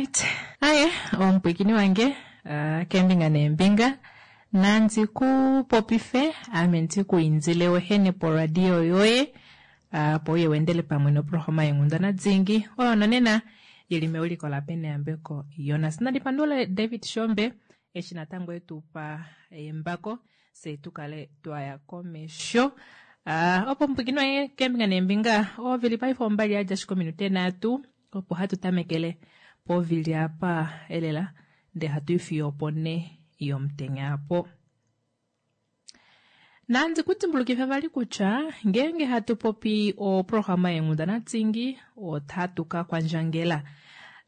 Alright, aye omupwiikini wange keembinga neembinga nandi ku popife ame ndi ku indile wehene poradio yoye opo uye weendele pamwe noprograma yenghundana dingi oyo nonena yili meuliko laPeneyambeko Jonas. Nandi pandule David Shombe eshi natango etu pa embako fye tu kale twaya komesho. Opo omupwiikini wange keembinga neembinga ovili paife ombali yadja ashike ominute nhatu opo hatu tamekele povili apa elela ndee hatu i fiyo opo ne yomutenya apo. Nandi ku dimbulukife vali kutya ngeenge hatu popi oprograma yenghundana dingi otatu ka kwandjangela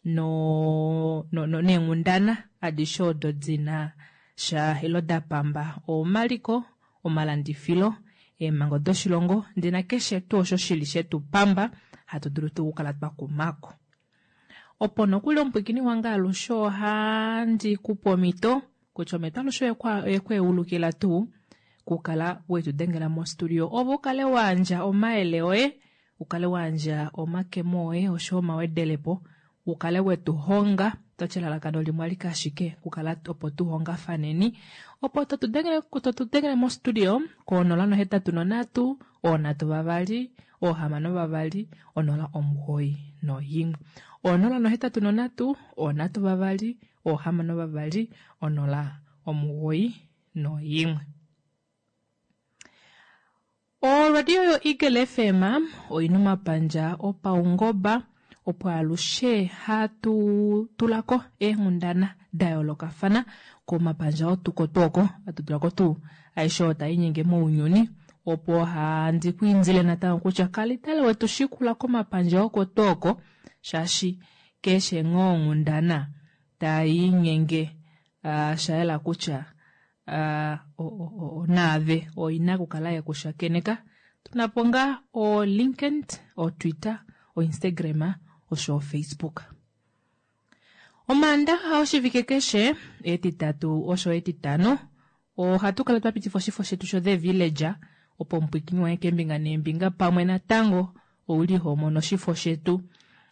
no, no, no, neenghundana adishe odo dina sha ilo da pamba omaliko, omalandifilo, eemhango doshilongo ndina keshe tuu osho shili shetu pamba hatu dulu tuu okukala twa kumako. Opo nokuli omupwiikini wange alushe ohandi kupe omhito kutya omhito alushe oyekweulukila tuu kukala wetu dengela mostudio ove ukale wayandja omayele oye, ukale wayandja omakemo oye osho omawedelepo, ukale wetu honga toti elalakano limwe alike ashike kukala opo tu hongafaneni opo totu dengele mostudio ko 083 3 6 091 083 3 6 091. Oradio yo Eagle FM oina omapandja opaungoba opo alushe hatu tulako eenghundana da yoolokafana komapandja otuko oko hatu tulako tuu aishe oyo tainyenge mounyuni opo handi kwiindile natango kutya kalitale wetu shikula komapandja oko tuu oko shaashi keshe ngoo onghundana tainyenge shayela kutya naave oina okukala yekushakeneka. Tunapo ngaa o LinkedIn, o Twitter, o Instagram osho o Facebook. Omaandaxa oshivike keshe etitatu osho etitano ohatu kala twa pitifa oshifo shetu sho The Villager opo omupwiikini wange keembinga neembinga pamwe natango ouli ho mono oshifo shetu.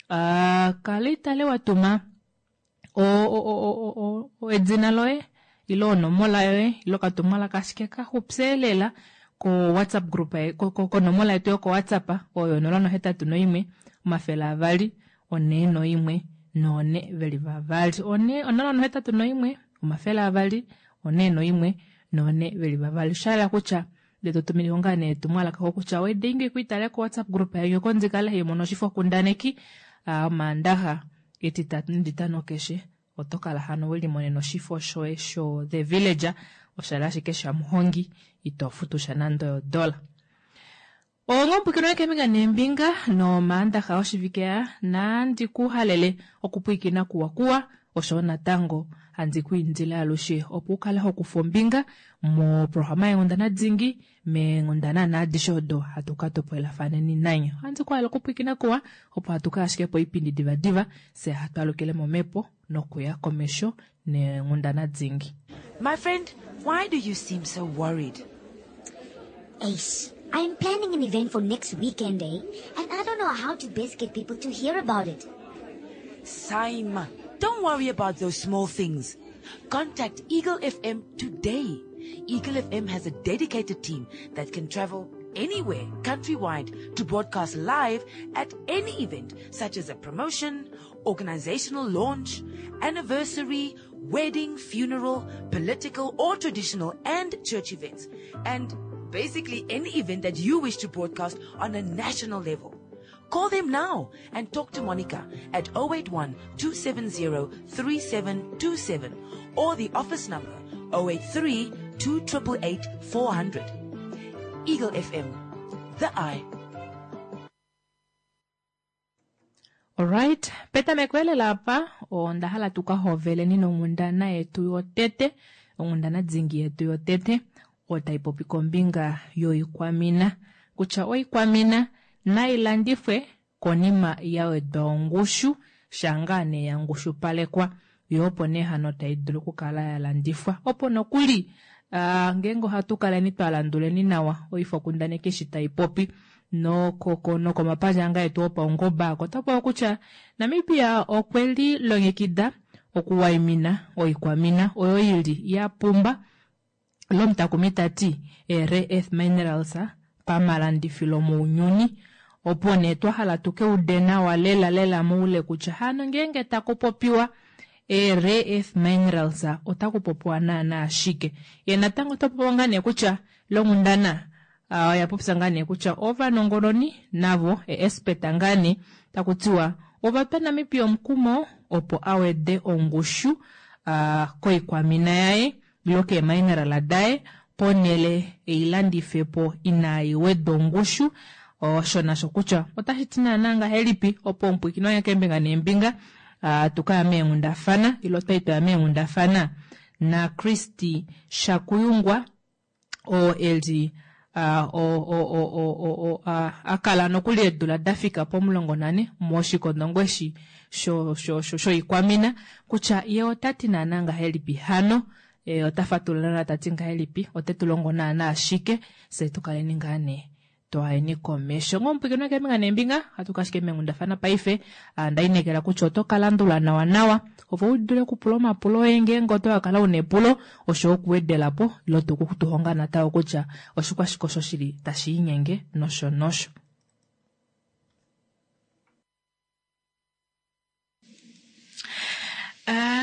Kala itale watuma edina loye ile onomola yoye ile okatumwalaka ashike kaxupye lela ko WhatsApp group konomola yetu yoko WhatsApp oyo 081 200 41 4 veli vavali 081 200 41 4 veli vavali. Osha kutya ndee totumine ngaa nee etumwalaka kutya wedingi kwiitale ko WhatsApp group yange oko ndikale haimono oshifo kundaneki omaandaxa etitatu netitano keshe oto kala hano welimonena oshifo shoye sho The Villager oshali ashike shamuhongi ito futu sha nande odola. Ongomupwiikini keembinga neembinga nomaandaxa oshivike aa nandi ku halele okupwiikina kuwa kuwa osho natango handi ku indile alushe opo ukale hokufa ombinga moprograma yenghundana dingi meenghundana naadishe odo hatu ka topolelafaneni nanye. Ohandi ku halele okupwiikina kuwa opo hatu kaya ashike poipindi divadiva fye hatu alukile momhepo nokuya komesho neenghundana dingi. My friend, why do you seem so worried? Ace, I'm planning an event for next weekend, eh? And I don't know how to best get people to hear about it. Saima, don't worry about those small things. Contact Eagle FM today. Eagle FM has a dedicated team that can travel anywhere countrywide to broadcast live at any event, such as a promotion, organizational launch, anniversary, wedding, funeral, political or traditional and church events, and basically any event that you wish to broadcast on a national level. Call them now and talk to Monica at 081 270 3727 or the office number 083 288 400. Eagle FM, the eye. Alright, petameko elela apa onda hala tuka hoveleni nonghundana yetu yotete, onghundana dingi yetu yotete oyo tai popi kombinga yoikwamina kutya oikwamina nailandifwe konima ya wedwa ongushu shangaa nee ya ngushupalekwa yo opo nee hano tai dulu okukala ya landifwa opo nokuli ngeenge ohatu kaleni twa landuleni nawa oifokundaneki eshi tai popi. Nokomapandja ngaa etu opaungoba ako ota popiwa kutya Namibia okwe li longekida okuwaimina oikwamina oyo ili ya pumba lomutakumi tati rare earth minerals pamalandifilo mounyuni. Opo nee twa hala tukeude nawa lela lela moule kutya hano ngeenge taku popiwa rare earth minerals ota kupopiwa naana ashike. Ye natango ota popiwa ngaa nee kutya longhundana oya popya ngaa nee kutya ovanongononi navo expert ngaa nee taku tiwa ovatwa Namibia omukumo opo awede ongushu koikwamina yaye ilo keemineral daye ponele eilandifepo inai wedwa ongushu. Osho nasho kutya otashi ti naana ngahelipi opo omupwiikini wange keembinga neembinga tukaya meenghundafana ilo twai twaya meenghundafana na Christy Shakuyungwa oo eli akala nokuli eedula dafika po14 moshikondo eshi shoikwamina kutya ye otati naana ngahelipi hano ota fatulula tati ngahelipi ote tu longo naana ashike se tukaleni ngaa nee twaeni komesho. Ngomupwiikini keembinga neembinga hatu kashike meenghundafana paife ndainekela kutya oto kalandula nawa nawa opo u dule okupula omapulo oye ngeenge oto kala una epulo osho okuwedelapo ilo tukutuhonga natango kutya oshikwashike osho shili tashi inyenge nosho nosho.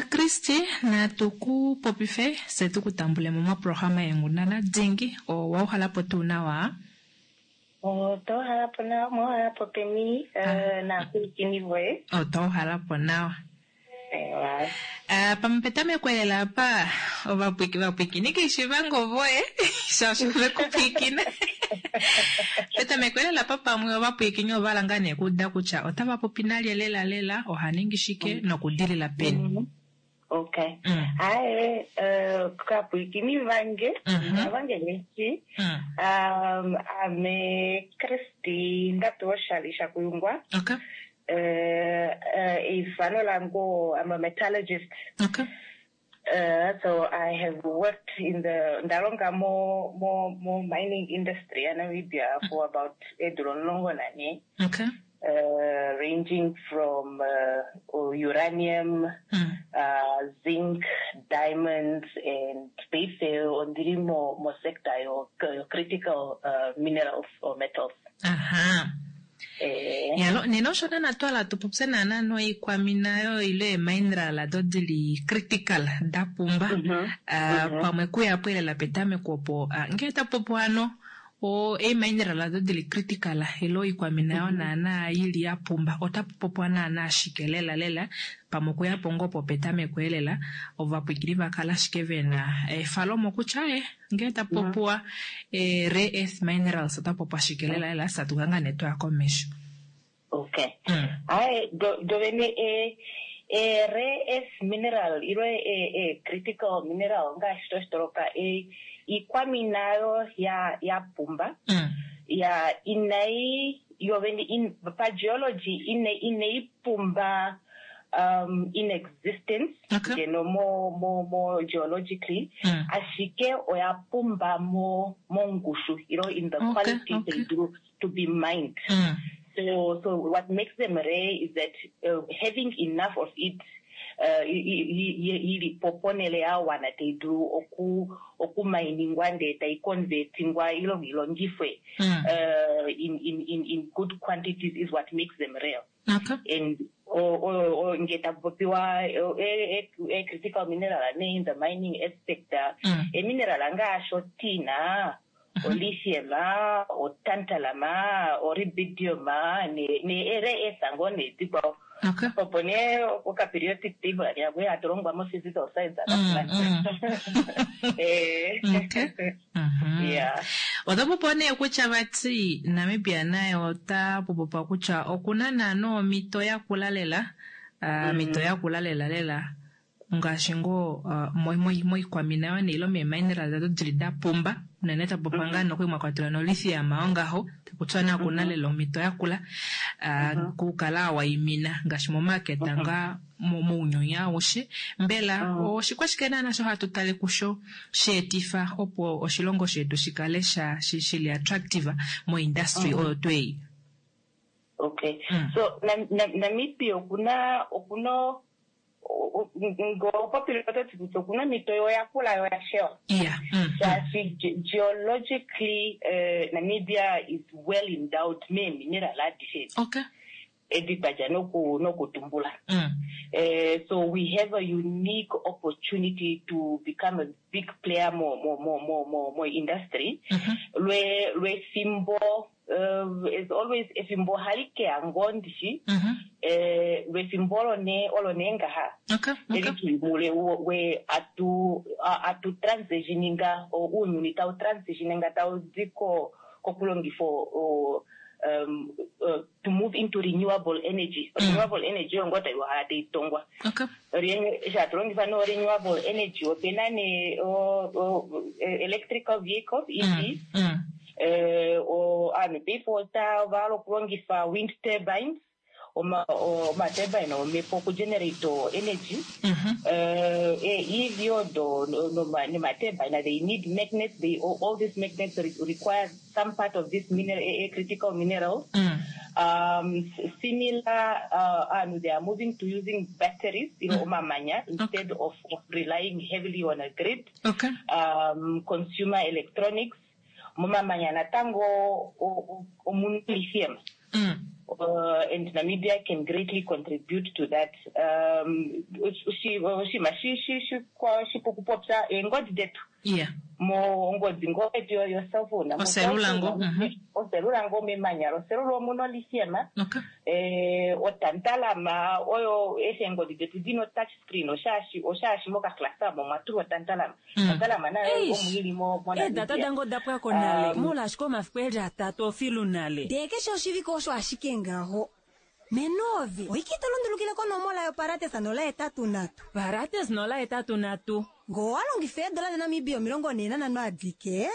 Christy natu ku popife se tukutambule mo moprograma yenghundana dingi owauhalapo tuu nawa? Otauhalapo nawa, mwauhalapo peni naapwilikini voye? Otauhalapo nawa. Pamwe petameko lela apa ovapwiikini keishivango voye shaashi vekupwiikina. Petameko lela apa pamwe ovapwiikini ovala ngaa nee kuuda kutya otava popi nalye lela lela oha ningi shike nokudilila peni. Okay. Haye kapwiikini vange vange veshi ame Christy ndapewa oshali Shakuyungwa. Okay. Eifano langu, I'm a metallurgist. Okay. So I have worked in the ndalonga mo mining industry ya Namibia for about eedula 14. Okay. Ranging from uranium, zinc, diamonds, and basically ondili mo sector yo critical minerals or metals. Aha. Yalo nena osho nana twala tupopye naana noikwamina yo ile mineral do dili critical da pumba. Pamwe kuya pwelela petameko opo ngee tapopo ano o mineral do dili critical ilo ikwamina yo naana ili ya pumba otapopo naana ashike lela lela pamwe kuya pongo po petameko elela ovapwikili vakala ashike vena efalomo kutya ngee tapopoa rare earth minerals otapopo ashike lela lela satukanga netwa komesho. Okay. Hayi dovene rare earth mineral ilo critical mineral ngaashi toshitoloka ikwamina yo ya pumba ya inai yovene pa geology inai pumba in existence ngeno mo geologically ashike oya pumba mo mongushu ilo in the quality they do to be mined. So what makes them rare is that having enough of it ili poponele ya wana they do oku miningwa nde tai convertingwa ilo ilongifwe in good quantities is what makes them rare. Okay. And o ngeta popiwa a critical mineral ne in the mining aspect a mineral ngaashi otina, o lithium, o tantalum, o rubidium ne rare earth ngo ne dikwa. Okay. Opo ne oka periodic table ya we atolongwa mo physical science Okay. Yeah. Otapopo nee kutya vati Namibia naye ota popopa kutya okuna naana omito ya kula lela, mito ya kula lela lela ngaashi ngoo moikwamina yo neilo mee mineral dado dili da pumba. Unene ta popiwa ngaa nokuli mwa kwatelwa nolithium ongaho, kutya naa okuna lela omhito yakula okukala waimina ngaashi momaketa ngaa mounyuni aushe. Mbela oshikwashike naana sho hatu tale kusho sheetifa opo oshilongo shetu shikale sha shili attractive moindustry oyo tuu ei? Okay. So Namibia okuna okuna ngopopile ototi kutya okuna omhito yo yakula yo yashewa. Shaashi geologically Namibia is well endowed meemineral adishe edi twa dja nokutumbula. So we have a unique opportunity to become a big player mo mo mo mo mo mo industry. Lwe lwefimbo as always efimbo ohali keya ngoo ndishi. Lwefimbo olo nee olo nee ngaha. Eli tuli mule we atu atu transitioninga ounyuni tau transitioninga tau di ko kokulongifa to move into renewable energy. Renewable energy oyo ngoo tai uhala tai tongwa. Eshi hatu longifa no renewable energy opena nee electrical vehicles, EVs. Ovanhu paife ova hala okulongifa wind turbines, omaturbine omhepo okugenerate energy. EV odo nomaturbine they need magnets, all these magnets require some part of this mineral, critical minerals. Similar, ovanhu they are moving to using batteries, omamanya, instead of relying heavily on a grid. Consumer electronics, momamanya natango omuna lithium. And Namibia can greatly contribute to that. Oshinima shipu okupopya eengodi detu. Mongodi ngoo yetu yo-cellphone. Oselula ngoo. Oselula ngoo memanya loselula omuna lithium. Otantalum oyo eshi eengodi detu dina o-touch screen oshaashi mokaklasa omo omwa tulwa otantalum. Tantalum nayo omo ili moNamibia. Eedata dange oda pwako nale, molwaashi omafiku eli atatu ofilu nale. Ndee keshe oshivike osho ashike ngaho. Menovi, oike to lundulukile konomola yoparates 083. Parates 083. Ngoo wa longifa eedola daNamibia 45 adike,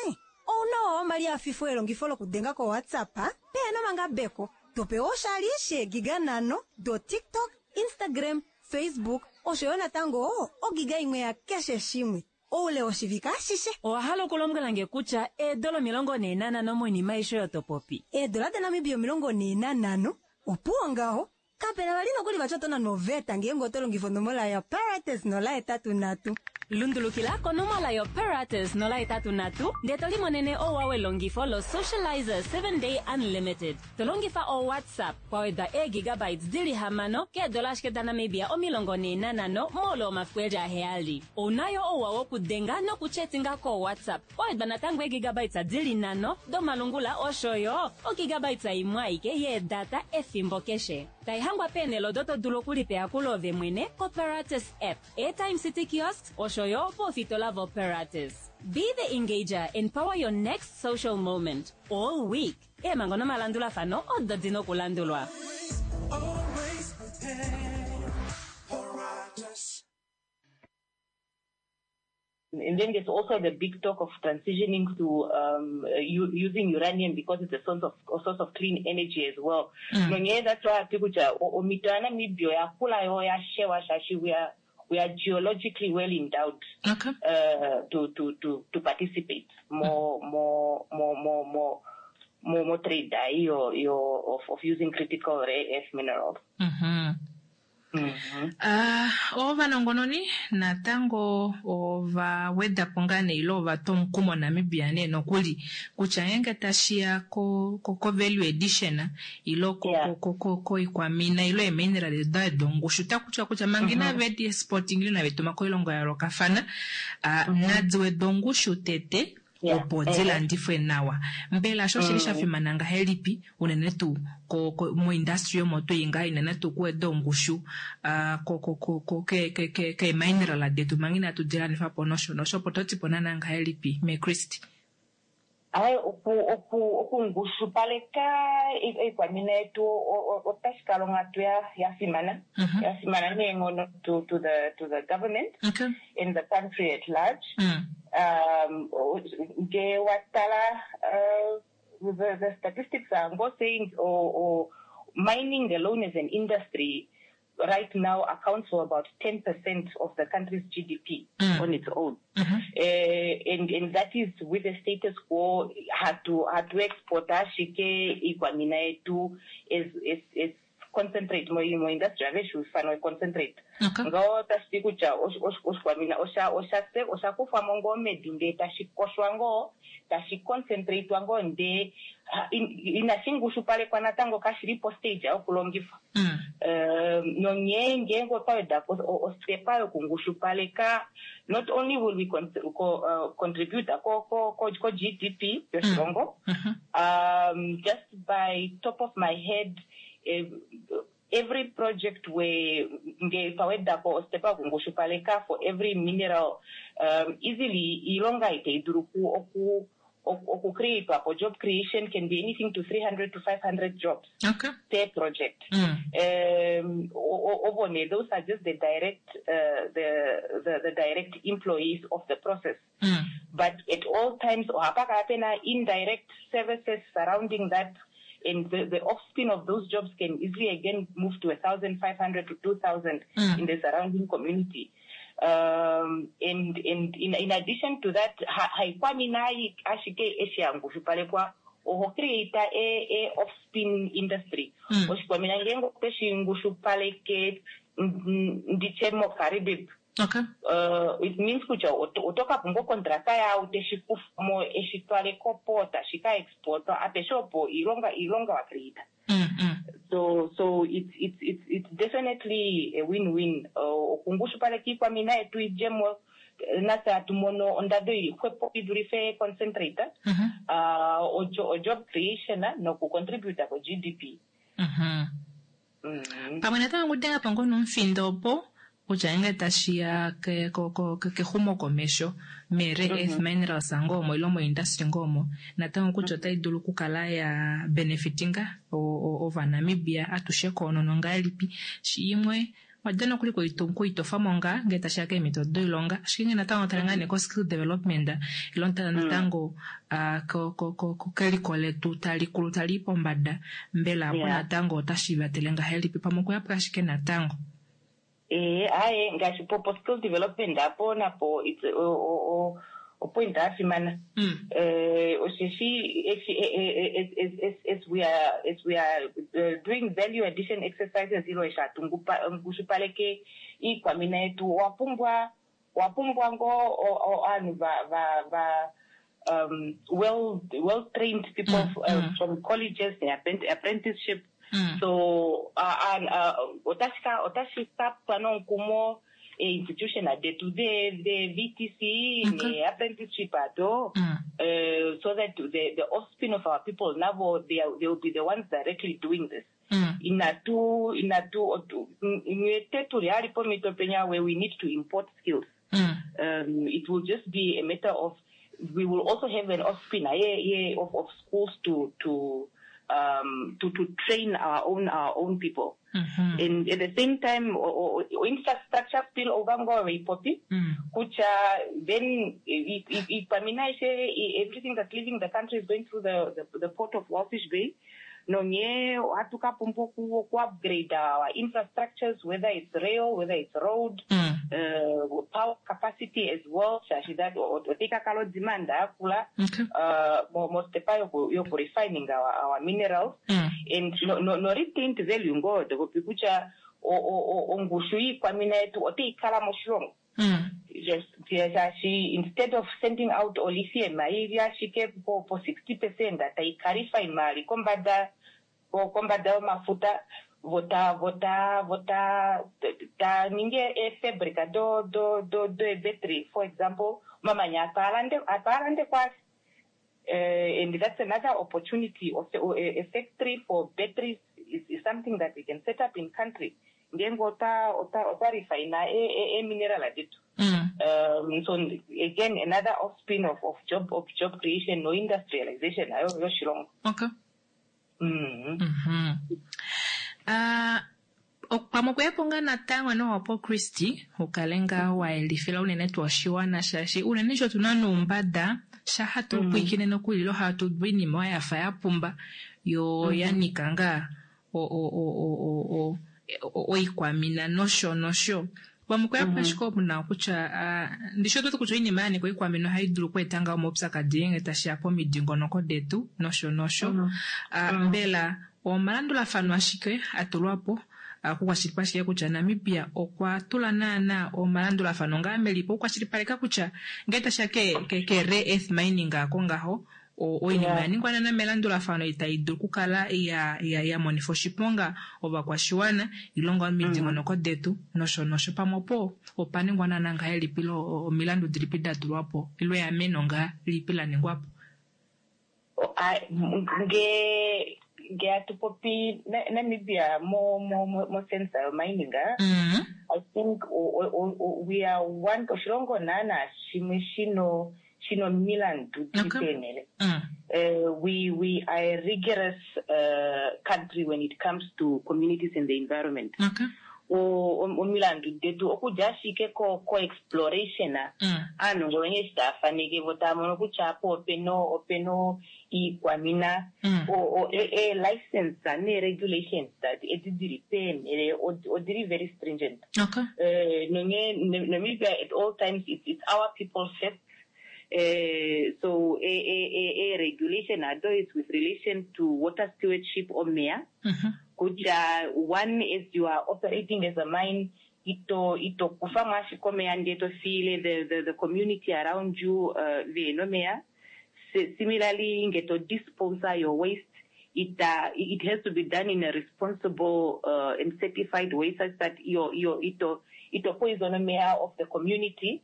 ouna wa omali afifo elongifo lokudenga koWhatsApp pehena omangabeko. Topewa oshali sheegiga 5 do TikTok, Instagram, Facebook osho yo natango ogiga imwe ya keshe shimwe oule woshivike ashishe. Owa hala okulombwela nge kutya eedola 45 moinima aishe oyo to popi? Eedola daNamibia 45 opuwo ngaho. Kapena vali nokuli vati oto nanwa oveta ngeenge oto longifa onomola yoparates 083. Lundulukila konomola yoparates 083 ndee to limonene ouwa welongifo lo-Socializer 7-day unlimited. To longifa o-WhatsApp kwa wedwa eegigabytes dili 6 keedola ashike daNamibia 45 moule womafiku eli 7. Ouna yo ouwa wokudenga nokuchetinga ko-WhatsApp kwa wedwa natango eegigabytes dili 5 domalungula osho yo ogigabytes imwe aike yeedata efimbo keshe. Taihangwa peenhele odo to dulu okulipa eyakulo ove mwene koParates app, Airtime City Kiosks osho yo poofitola voParates. Be the engager and power your next social moment all week. Eemhango nomalandulafano odo di na okulandulwa. And then there's also the big talk of transitioning to using uranium because it's a source of clean energy as well. Nonghee that's why hati kutya omhito yaNamibia oyakula yo oyashewa shaashi we are geologically well endowed to participate mo mo mo mo mo mo mo trade ei yo yo of using critical rare earth minerals. Ovanongononi natango ova weda po ngaa nee ile ova twa omukumo Namibia nee nokuli kutya ngeenge tashiya ko value addition ile koikwamina ile eemineral edo dongushu otaku tiwa kutya manga inave di exporting ile inave tuma koilongo ya yoolokafana nadi wedwe ongushu tete opo di landifwe nawa. Mbela osho oshili sha fimana ngahelipi unene tuu moindustry omo twii ngaa unene tuu okuweda ongushu keemineral detu manga inatu di landifa po nosho nosho opo to ti po naana ngahelipi meChristy? Ai, okungushupaleka oikwamina yetu otashi kala onghatu ya fimana. Ya fimana neenghono to the government and the country at large. Nge wa tala the statistics are ngo saying or mining alone as an industry right now accounts for about 10% of the country's GDP on its own. And that is with the status quo, hatu export ashike iikwamina yetu as concentrate mo industry ave shi concentrate. Ngaho tashi ti kutya oshikwamina osha kufwa mo ngoo medu ndee tashi koshwa ngoo, tashi concentratwa ngoo, ndee inashi ngushupalekwa natango, kashi li postage yokulongifwa. Nonghee ngeenge otwa weda po ostepa yokungushupaleka, not only will we contribute ko GDP yoshilongo, just by top of my head, every project where nge twawedako ostepa yokungushupaleka for every mineral, easily iilonga itayi dulu oku create po job creation can be anything to 300 to 500 jobs per project. Obone, those are just the direct employees of the process. But at all times, ohapa kala pena indirect services surrounding that, and the offspin of those jobs can easily again move to 1,500 to 2,000 in the surrounding community. And in addition to that, haikwamina ashike eshi yangushupalekwa, oho create a offspin industry. Oshikwamina ngeenge oteshi ngushupaleke, nditye moKaribib, it means kutya oto ka pumbwa okontraka yawo teshi kufamo eshi twale koport shi ka exportwa apeshe opo iilonga wa create. So it's definitely a win-win. Okungushupaleka iikwamina yetu idjemo natse hatu mono ondando ili xwepo i dulife concentrate, o job creation noku contribute ko GDP. Pamwe natango okudenga po ngoo nomufindo opo kutya ngeenge tashiya kexumokomesho me-rare earth minerals ngoo omo ile moindustry ngoo omo natango kutya otai dulu okukala ya benefitinga Ovanamibia atushe koonono ngahelipi. Shimwe wada nokuli kuitofamo ngaa ngee tashiya keemhito doilonga, ashike ngee natango tale ngaa nee ko-skill development ile tala natango keliko letu tali kulu tali i pombada, mbela apo natango otashi vatele ngahelipi pamwe okuyapo ashike natango? Ee, aye, ngaashi po skill development apo napo it's opoint ya fimana. Osheshi eshi as we are doing value addition exercises ilo eshi hatu ngushupaleke iikwamina yetu, owa pumbwa ngoo ovanhu va well trained people from colleges, the apprenticeship. So otashi ka pwa nomukumo institution detu de VTC ne apprenticeship ado, so that the offspring of our people navo they will be the ones directly doing this. Inatu ngete tuli hali pomito penya where we need to import skills. It will just be a matter of we will also have an offspring of schools to train our own people. And at the same time, infrastructure spill over ngoo ipopi kutya then ikwamina aishe, everything that's leaving the country is going through the port of Walvis Bay. Nonye ohatu ka pumbwa oku upgrade our infrastructures, whether it's rail, whether it's road, power capacity as well, shaashi that otayi ka kala odemand yakula mostepa yoku refining our minerals and no retained value ngoo topopi kutya ongushu yiikwamina yetu otayi kala moshilongo. Shaashi instead of sending out olithium ili ashike po 60% tayi ka refine kombada yomafuta, vota ta ninge eefabrica do ebattery, for example, omamanya atwaalande kwasi. And that's another opportunity of a factory for batteries is something that we can set up in country ngeenge ota refine e mineral detu. So again another offspring of job creation no industrialization ayo yoshilongo. Pamwe okuya po ngaa natango nowapo Christy ukale ngaa wa yelifila unene tuu oshiwana shaashi unene sho tuna noumbada sha hatu pwiikine nokuli ilo hatu udu oinima oyo yafa ya pumba yo ya nika ngaa oikwamina nosho nosho. Pamwe okuya po ashike omu na kutya ndishi otu wete kutya oinima ya nika oikwamina ohayi dulu okweeta ngaa omaupyakadi ngee tashi ya pomidingonoko detu nosho nosho. Mbela omalandulafano ashike a tulwa po okukwashilipaleka kutya Namibia okwa tula naana omalandulafano ngaa melipo okukwashilipaleka kutya ngee tashi ya ke ke rare earth mining ako ngaho oinima ya ningwa naana melandulafano itai dulu okukala ya ya ya monifa oshiponga ovakwashiwana ile ngaa omidingonoko detu nosho nosho. Pamwe opo opa ningwa naana ngahelipi ile omilandu dilipi da tulwa po ile eameno ngaa lipi la ningwa po? Nge nge hatu popi Namibia mo mo mo sense yo mining, I think we are one oshilongo naana shimwe shino shino omilandu dili peenhele. We we are a rigorous country when it comes to communities and the environment. Omilandu detu okudja ashike ko ko exploration, aanongononi eshi taya faneke vo taya mono kutya apa opena opena iikwamina, ee license nee regulations edi dili peenhele odili very stringent. Nonghee Namibia at all times it's our people first. So ee regulation ado is with relation to water stewardship, omeya, kutya one, as you are operating as a mine, ito ito kufamo ashike omeya ndee to fiile the, the, the community around you vehena omeya. Similarly, nge to dispose your waste, it it has to be done in a responsible and certified way such that your your ito ito poison omeya of the community.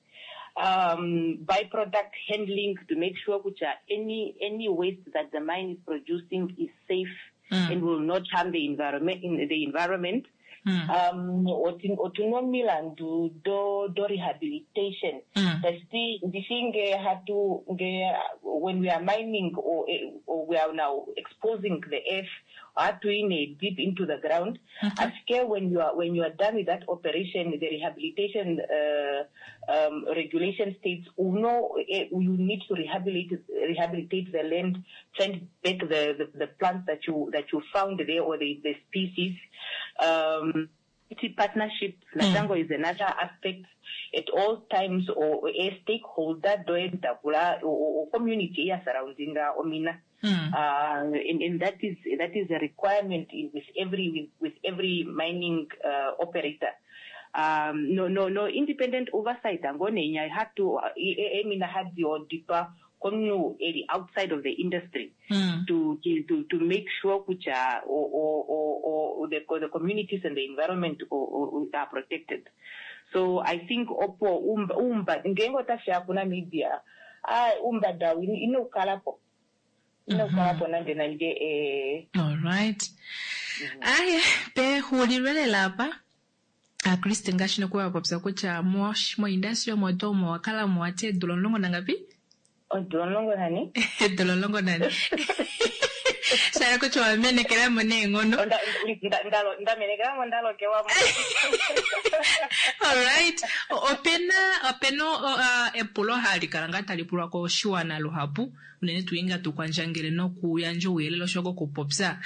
Byproduct handling, to make sure kutya any any waste that the mine is producing is safe and will not harm the environment in the environment. Otuna omilandu do do rehabilitation, tashiti ndishi nge hatu nge when we are mining or, or we are now exposing the earth, ohatu yi nee deep into the ground. Ashike when you are when you are done with that operation, the rehabilitation regulation states uno you need to rehabilitate rehabilitate the land, plant back the, the, the plants that you that you found there or the, the species. Partnership natango is another aspect. At all times or a stakeholder doentakula or community ya surrounding omina, and, and that is that is a requirement in, with every with, with every mining operator. No no no independent oversight angonenya had to emina had oditwa komunhu eli outside of the industry to, to to to make sure kutya o, o, o, the, the communities and the environment are protected. So I think opo umba ngeenge otashiya kuNamibia, uumbada inau kala po inau kala po nande nande. Alright, aye, pexulilo lela apa, Christy, ngaashi nokuwa popya kutya moindustry omo to omo wakala mo wati eedula 14? Odula 14. Eedula 14, shala kutya wamenekelamo neenghono. Ndamenekelamo, ndalokelwamo. Alright, opena opena epulo hali kala ngaa tali pulwa koshiwana luhapu unene tuu inga tukwandjangele nokuyandja ouyelele osho kokupopya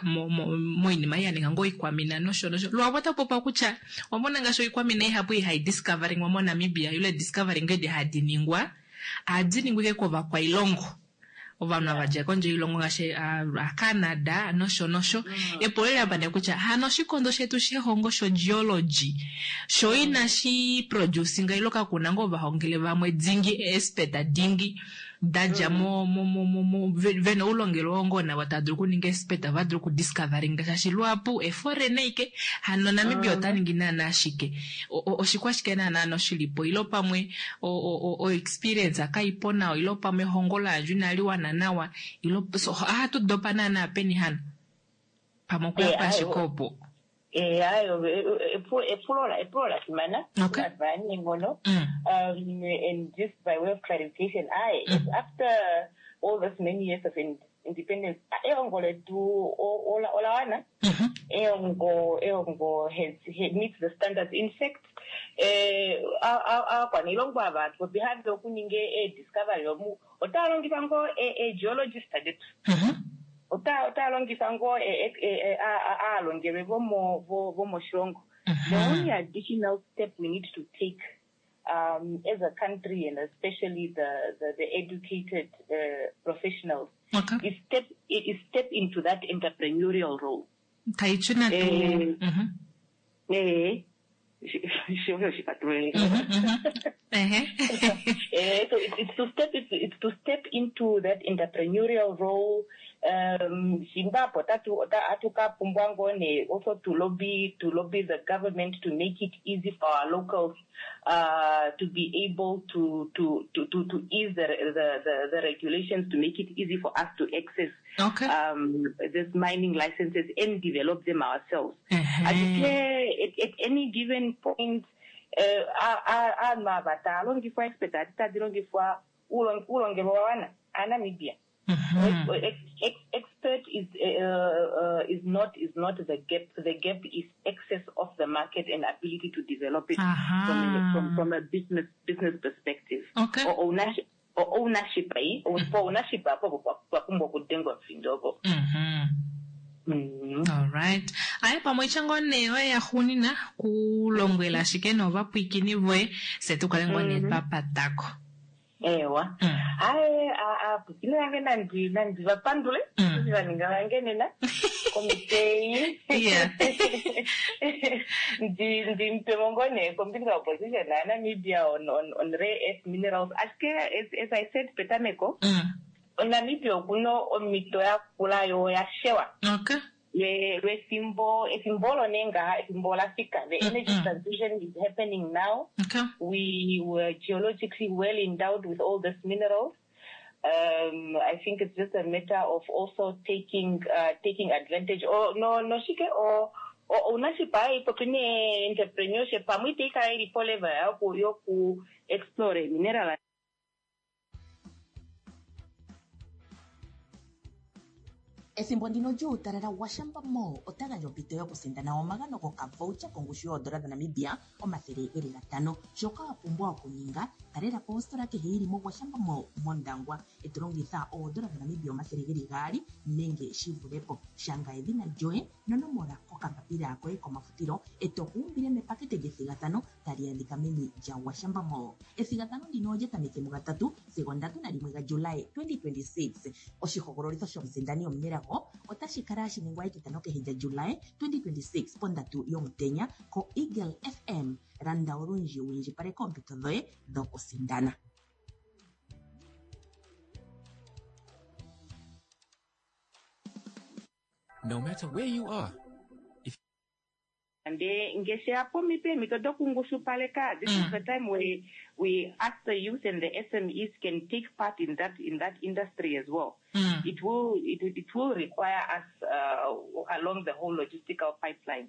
moinima ei ya ninga ngoo oikwamina nosho nosho. Luhapu otaku popiwa kutya wamona ngaashi oikwamina ihapu ihai discoveringwa moNamibia ile discovering edi hadi ningwa ohadi ningwa ike kovakwailongo, ovanhu ava dja kondje yoilongo ngaashi aCanada nosho nosho. Epulo eli apa nee kutya hano oshikondo shetu shehongo shogeology sho inashi producinga ilo kakuna ngoo ovahongele vamwe dingi, expert dingi da dja mo mo mo mo mo vena oulongelwe oo ngoo navo tava dulu okuninga expert va dulu okudiscoveringa, shaashi luhapu eforeign ike. Hano Namibia ota ningi naana ashike oshikwashike naana noshilipo ilo pamwe o experience kaipo nawa ilo pamwe ehongo layandjwa inali wana nawa ilo so ohatu dopa naana peni hano pamwe okuya ashike opo? Ayo epulo epulo la fimana, la fimana neenghono. And just by way of clarification, I it's after all this many years of in, Independence. Ehongo letu ola wana. Ehongo has meets the standards. In fact, aakwaniilongo ava hatu popi have okuninga ee-discovery omu otaya longitha ngoo ee-geologist detu. Otaya longitha ngoo aalongelwe vomoshilongo. The only additional step we need to take as a country, and especially the educated professionals, is step into that entrepreneurial role. Taichi natu. So it's to step into that entrepreneurial role. Zimbabwe otatu ka pumbwa ngoo nee also to lobby the government to make it easy for our locals to be able to ease the regulations to make it easy for us to access this mining licenses and develop them ourselves. Ashike at any given point, aanhu ava taya longifwa, expert adi tadi longifwa, uulongelwe wa wana aaNamibia. Expert is not the gap. The gap is access of the market and ability to develop it from a business perspective. Or ownership, eh? For ownership apo pwa pumbwa okudengwa omufindo opo. Alright, aye pamwe itya nee oye yaxuunina kulombwela ashike novapwiikini voye se tukale ngoo nee twapatako. Ewa. Hayi, aapwiikini vange nandi vapandule eshi va ninga vange nena komitei ndi mupemo ngoo nee kombinga yoposition yaNamibia on rare earth minerals. Ashike as I said petameko, oNamibia okuna omito yakula yo yashewa lwefimbo, efimbo olo nee ngaha, efimbo ola fika. The energy transition is happening now. We were geologically well endowed with all these minerals. I think it's just a matter of also taking advantage or no no shike or ownership hayi popi ne entrepreneurship pamwe itayi kala ili po level yoku explore mineral. Ethimbo ndino lyuutalala, Gwashamba Mall ota gandja ompito yokusindana omagano gokavoucher kongushu yoodola dhaNamibia 500. Shoka wa pumbwa okuninga, talela po ositola kehe yi li moGwashamba Mall mOndangwa e to longitha oodola dhaNamibia 200 nenge shi vule po. Shanga edhina lyoye nonomola kokambapila koye komafutilo e to kuumbile mepakete lyethigathano tali adhika meni lyaGwashamba Mall. Ethigathano ndino olya tameke muga3 sigo 31 gaJulai 2026. Oshihogololitho shomusindani omunelago otashi kala hashi ningwa etitano kehe lyaJulai 2026 pondatu yomutenya koEagle FM. Landa olundji wu indjipaleke oompito dhoye dhokusindana. No matter where you are, if Nde ngeshe yapo peemhito dokungushupaleka, this is the time where we ask the youth and the SMEs can take part in that industry as well. It will require us along the whole logistical pipeline.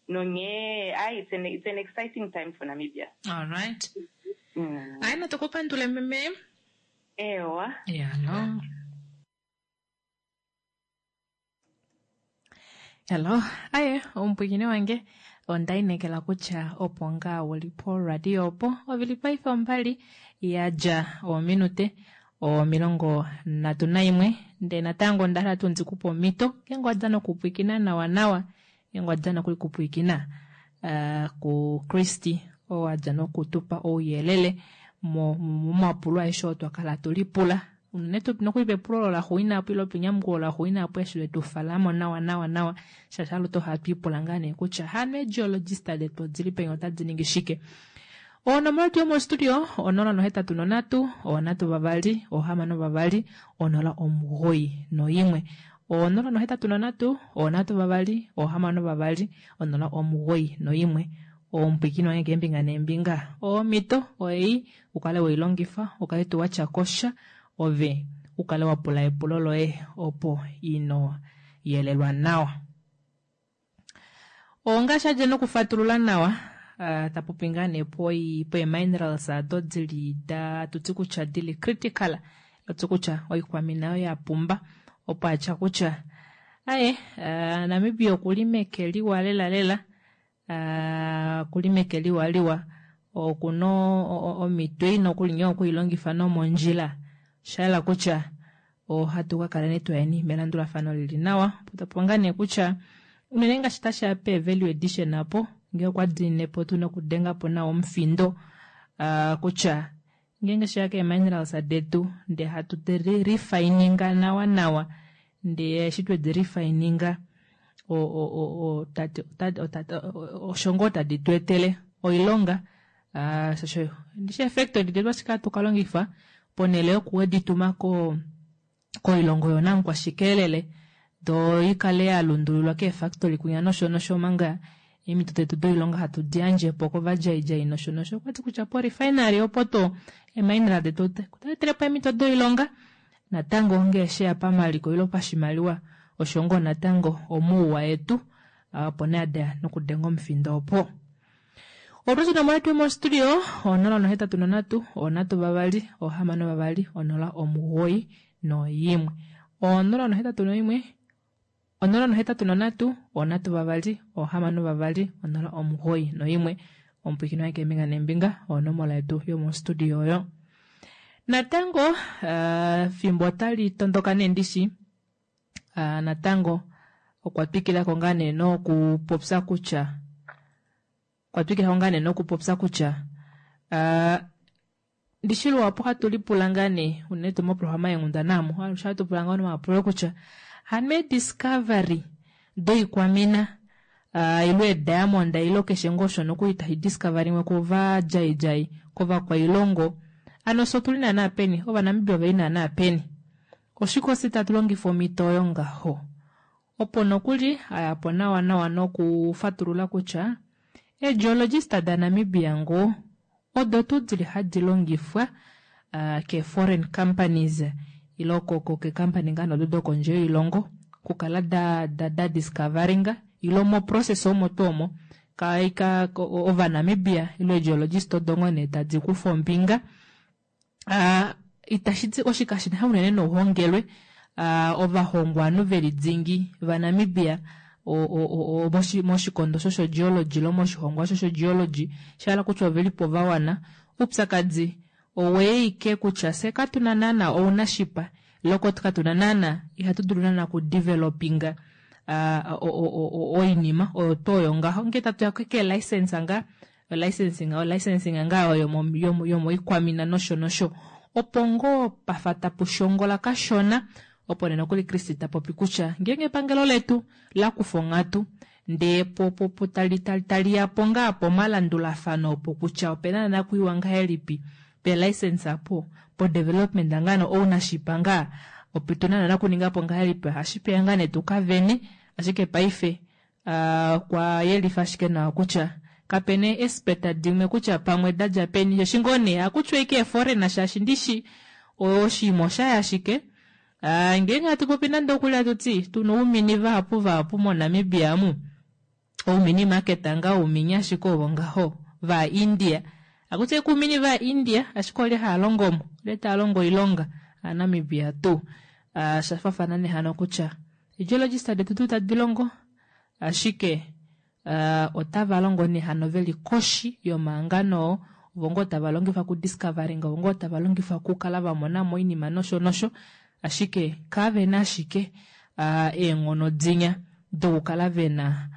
Nonge ayi, it's an exciting time for Namibia. Alright. Ayi, natukupandule meme. Ewa. Yalo. Hello, aye, omupwikini wange onda inekela kutya opo ngaa wuli po radio opo ovili paife 2 ya dja oominute 31, ndee natango onda hala tuu ndikupe omhito ngeenge wadja nokupwikina nawa nawa, ngeenge wadja nokuli kupwikina ku Christy oo adja nokutupa ouyelele momapulo aeshe oo twakala tulipula, unene tuu nokuli pepulo olo laxuuninwa apo ile penyamukulo laxuuninwa apo eshi letufalamo nawa nawa nawa, shaashi aluhe ohatu ipula ngaa nee kutya hano eegeologist detu odili peni, otadi ningi shike. Onomola yetu yomostudio 083 3 62 091, 083 3 62 091. Omupwikini wange keembinga neembinga, omhito oyeyi ukale weilongifa, ukale tuu watya kosha ove ukale wapula epulo loye opo ino yelelwa nawa. Ongaashi adja nokufatulula nawa, tapopi ngaa nee poeminerals ado dili da tuti kutya dili critical, oti kutya oikwamina oyo ya pumba. Opo atya kutya aye Namibia okuli meke liwa lela lela, okuli meke liwa liwa, okuna omhito ei nokuli nghee okuilongifa nomondjila. Oshayela kutya ohatu ka kala nee twayeni melandulafano lili nawa. Opo tapopi ngaa nee kutya unene ngaashi tashiya pe value addition apo, ngee okwa diinine po tu nokudenga po nawa omufindo kutya ngeenge sheya keeminerals detu ndee hatu di refininga nawa nawa, ndee eshi twedi refininga osho ngoo tadi tu etele oilonga. Shosho ndishi eefactory detu ashike hatu ka longifa ponhele yokuwedi tuma koilongo yoonamukwashikelele do ikale ya lundululwa keefactory kwinya nosho nosho, omanga eemhito detu doilonga hatu di yandje po kovadjaidjai nosho nosho. Okwati kutya po refinery opo to eemineral detu otadi etele po eemhito doilonga natango ngee sheya pamaliko ile pashimaliwa osho ngoo natango omouwa etu, opo nee ada nokudenga omufindo opo. Otwa tuna mo tu mostudio 083 3 6 2 09 081 083 3 6 2 09 Omupwikino waye keembinga neembinga onomola yetu yomostudio oyo. Natango fimbo otali tondoka nee ndishi, natango okwa twikilako ngaa nee nokupopya kutya okwa twikilako ngaa nee nokupopya kutya ndishi luhapu hatu lipula ngaa nee unene tuu moprograma yeenghundana omu, alushe ohatu pula ngaa omapulo kutya hano eediscovery doikwamina ile eediamond ile keshe ngoo osho nokuli tashi discoveringwe kovadjaidjai kovakwailongo, hano fye otuli naana peni, Ovanamibia oveli naana peni? Oshike ofye tatu longifa omhito oyo ngaho? Opo nokuli ayapo nawa nawa nokufatulula kutya eegeologist daNamibia ngoo odo tuu dili hadi longifwa keeforeign companies ile keecompany ngaa nodo dokondje yoilongo okukala da discoveringa ile moprocess omo tuu omo Ovanamibia ile eegeologist odo ngoo nee tadi kufa ombinga. Itashi ti oshikashina unene nouhongelwe, ovahongwanhu veli dingi vaNamibia moshikondo shoshogeology ile moshihongwa shoshogeology, shahala kutya ovelipo vawana. Oupyakadi oweike kutya fye katuna naana ounashipa ile katuna naana, ihatu dulu naana okudevelopinga oinima oyo tuu oyo ngaho. Ngee tatuya keelicense ngaa, licensing ngaa oyo yomoikwamina nosho nosho, opo ngoo pafa tapu shongola kashona. Opo nee nokuli Christie ta popi kutya ngeenge epangelo letu la kufa onghatu ndee po taliyapo ngaa pomalandulafano opo kutya opena nakuiwa ngahelipi pe license apo po development ngaa no ownership ngaa opo tuna nakuningapo ngahelipi, ohashi peya ngaa nee tukavene. Ashike paife okwa yelifa ashike nawa kutya kapena expert dimwe kutya pamwe dadja peni, shaashi ngoo nee hakutiwa ashike eeforeigner, shaashi ndishi oshinima oshaya ashike. Ngeenge hatu popi nande okuli hatuti tuna oumini vahapu vahapu moNamibia amu, oumini market ngaa oumini ashike ovo ngaho va India, hakuti ashike oumini va India ashike olye haya longo mo, olye taya longo oilonga aaNamibia tuu. Shafafana nehano kutya eegeologist detu tuu tadi longo, ashike otava longo nehano veli koshi yomahangano oo, ovo ngoo tava longifwa ku discovering, ovo ngoo tava longifwa okukala vamona mo oinima nosho nosho, ashike kavena ashike eenghono dinya dokukala vena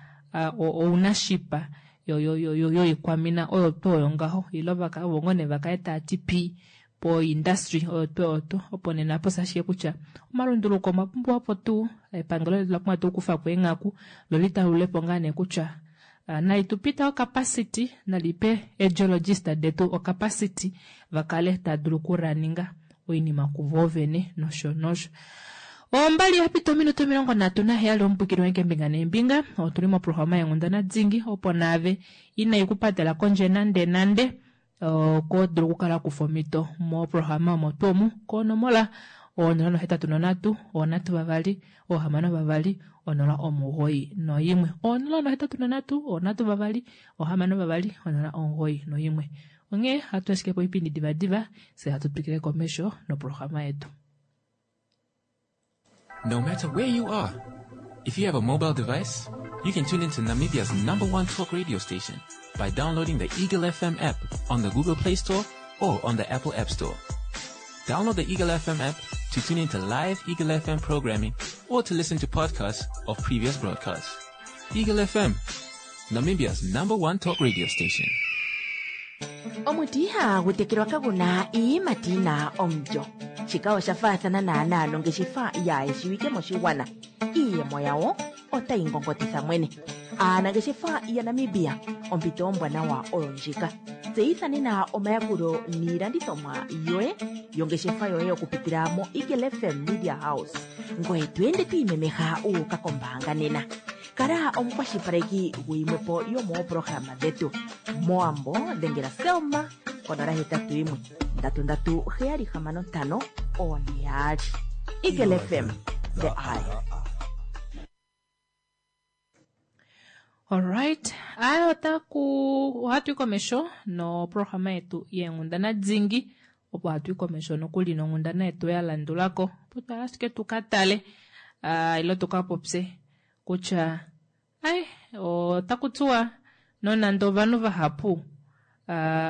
ounashipa yoikwamina oyo tuu oyo ngaho, ile ovo ngoo nee vakale tava ti pii po industry oyo tuu oyo tuu. Opo nena posa ashike kutya omalunduluko omwa pumbiwa po tuu, epangelo letu ola pumbwa tuu okukufapo eenghaku lo litalulepo ngaa nee kutya nalitupita ocapacity, nalipe eegeologist detu ocapacity vakale tava dulu okuraninga oinima kuvo vene nosho nosho. Ombali yapita ominute 37 omupwikini wange keembinga neembinga, otuli moprograma yeenghundana dingi opo naave inai kupatela kondje nande nande, oko dulu okukala kufa omhito moprograma omo tuu omu konomola 083 3 6 2 09 083 3 6 2 09. Onghee hatu ashike po oipindi divadiva, fye hatu twikile komesho noprograma yetu. No matter where you are, if you have a mobile device, you can tune into Namibia's number one talk radio station by downloading the Eagle FM app on the Google Play Store or on the Apple App Store. Download the Eagle FM app to tune into live Eagle FM programming or to listen to podcasts of previous broadcasts. Eagle FM, Namibia's number one talk radio station. Omuti ihagu tekelwa kagu na iiyimati yi na omulyo. Shika osha faathana naanaa nongeshefa yaayeshiwike moshigwana. Iiyemo yawo otayi ngongotitha mwene. Aanangeshefa yaNamibia, ompito ombwanawa oyo ndjika. Tseyitha nena omayakulo niilandithomwa yoye yongeshefa yoye okupitila moEagle FM Media House. Ngoye to ende to imemeha wu uka kombaanga nena. Kala omukwashilipaleki guyimwepo yomoopolohalama dhetu. MOwambo dhengela Selma ko 081 337 6542. Eagle FM, the eye. Alright, aya otaku ohatu yi komesho noprograma yetu yeenghundana dingi opo hatu yi komesho nokuli nonghundana yetu ya landulako opo twala ashike tu ka tale uh, ile tu ka popye kutya ai otaku tiwa nonande ovanhu vahapu uh,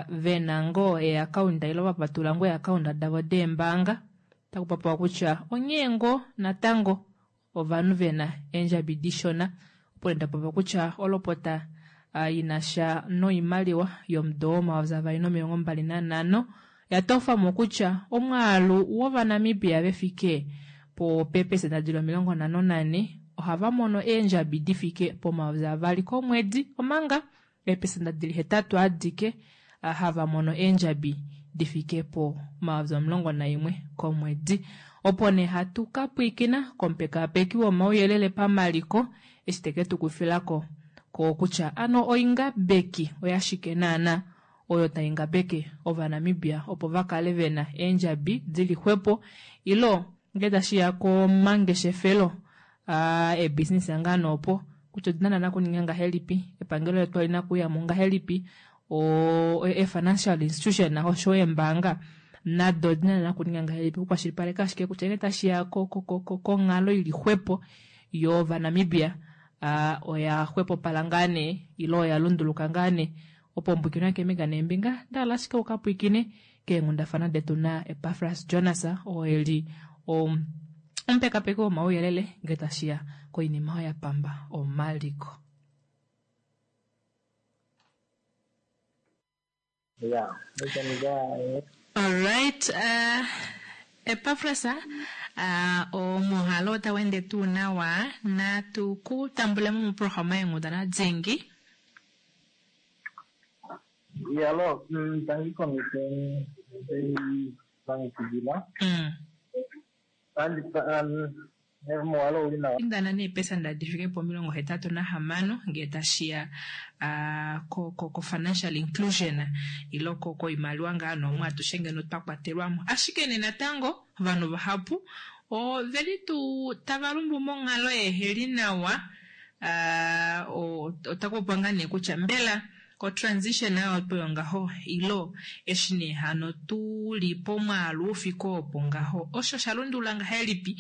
ve na ngoo eeakaunda ile va patulula ngoo eeakaunda davo deembaanga otaku popiwa kutya onghee ngoo natango ovanhu ve na eendjabi dishona. Opo nee nda popya kutya olopota i na sha noimaliwa yomudo wo 2025 oya tofa mo kutya omwaalu wOvanamibia ve fike popeepesenda di li 54 ohava mono eendjabi di fike pomayovi avali komwedi omanga eepesenda di li hetatu adike hava mono eendjabi di fike po 11,000 komwedi. Opo nee hatu ka pwiikina komupekaapeki womauyelele pamaliko eshi te ke tu kufila ko ko kutya ano oingabeki oyashike naana oyo tai ngabeke Ovanamibia opo va kale ve na eendjabi di li xwepo ilo ngee tashi ya komangeshefelo aa eebusiness ngaa nee opo kutya odi na naana okuninga ngahelipi, epangelo letu oli na okuuya mo ngahelipi, o e-financial institution oshowo eembaanga nado odi na naana okuninga ngahelipi okukwashilipaleka ashike kutya ngee tashi ya konghalo ili xwepo yOvanamibia oya xwepopala ngaa nee ile oya lunduluka ngaa nee. Opo ombwikino yakeembinga neembinga, nda hala ashike u ka pwiikine keenghundafana detu naEpafras Jonas oo e li omupekapeki womauyelele ngee tashi ya koinima oyo ya pamba omaliko. Yeah, we can go ahead. Alright, uh, Epafras, uh, omuhalo otagu ende tuu nawa natu ku tambule mo moprograma yeenghundana dhingi. Yalo, tangi komite longekidila. Andi muwalo uli nawa. Findana neepesenda di fike po 86 ngee tashi ya ko-financial inclusion ile koimaliwa ngaa noomwe atushe ngeno twa kwatelwa mo. Ashike nee natango ovanhu vahapu ove li tuu tava lumbu monghalo yeheli nawa. Otaku popiwa ngaa nee kutya mbela O-transition oyo opo yongaho ilo eshi nee hano tu li pomwaalu u fike opo ngaho, osho osha lundulula ngahelipi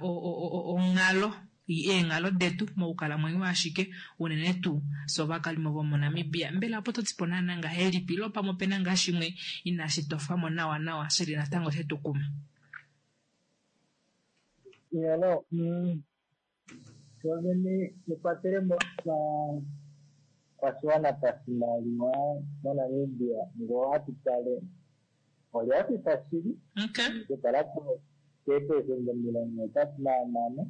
onghalo, eenghalo detu mokukalamwenyo ashike, unene tuu fye ovakalimo vomoNamibia? Mbela opo to ti po naana ngahelipi ilo pamwe ope na ngaa shimwe inashi tofwa mo nawanawa shi li natango she tu kuma? Iyalo, Shovene ekwatelemo lovakwashiwana pashimaliwa moNamibia ngee ohatu tale olya fika shili okukala keepelesenda 86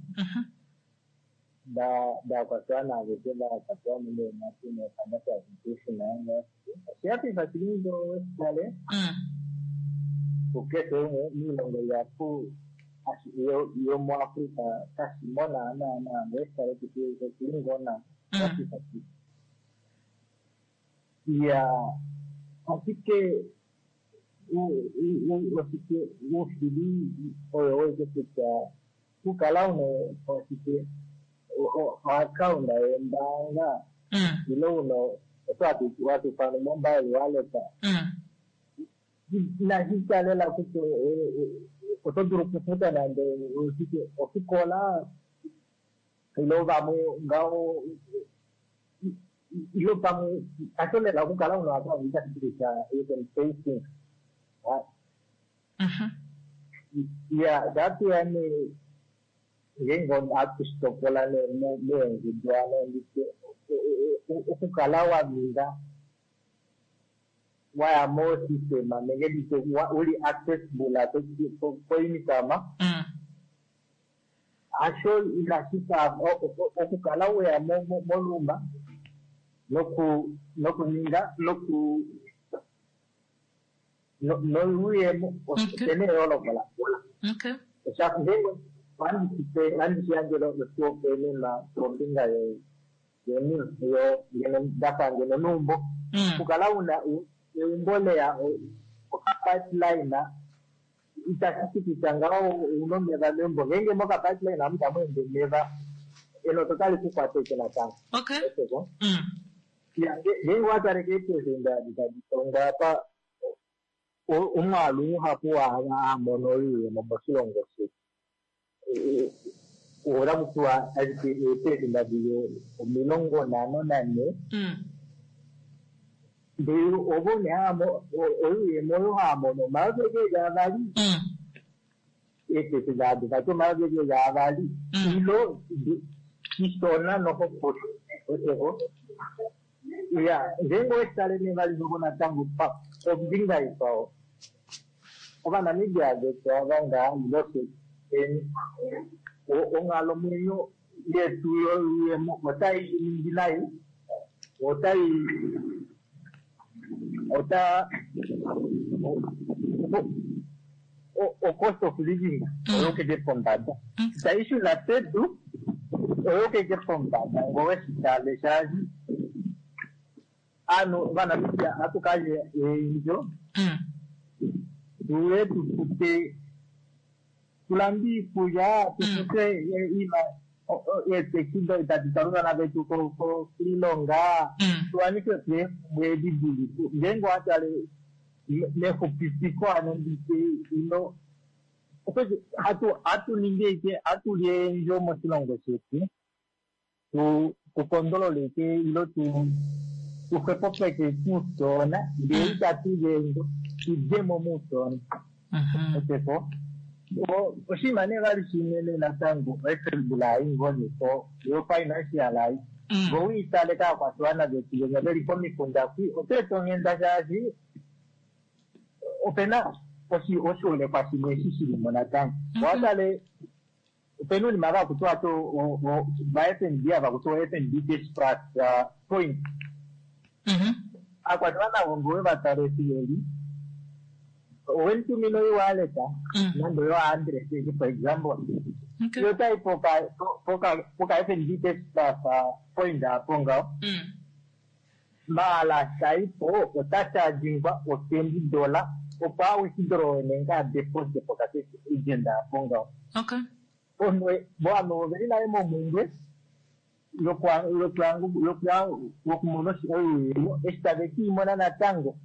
daakwashiwana aveshe va kwatelwa mo meenghatu no-financial inclusion. Osha fifa shili ngee oweshi tale kukeshe umwe moilongo ihapu yomuAfrica kashi mo naana naa ngee oweshi tale oshili ngoo nawa osha fifa shili. Iyaa ashike oshike oushili oyo oweke kutya okukala una oshike oakaunda yombaanga ile una osho hatu ifana mobile wallet inashi tya lela kutya. Oto dulu okufuta nande oshike ofikola ile vamwe ngaho ile pamwe hasho lela okukala una account itashi ti kutya you can pay things. Ya shatuya nee ngeenge ohatu shi topola nee meengudu ano nditye okukala wa ninga waya mo-system nenge nditye uli accessible koincome hasho inashi fa okukala weya moluma nokuninga noku noyuuyemo opena eyooloko lakola. Ngeenge ohandi shi yandjele oshihopaenenwa kombinga yo ngeno ndafa ngeno neumbo. Okukala una eumbo leya okapipeline itashi ti kutya ngaho ouna omeva meumbo. Ngeenge mokapipeline amu tamu ende omeva enota otali ku kwata ashike natango. Ngeenge owa tale keepelesenda edi tadi tongwa apa omwaalu muhapu waava hamono oyuuyemo moshilongo shetu otaku tiwa ashike eepelesenda dili 54 ndele ovo nee oyuuyemo oyo haamono 2,000 eepelesenda ado vati 2,000 ilo shishona noxoxo oseko. Ya ngeenge oweshitale nee vali noko natango kombinga ikwao Ovanamibia vetu ava ngaa ilo fye onghalamwenyo yetu yoyuuyemo otai ningi nai otai ota o cost of living oyokeke pombada itai shuna pedu oyokeke pombada ngo weshitale shaashi aanhu Ovanamibia ohatu kalye eendjo tuye tufute tulande iikulya tufute eetekisi tadi twala ovana vetu koilonga tuwanife po eemhumbwe edi dili ngeenge owa tale mexupipiko ano nditye ino hatu ningi ashike hatu li eendjo moshilongo shetu tukondolole ike ilo tuxwepopeke muutona ndee itatu li eendjo tudemo muutona oseko. Oshinima nee vali shimwe nee natango oefebulai ngoo nepo yo financial ai ngo wiitale kaakwashiwana vetu venya veli komikunda kwi oto eta onghenda shaashi opena oshiholekwa shimwe eshi shilimo natango. Owatale opena uunima vakutiwa to va FNB ava kutiwa FNB cash plus point. Aakwashiwana avo ngo wevatale eshi veli owelitumina oiwallet nande oyo 100 for example yo otayi poka FNB cash plus point apo ngaho maala shaipo ota chargingwa o $20 opo a withdraw nenge a deposit poka cash agent apo ngaho. Ovanhu oveli nale momhumbwe yokumona oyuuyemo eshi tave kiimona natango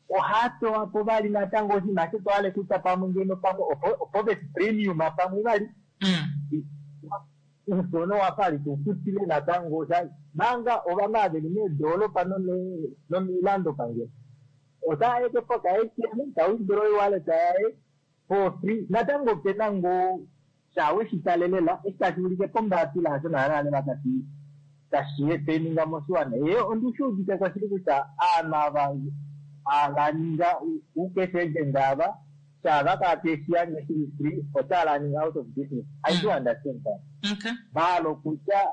ohaya pewa po vali natango oshinima shetwale kutya pamwe ngeno pamwe opo premium pamwe vali uusono wafa ali tufutile natango manga ovanhu ava veli meedolopa nomiilando pangelo otaya eke poka ATM ta withdraw oiwallet yaye for free natango opena ngoo shawe shitalelela eshi tashi ulike pombaapila hasho naana tashi tashi eteninga moshiwana. Ye ondishi udite ko shili kutya aanhu ava ava ninga ucash agent ava shava kaapeshiyandje shili free otava ninga out of business. I do understand that. Maala kutya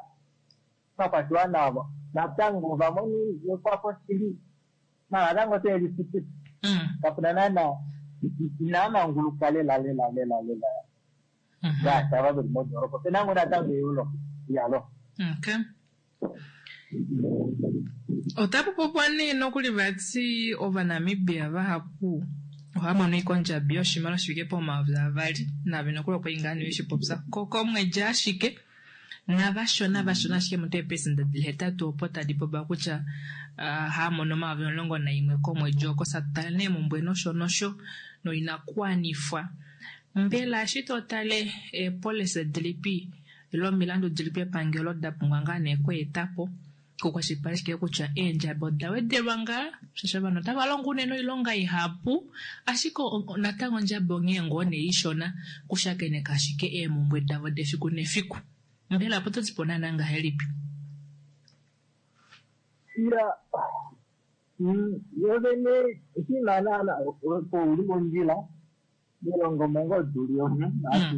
ovakwashiwana avo natango vamoni ekwafo shili maala natango oteve lifutile kapuna naana inaa manguluka lela lela lela lela ngaashi ava veli modoropa opena ngoo natango eyulo yalo. Okay. Otapu popiwa nee nokuli vati Ovanamibia vahapu ohava mono ashike ondjabi yoshimaliwa shi fike po2,000 nave nokuli okwa li ngaa nee weshi popya komwedi ashike navashona vashona ashike mutu eepesenda dili 8 opo tadi popiwa kutya haa mono 11,000 komwedi oko satutale nee mumbwe nosho nosho noinakuwanifwa. Mbela eshi to tale eepolisi dilipi ile omilandu dilipi epangelo da pumbwa ngaa nee okweeta po kukwashilipaleke kutya eendjabi oda wedelwa ngaa shaashi ovanhu otava longo unene oilonga ihapu ashike natango ondjabi onghee ngoo nee ishona kushakeneka ashike eemumbwe davo defiku nefiku. Mbela opo to ti po naana ngahelipi? Ya, yo vene oshinima naana opo uli mondjila melongo mongo tuli omu ati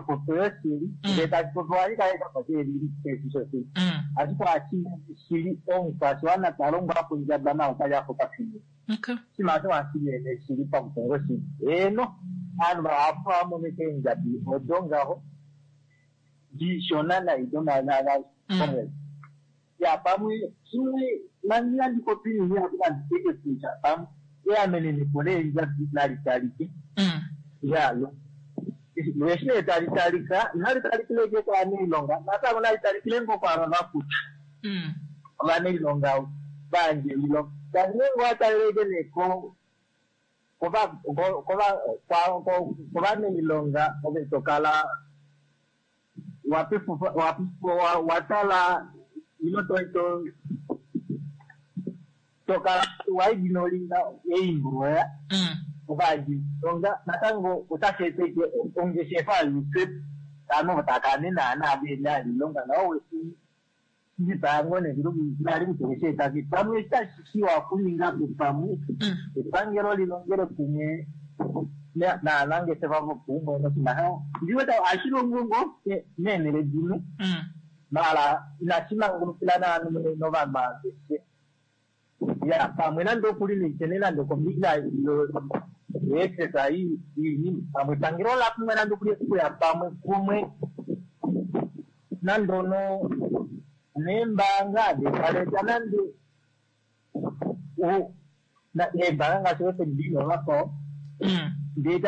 popo yoshili ndee tashi popi ohashi kala shafa sheli shoshili ashike ohashi shili omukwashiwana ta longwa kondjaba naye otali afa okafimbo. Oshinima osho ohashi vene shili pamutongo shili. Eeno, ovanhu vahapu ohava mono eendjabi odo ngaho dishona nai domomwedi. Ya pamwe shimwe nandi nandi popi nini apo nandi teke kutya pamwe eamenenepo leendjabi nali talike. Ya lo eshi nee tali talika inali talikile ashike kovanailonga natango nali talikile ngoo kwaava vakuta ovanailonga vayandje oilonga shaashi ngeenge owa talele ashike nee kovanailonga ove to kala watala ilo to kala waignoringa eimbroya ovayandji-ilonga natango otashi eteke ongeshefa yuusepu ovanhu tava kala naana vena oilonga nao weshidipayango nali kutya owesheeta pamwe itashi shiwa okuninga po pamwe epangelo lilongele kumwe naanangeshefa vopaumwe noshinima ndiwete ohashi longo ngoo meenhele dimwe maala inashi mangulukila naanhu novanhu aveshe. Ya pamwe nande okuli neitene nande okombinga yeexesa iinima pamwe epangelo ola pumbwa nande okuli okuya pamwe kumwe nande ono neembaanga detaleta nande eembaanga ngaashi FNB novakwao ndee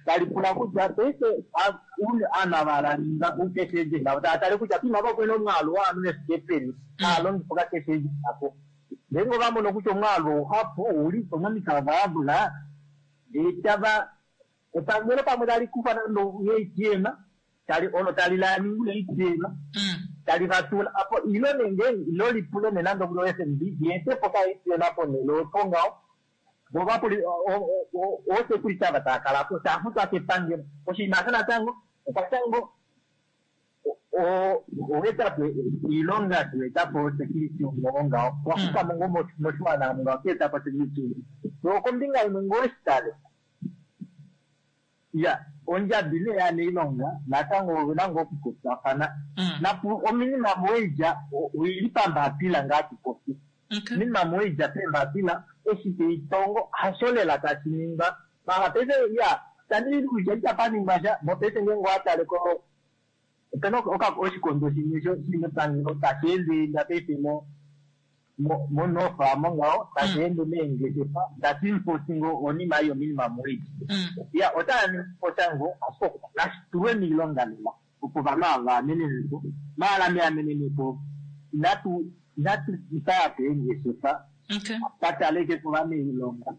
tali pula kutya paife aanhu ava laninga ucash agent avo tava tale kutya poima apa opena omwaalu wovanhu vefike peni hava longifa oka-cash agent ako. Ngeenge ova mono kutya omwaalu ouhapu ouli po momikalo vayabula ndee tava epangelo pamwe tali kufa nande ATM tali olo tali laningi ATM tali vatula apo ilo nenge ilo lipule ne nande okuli FNB yeete po ka ATM ponhele opo ngaho vo vapuli oosecurity ava tava kala po tava futwa kepangelo. Oshinima osho natango okatango oweetapo iilonga tuetapo security ngo ngaho wakufa mo ngoo moshiwana ngaho keetapo security. So kombinga imwe ngoo shitale ya ondjabi nee yanailonga natango ovena ngoo okupopyafana napu ominimum wage oili pambapila ngaa tupopi minimum wage peembapila eshi teitongo hasho lela tashi ningwa mara paife ya tandi kutya itapa ningwa sha mopaife ngeenge owatale ko opena oshikondo shimwe shili mepangelo tashi ende paife monofa mongaho tashi ende meengeshefa tashi enforce ngo onima iyo minimum wage. Ya otaya ningi po sha ngo ashike nashi tulwe miilonga lela opo ovanhu ava vaamenenepo maala meamenenepo inatu itaya po eengeshefa pataleke kovanailonga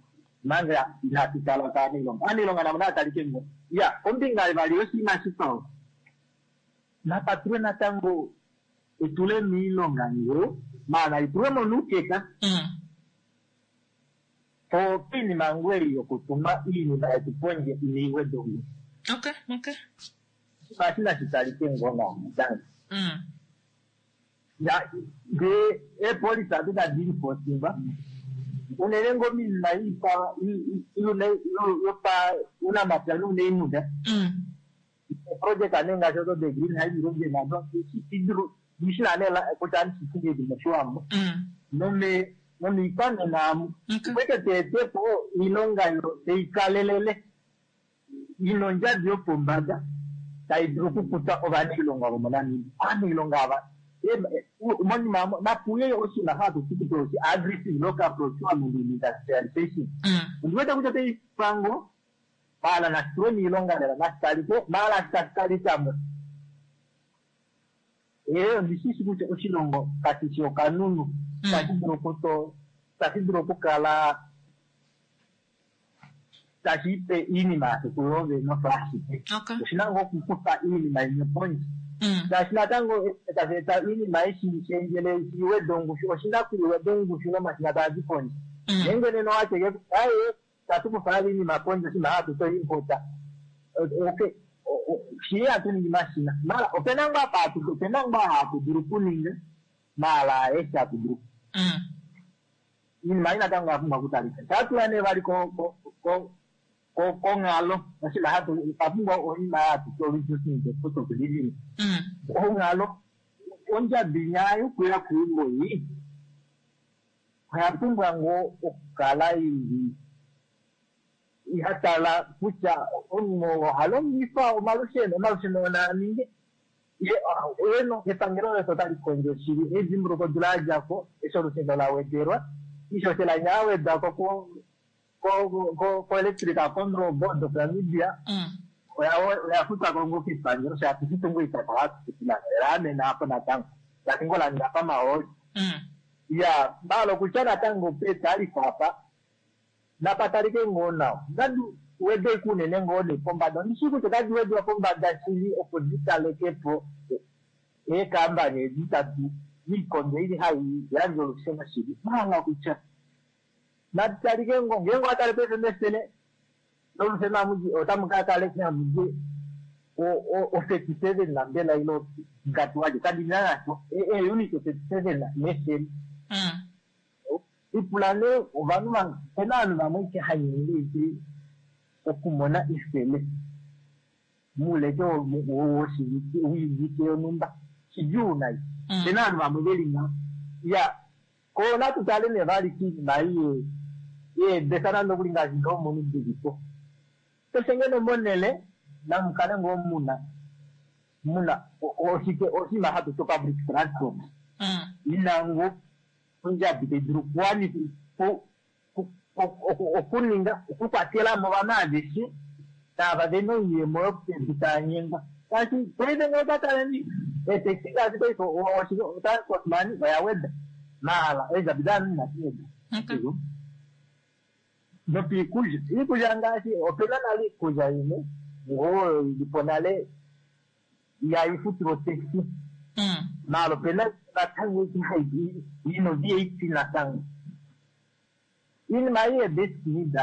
manga inatu tala kaanailonga aanailonga navo nava talike ngo. Ya kombinga vali yoshinima shikwao napatulwe natango etule miilonga ngoo maala itulwe mo nuukeka po piinima ngwei yokutuma iinima yetu pondje iniigwedhe ongushu. Oshinima eshi nashi talike ngoo nawa natango. Ya ndee eepolisi ado tadi enforcingwa unene ngoo minima yopa unamapya nuuniimuna project ane ngaashi odo de green hydrogen ado ndishina nee kutya andishitingedi moshiwambo nomiikwanena amu kwete teetepo iilonga yo teikalelele ina ondjabi yopombada tai dulu okukuta ovanailonga vomoNamibia. Aanailonga ava monima napuye oshinima hatu ti kutya oshi aggressive local procurement and industrialization. Ondiwete kutya otaipango maala nashitulwe miilonga lela nashitalike maala shitashi ee ondishishi kutya oshilongo kashishi okanunu tashi dulu okukala tashi ipe iinima yasho kuyo vene osho ashike. Oshina ngoo okukufa iinima imwe pondje. Shaashi natango tashi eta iinima eshi shendjele shiweda ongushu, oshina kuiweda ongushu nomashina taa di pondje. Ngeenge nena owateke kutya aye tatu kufa vali iinima pondje oshinima hatu to impota. Okay, shii hatu ningi mashina. Mara opena ngoo apa hatu, opena ngoo hatu dulu okuninga, maala eshi hatu dulu. Iinima ei natango oya pumbwa okutalika. Shatula nee vali konghalo, oshinima hatu otwa pumbwa oinima hatu ti reducing the cost of living. Onghalo ondjabi nya yokuya keumbo ei oya pumbwa ngoo okukala ili ihatala kutya omunhu oha longifa omalusheno, omalusheno naa ninge eno epangelo letu otali kondjo shili. Edimbuluko odula ya dja ko eshi olusheno la wedelwa, iishoshela inya ya wedwa ko ko-Electric Control Board of Namibia oya futwa ko ngoo kepangelo shaashi shitungu itaka hatu laamena apo natango ngaashi ngoo la ninga pamahooli. Ya maala okutya natango petalifa apa napatalike ngoo nawa nadi wede unene ngoo ne pombada. Ondishi kutya otadi wedwa pombada shili opo dikaleke po eekambani edi tadi miikondo ili hai yandje olusheno shili. Maala kutya naditalike ngoo ngeenge owatale paife mefele lolusheno amuji otamu ka kale hamudi o 37 na mbela ilo ngatuwaje kadina nasho eeunit 37 mefele. Ipula nee ovanhu opena ovanhu vamwe ike hanyenge okumona efele muuleke woshivike yonhumba shidjuu nai. Opena ovanhu vamwe veli nga ya ko natu tale nee vali kiinima ei yeebesa nande okuli ngaashi doomunu dilipo. Keshe ngeno monele namukale ngoo muna oshike oshinima hatu ti public transport ina ngoo ondjabi tai dulu okuwanifa okuninga okukwatela mo ovanhu aveshe tava vena oiyemo yopedu tava nyengwa. Shaashi paife ngee otwa taleni eetaxi ngaashi paife transport money oya weda maala eendjabi dovanhu inadi weda. Nopiikulya, iikulya ngaashi opena nale iikulya imwe ngoo oyo ilipo nale ihaifutilwa otaxi. Maala opena natango ino VAT natango. Iinima ei yebasic need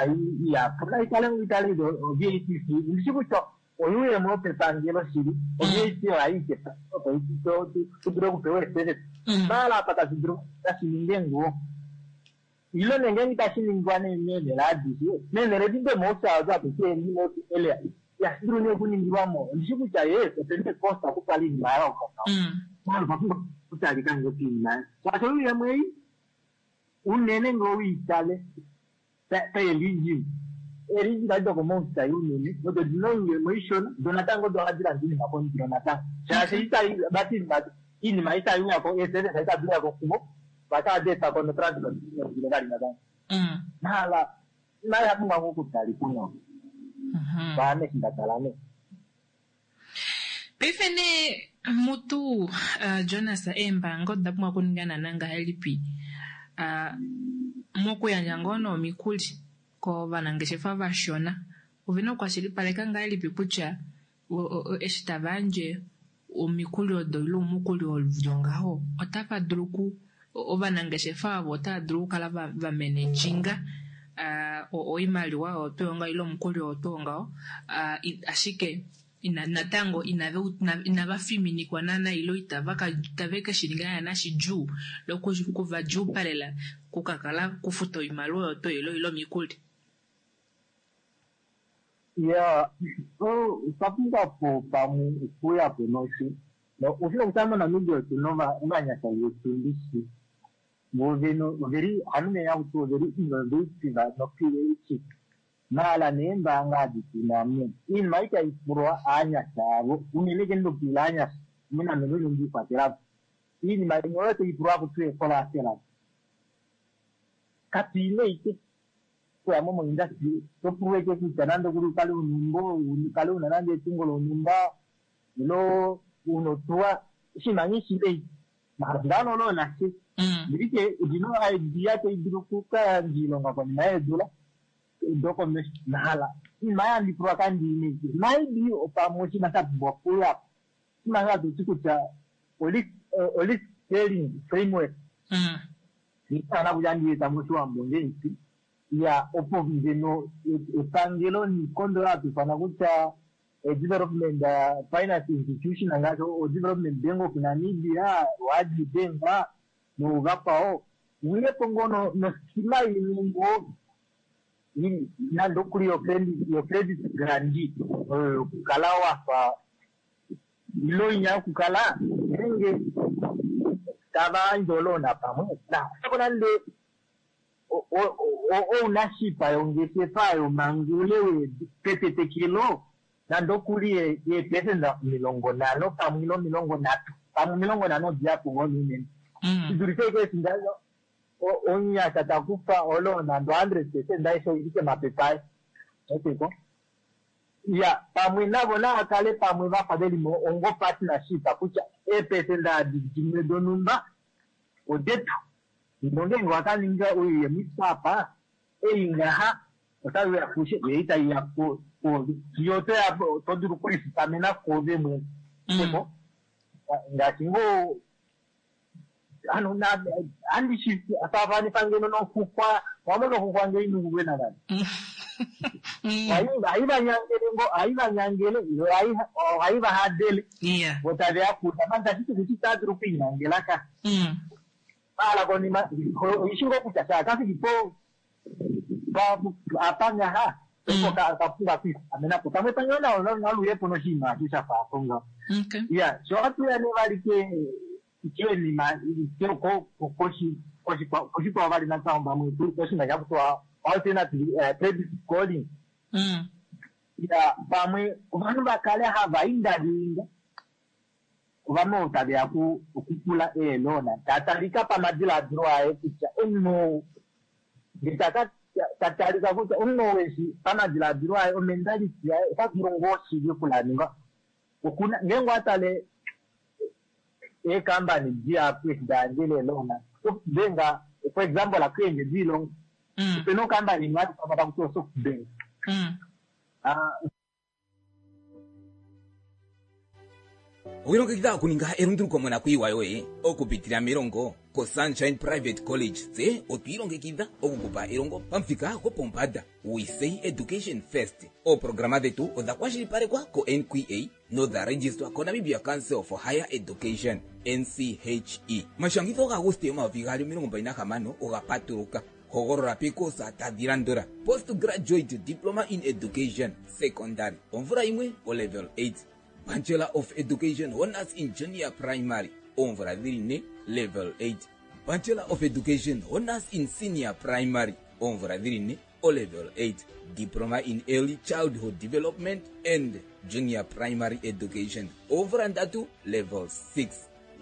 ihapu naikale ngoo itale VAT fee. Ndishi kutya oyuuyemo yopepangelo shili, VAT ohai kepangelo opo tu dule okupewa eeservice. Maala apa tashi dulu tashi ninge ngoo. Ilo nee ngeenge itashi ningwa nee meenhele adishe, meenhele edi domoushayo odo hatu ti remote area, ihashi dulu nee okuningilwa mo. Ondishi kutya yes, opena ecost okutwala iinima ya yooloka. Maala otwa pumbwa okutalika ngoo kiinima. Shaashi oyuuyemo ei unene ngoo wiitale paeregion. Eregion adi dokomausai unene odo dina oiyemo ishona, do natango odo hadi landa iinima kondilo natango. Shaashi vati iinima itai uya ko, eeservice itadi uya ko kuvo, vatadi etwa ko notransport ondilo vali natango. Maala nayo oya pumbwa ngoo okutalika nawa. Kwaame eshi nda tala nee. Paife nee mutu Jonas, eembaanga oda pumbwa okuninga naana ngahelipi mokuyandja ngoo nomikuli kovanangeshefa vashona? Ovena okukwashilipaleka ngahelipi kutya eshi tava yandje omikuli odo ile omukuli oludi ngaho otava dulu ovanangeshefa avo otava dulu okukala vamenejinga oimaliwa oyo tuu ngaho ile omukuli oyo tuu ngaho, ashike natango inava fiminikwa naana ile itave ke shi ninga naana shidjuu lokuvadjuupalela kukakala kufuta oimaliwa oyo tuu ile omikuli. Ya, otwa pumbwa po pamwe okuuya po noshi. Oshino kutya moNamibia otuna ovanyasha vetu ndishi. Oveli ohanu nee hakuti oveli innovative nocreative. Maala neembaanga adi tuna mo. Iinima itai pulwa aanyasha avo, unene ke ndopula aanyasha, mina mene ndikwatelapo. Iinima imwe oyo tai pulwa hakuti ecollateral. Katu ine ike kuya mo moindustry, to pulwa ike kutya nande okuli ukale una eumbo, ukale una nande etungo lonhumba, ilo una otuwa, oshinima nghee shile mahala olo nashe. Ndilike odina idea tai dulu okukayandja oilonga konima yeedula. Dokomesho nahala iinima yandipulwa kandiineke maybe opamwe oshinima sha pumbwa okuya oshinima hatu ti kutya o-risk sharing framework ana kutya andieta moshiwambo ngeipi ya opo ngeno epangelo niikondo hatu ifana kutya development finance institution ngaashi o-development bank of Namibia, oAgribank noovakwao uyepo ngoo noskima imwe ngoo nande okuli yo-credit guarantee oyo yokukala wafa ilo inya yokukala nenge tava yandje olona pamwe nakusako nande ounashipa yongeshefa yomangule petetekelo nande okuli yeepesenda 50 pamwe ilo 30 pamwe 50 odiyapo ngoo unene shidulife ike eshi omunyasha takufa olona nande 100% aishe oili kemapepa aye eteko ya pamwe navo naakale pamwe vafa veli mo ongo partnership kutya eepesenda adi dimwe donhumba odetu nongenge wakaninga oiyemo apa ei ngaha otayi uya kushe yo itayi ya kwoove fiyo otoya to dulu okulifikamena kwoove mwene eko ngaashi ngoo ano andishi faafanifa ngeno noxuxwa wamona oxuxwa ngee inungulwe navali ohaivanyangele ngo ohaivanyangele ohaivahadele vo taveya kuta mani tashiti kuti itadulu okwiinyangela ka maala konima oishi ngoo kutya shaakafiki po apa ngaha opo kapumbwa kwiifikamenapo pamwe pamwe naluyepo noshinima asho shafaapo ngaho ya sho atuya nee vali kenima koshikwao vali natango pamwe koshinima shakutiwa alternative credit scoring ya pamwe ovanhu vakale hava indalinda ovanhu taveya okupula eelona tatalika pamadiladilo aye kutya omunhu ngee tatalika kutya omunhu weshi pamadiladilo aye omentality yaye ota dulu ngoo shili okulaninga okuna ngeenge watale eekambani dihapu eshi dayandjele eelona Softbank for example akuendje diilongo opena okambani imwe hati takuti Softbank Owilongekidha okuninga elunduluko monakuyiwa yoye okupitila melongo koSunshine Private College. Tse otwiilongekidha okukupa elongo pamuthika gwopombanda. We say education first. Ooprograma dhetu odha kwashilipalekwa ko-NQA nodha registwa koNamibia Council for Higher Education NCHE. Omashangitho gaAguste 2026 oga patuluka. Hogolola pekosa tadhi landula: Postgraduate Diploma in Education Secondary omvula 1 olevel 8, Bachelor of Education Honors in Junior Primary oomvula dhili 4 level 8, Bachelor of Education Honors in Senior Primary oomvula dhili 4 olevel 8, Diploma in Early Childhood Development and Junior Primary Education oomvula 3 level 6.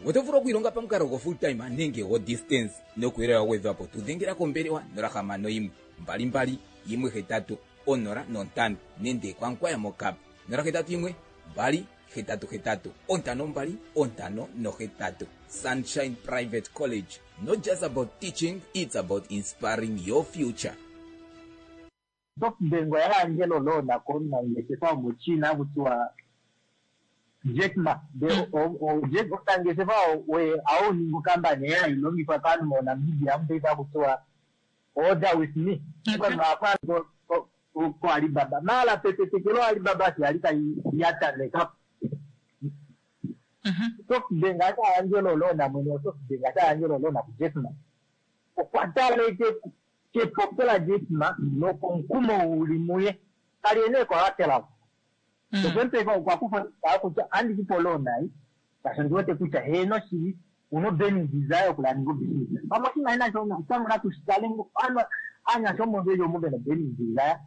Oto vulu okwiilonga pamukalo go full time nenge go distance nokuyelela wa gwedhwapo tu dhengela kombelewa 061 22 18 05 nenge kwankwaya mokap 081 2 88 52 58. Sunshine Private College, not just about teaching, it's about inspiring your future. Softbank oya yandjele olona komunangeshefa womoChina hakutiwa Jack Ma. Jack omunangeshefa oye auninga okambani ye hayi longithwa kaanhu moNamibia amupaife hakutiwa Order with me. Ovanhu koAlibaba. Maala petetekelo Alibaba eshi yali tai yatameka. Softbank ata yandjele olona mwene waSoftbank ata yandjele olona kuJack Ma. Okwa tala kepopyo laJack Ma nokomukumo uli muye. Kali ene collateral. Okwempefa okwa kufa kutya andikupa olona ei shaashi ondi wete kutya heeno shili una burning desire okulaninga obusiness. Pamwe oshinima inasho tango natu shitale anyasha omo veli omo vena burning desire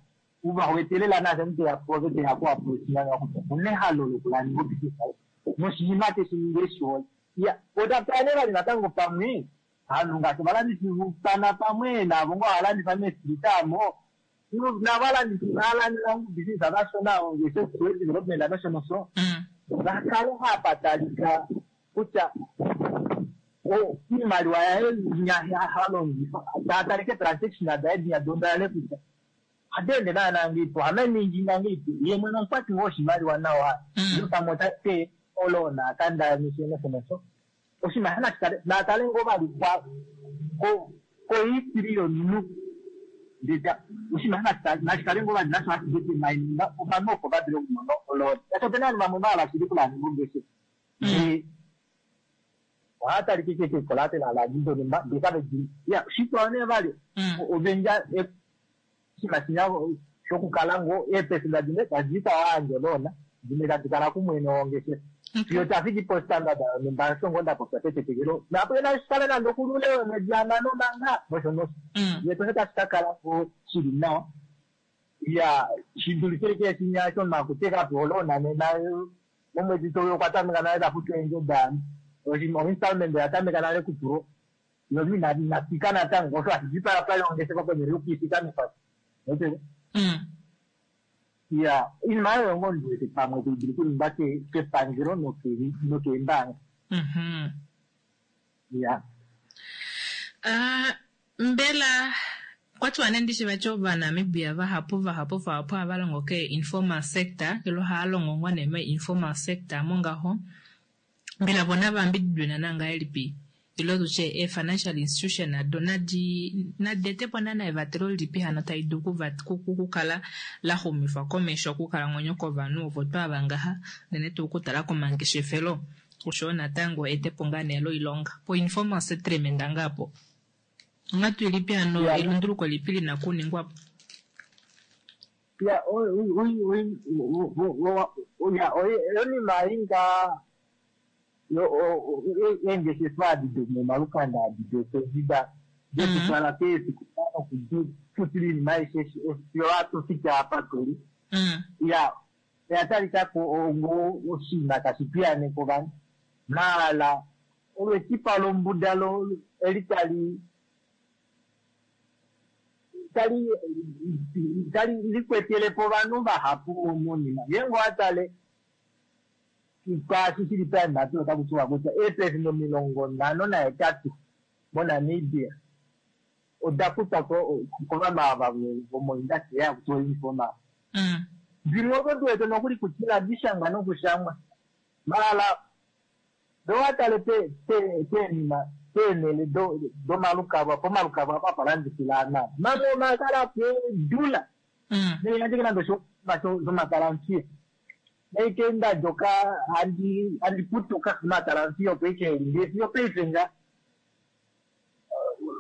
uva wetelela nasho omuntu teya kuove teya ku approach kutya una ehalo lokulaninga obusiness noshinima teshi ningi eshihole. Ya otapane vali natango pamwe aanhu ngaashi ovalandifi vupana pamwe navo ngoo havalandifa meestrita amo navalandifi valandila business vashona ongeshefa development nosho nosho vakale hapatalika kutya iimaliwa yaye halongifa tatalike transaction daye dinya dondale kutya Ohadeende naana ngeipi, ohameninginga ngeipi, ye mwene omukwati ngoo woshimaliwa nawa, ile pamwe ota pe oloona a kandanishe nosho nosho. Oshinima nashi kale natale ngoo vali kwa ko kohistory yomunhu ndee oshinima nashi kale ngoo vali nasho hashi determine ovanhu opo va dule okumona oloona. Shaashi opena ovanhu vamwe va hala shili okulandula ongeshefa ndee ohava talike ashike keekolateral adi donhumba ndee kave di ya shikwao nee vali ovendja oshinima shinya shokukala ngoo eepesenda dimwe tadi ka yandja oloona dimwe tadi kala kumwene wongeshefa fiyo tafiki postandard yonhumba osho ngoo ndapopya petetekelo napo inashi kale nande okulule womwedi hamano manga nosho nosho ye tosho tashi ka kala ngoo shili nawa ya shidulife ashike shinya shomakuteka po oloona nena momwedi touya okwa tameka nale tafutu eendjo daanhu oinstallment oya tameka nale kupulwa yo inafika natango osho hashi dipala pali ongeshefa ponhele yokuifikamifa ya oinima oyo ngoo ndiwete pamwe tai dulu okuningwa kepangelo nokeembaanga. Ya. Mbela okwatiwa nee ndishi vati Ovanamibia vahapu vahapu vahapu ohava longo ke informal sector ile ohava longo ngoo nee mo informal sector mongaho. Mbela vo nava yambididwe naana ngahelipi ile tutye ee financial institution nado nadi nadi etepo naana evatelo lilipi hano tali dulu okukala la xumifwa komesho okukalamwenyo kovanhu ovo twaava ngaha unene tuu okutala komangeshefelo oshoyo natango etepo ngaa nee loilonga po informal settlement ngaa po onghatu ilipi hano elunduluko lipi lina okuningwa po? Ya ya oinima ei ngaa eengeshefa adi domomalukanda adi dopendida dekutwala keefikola nokudifutila oinima aishe fiyo hatu fiki apa tuli. Ya oya talikako ongo oshinima tashi piyaaneke ovanhu maala olwetipa lombuda eli tali tali tali likwetelepo ovanhu vahapu monima. Ngeenge owa tale kwaashi shili paembapila otaku tiwa kutya eepelesenda 58 moNamibia oda kutwa kovanhu ava vomoindustry haku tiwa informal. Dimwe odo ndi wete nokuli kutya inadi shangwa nokushangwa. Maala owa tale peenima peenhele domalukalwa pomalukalwa apa hapa landifila aanhu ava. Mamwe omakala po eedula. Nande nande oshinima shomatalamfiya. Naike ndadjoka handi putuka omatalamfiya opo ike eli ndee fiyo paife nga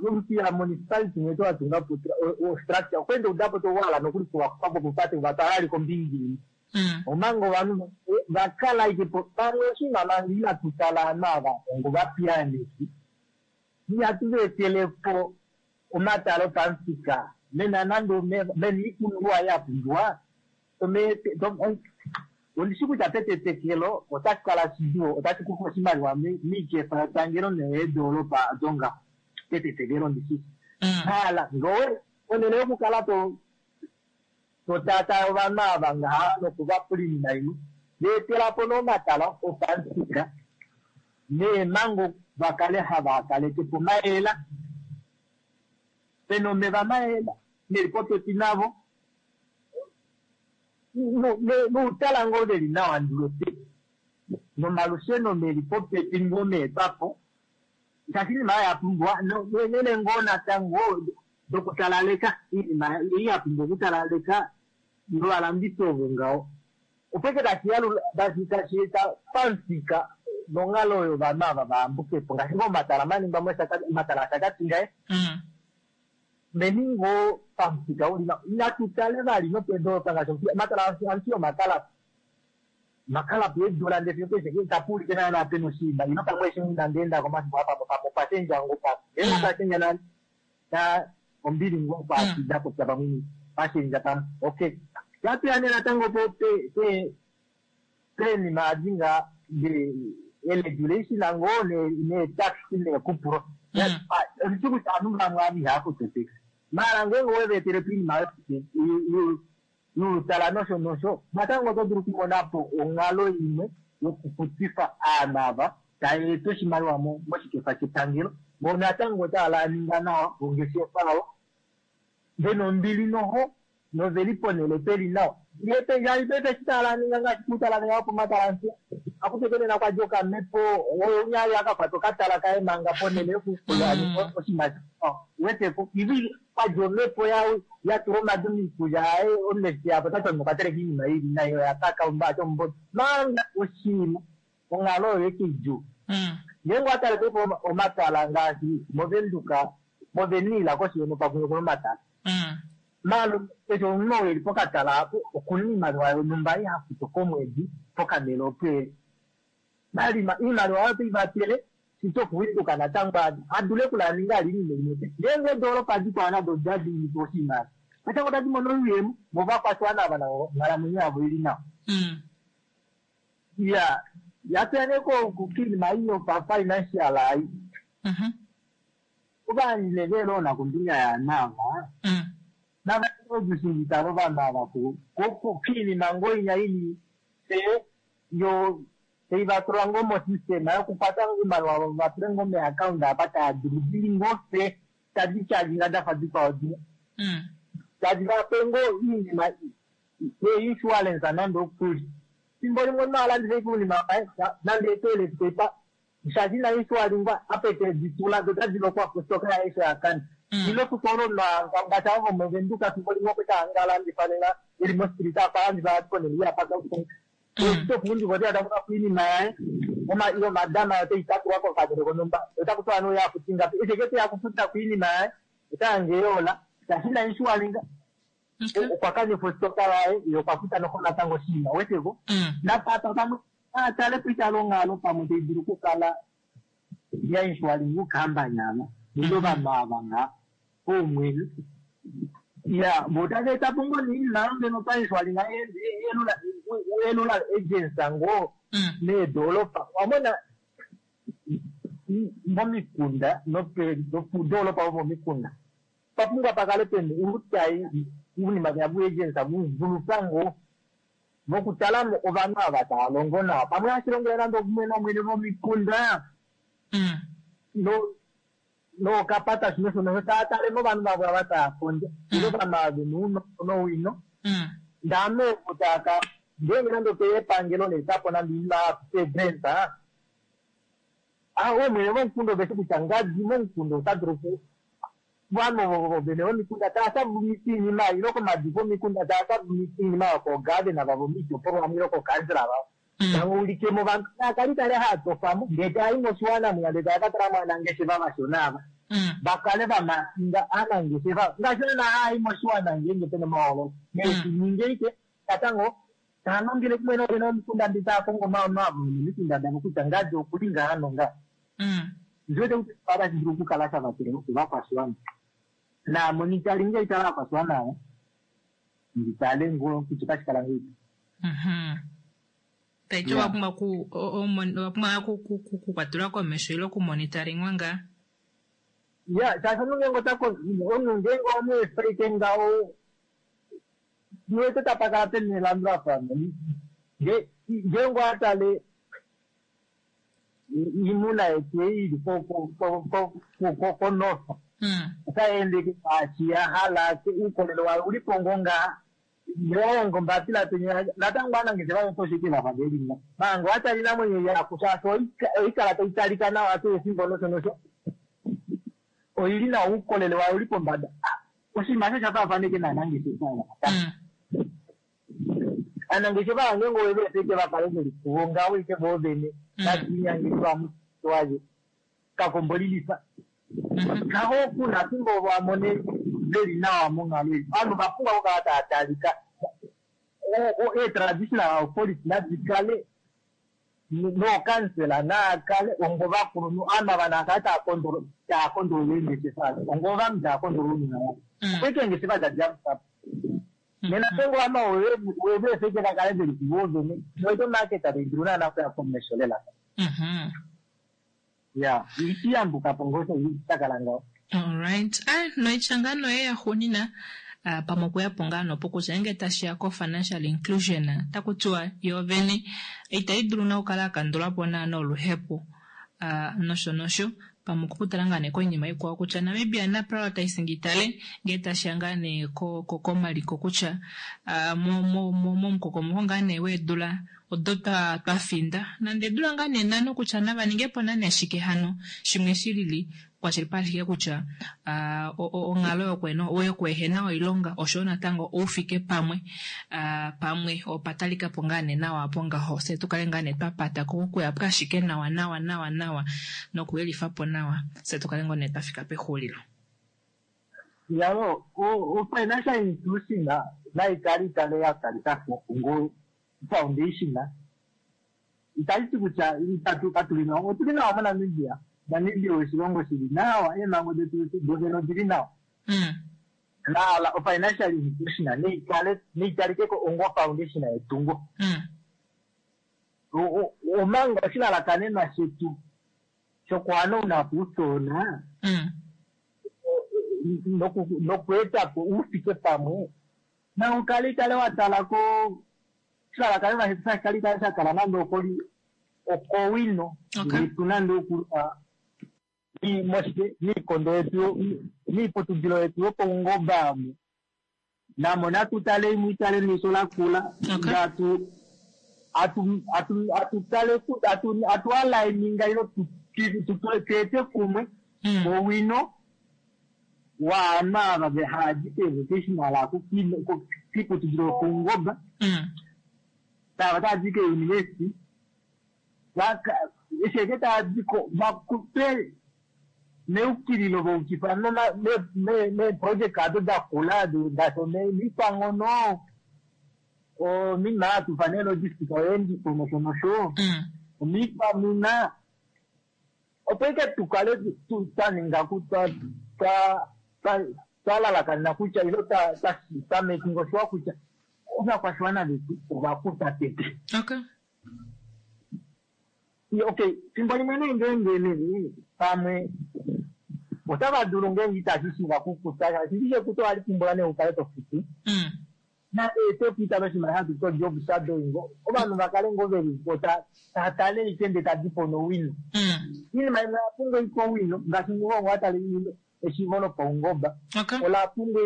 Omuthiya municipality mwetu watunga po structure okweenda udapo towala nokuli kuvakufapo popate vatwala kombinga imwe omanga ovanhu vakala ashike po pamwe oshinima manga inatu tala ovanhu ava ongo ovapiyaaneki ihatu va etelepo omatala opamufika mena nande omeva mena oipumbiwa ya pumbiwa ondishi kutya petetekelo otashi kala shidjuu otashi kufa oshimaliwa miikefa yepangelo noyeedolopa dongaho petetekelo ndishi hala ngowe ponhele yokukala to taataa ovanhu ava ngaha nokuvapula oinima imwe va etela po nee omatala opamufika neemhango va kale hava kaleke po mayela pena omeva mayela meli popepi navo noutala ngoo veli nawa ndiwete nomalusheno meli popepi ngoo meetwapo shaashi oinima oyo ya pumbiwa neenhele ngoo natango dokutalaleka oinima ei ya pumbwa okutalaleka novalandifi ovo ngaho opo ike tashi yalula tashi eta pamufika nonghalo oyo ovanhu ava vayambuke po ngaashi ngoo omatala maningwa mOshakati omatala aShakati ngaye meni ngoo pamufika uli nawa inatu tale vali nopeedolopa ngaashi omatala aMuthiya omakala makala po eedula ndee fiyo paife itapu ulike naana pena oshinima ilo pamwe eshi nandi endako omafimbo apa pamwe opwa shendja ngoo pamwe ngeenge opwa shendja na ombili ngoo kwaashi nda popya pamwe pashendja pamwe okay yatuya nee natango po peenima adi ngaa eregulation ngoo neetax neekupulo ondishi kutya ovanhu vamwe ava ihava futu otax maala ngeenge oweva etele po oinima youtala nosho nosho natango oto dulu okumona po onghalo imwe yokufutifa aanhu ava taya eta oshimaliwa moshikefa shepangelo vo natango otava ninga nawa ongeshefa yavo vena ombili noho. Noveli ponhele peli nawa. Ngee paife eshi tala ninga ngaashi kutala ninga pomatala nsi akuke nena kwa dja okamhepo oyo unya ali akakwata okatala kaye manga ponhele yokukulya oshinima weteko ivi kwa dja omhepo ya tula omadu miikulya yaye omunesti yapo tati omunhu okwa teleka iinima ili nayi oya kaka ombaati ombodo manga oshinima onghalo oyo eke idjuu. Ngeenge owatale paife omatala ngaashi movenduka movenila koshi yeno pakumwe kuna omatala. Malo keshe omunhu oo eli pokatala apo okuna iimaliwa yonhumba ei hafutu komwedi pokanhele opo eli. Iimaliwa oyo otai vatele shito okuwinduka natango adule okulaninga ali iinima imwe. Ngeenge eedolopa dikwao nado odadinipa oshimaliwa natango otadi mono oyuuyemo movakwashiwana ava navo onghalamwenyo yavo ili nawa. Iya yatuya nee kiinima ei yopa-financial ai. Ovanhu neveelona kombinga yaanava navaojushingitalo ovanhu ava kiinima ngoo inya ili se yo teivatula ngoo mosystema yokukwata ngoo iimaliwa vatule ngoo meaccount apa taa dulu dili ngoo se tadi charginga dafa dikwao dina tadi vape ngoo iinima ye-insurance nande okuli fimbo limwe omunhu alandifa ike uunima waye nande etoilet paper shaashi ina insualingwa apa ete ditula do tadi lokwa kostoka yaye sho yakana ile ofikola omunhu ngaashi avo vomovenduka fimbo limwe okwe taangalandifa nena eli mostreet apa alandifa ponele iyapaka tokuundika oteya takufa iinima yaye ile omadama oteyi tatulwa kokadele konhumba otaku tiwa nee oya futi ngapi eshi eke teya kufuta kuinima yaye otayange yola shaashi ina inshualinga okwa kanifa ostoka yaye ye okwa futa noho natango oshinima weteko napapa pamwe atale po itale onghalo pamwe tai dulu okukala ya inshualinga ukambani ava ile ovanhu ava nga oumwene ya votava etapo ngoo niinima ngeno painsualinga elula agency ngoo meedolopa wamona momikunda nopudoolopa vomomikunda papumbwa pakale pena uutayi uunima vya vuagency vuvuluka ngoo vokutalamo ovanhu ava tava longo nawa pamwe hashi longele nande okumwe nomwene vomikunda nookapata shino shono tava tale movanhu vavo ava tava kondja ile ovanhu ava vena ounongo nowino ndaame ovo taaka ngeenge nande opeya epangelo leetapo nande oinima yapegrant oomwene vomukunda oveshi kutya ngadi momukunda ota dulu vanhu ovo vene vomikunda tava sabumisa iinima ile komadiko omikunda tava sabumisa iinima yokoogavena vavo miitopolwa vamwe ile kookansela vavo tava ulikemo vanhu nakali tale haatofamo ndee taayi moshiwana mwiya ndee tava katala mo aanangeshefa vashona ava vakale vamakinga aanangeshefa ngaashi naana haayi moshiwana ngeenge pena omahoololo neeshininge ike natango taa longele kumwe noovene vomikunda ndi taa kongo omaano nomikunda davo kutya ngadi okuli ngaha nongaha ndiwete kutya otashi dulu okukala sha vatele ovakwashiwana naamonitaringa itala aakwashiwana ava nditale ngoo kutya otashi kala ngeipi. Taiti owapumbwa okukwatelwa komesho ile okumonitaringwa ngaa. Ya shaashi omunhu ngeenge ota omunhu ngeenge owamuefeike ngaho niwete tapa kala pena elandulafano ngeenge owatale iimuna yetu ei ili konorth otayi ende ngaashi ya hala uukolele wayo ulipo ngoo ngaha ngewaonga ombapila penya natango aanangeshefa votoshike vafa velinga manga owatala iinamwenyo yaku shaashi oikala tai talika nawa kehe efimbo nosho nosho oili nawa uukolele wayo uli pombada oshinima osho sha faafaneke naanangeshefa ava aanangeshefa ngeenge oweveefeke vakale veli kuvo ngaho ike voovene nashinyangeliwa waye kakombo lilifa kaho kuna fimbo vamone veli nawa monghalo ei ovanhu vapumbwa okukala tava talika eetraditional authority nadi kale nookansela naakale ongo vakulunhu ovanhu ava naakale tava kondolola eengeshefa ongo ovanhu tava kondolola oinima yavo opo eengeshefa tadi yamukapo nena ngeenge ovanhu weveefeke vakale veli kuvo vene noito market tai dulu naana okuya komesho lela ya ishiyambukapo ngoo shakala ngaho. Alright, ah, noitya yoye yaxuunina pamwe okuyapo ngaa nopo kutya ngeenge tashiya ko-financial inclusion taku tiwa yoovene itai dulu na okukala yakandulapo naana oluhepo nosho nosho. Pamwe okukutala ngaa nee koinima ikwao kutya Namibia na prioritizing itale ngee tashiya ngaa nee komaliko kutya momukokomoko ngaa nee weedula odo twa finda nande eedula ngaa nee nhano kutya nava ningepo naa nee shike hano shimwe shilili kwashilipaleke kutya onghalo yokuehena oilonga oshoyo natango oufike pamwe pamwe opatalikapo ngaa nee nawa apo ngaho fye tukale ngaa nee twapata ko okuya po ashike nawa nawa nawa nawa nokuyelifapo nawa fye tukale ngoo nee twafika pexulilo. Yalo, o-financial institution naikale ikale ya talika ko ongo foundation. Itashi ti kutya itatu katuli nawa, otuli nawa moNamibia. Namibia oshilongo shili nawa, eemhango detu dovene odili nawa. Naala o-financial institution neikale neitalike ko ongo foundation yetungo. Omanga oshilalakanenwa shetu shokuhanauna po uuthona nokweeta po uufike pamwe na ukale kale wa tala ko oshilalakanenwa shetu shashikale kale sha tala nande okoli okowino yetu nande okulwa miikondo yetu miiputudhilo yetu yopaungomba amu namo natu tale imwe itale neisho lakula ngatu atutale atualaininga ilo tuete kumwe owino waanhu ava haaji kevocational aku kiiputudhilo yopaungomba tava taaji keuniversity esheke taadiko vakupe neukililo voukifa meeproject ado dakula ngaashi omikwanghono ominima yatufa neelogistic oyeendifo nosho nosho omiikwamina opo ike tukale twaninga twalalakanena kutya ilo twa making sure kutya ovakwashiwana vetu ovakuta tete. Okay, fimbo limwe nee ngeenge nee pamwe otava dulu ngeenge itashi shiiva kukuta shaashi ndishi ekuto ohali pumbwa nee ukale tofutu na ete noshimaliwa hatu to job shadowing ovanhu vakale ngoo veli po tatale ike ndee tadipo nowino. Iinima imwe oya pumbwa ike owino ngaashi ngoo watale eshiivo lopaungomba ola pumbwa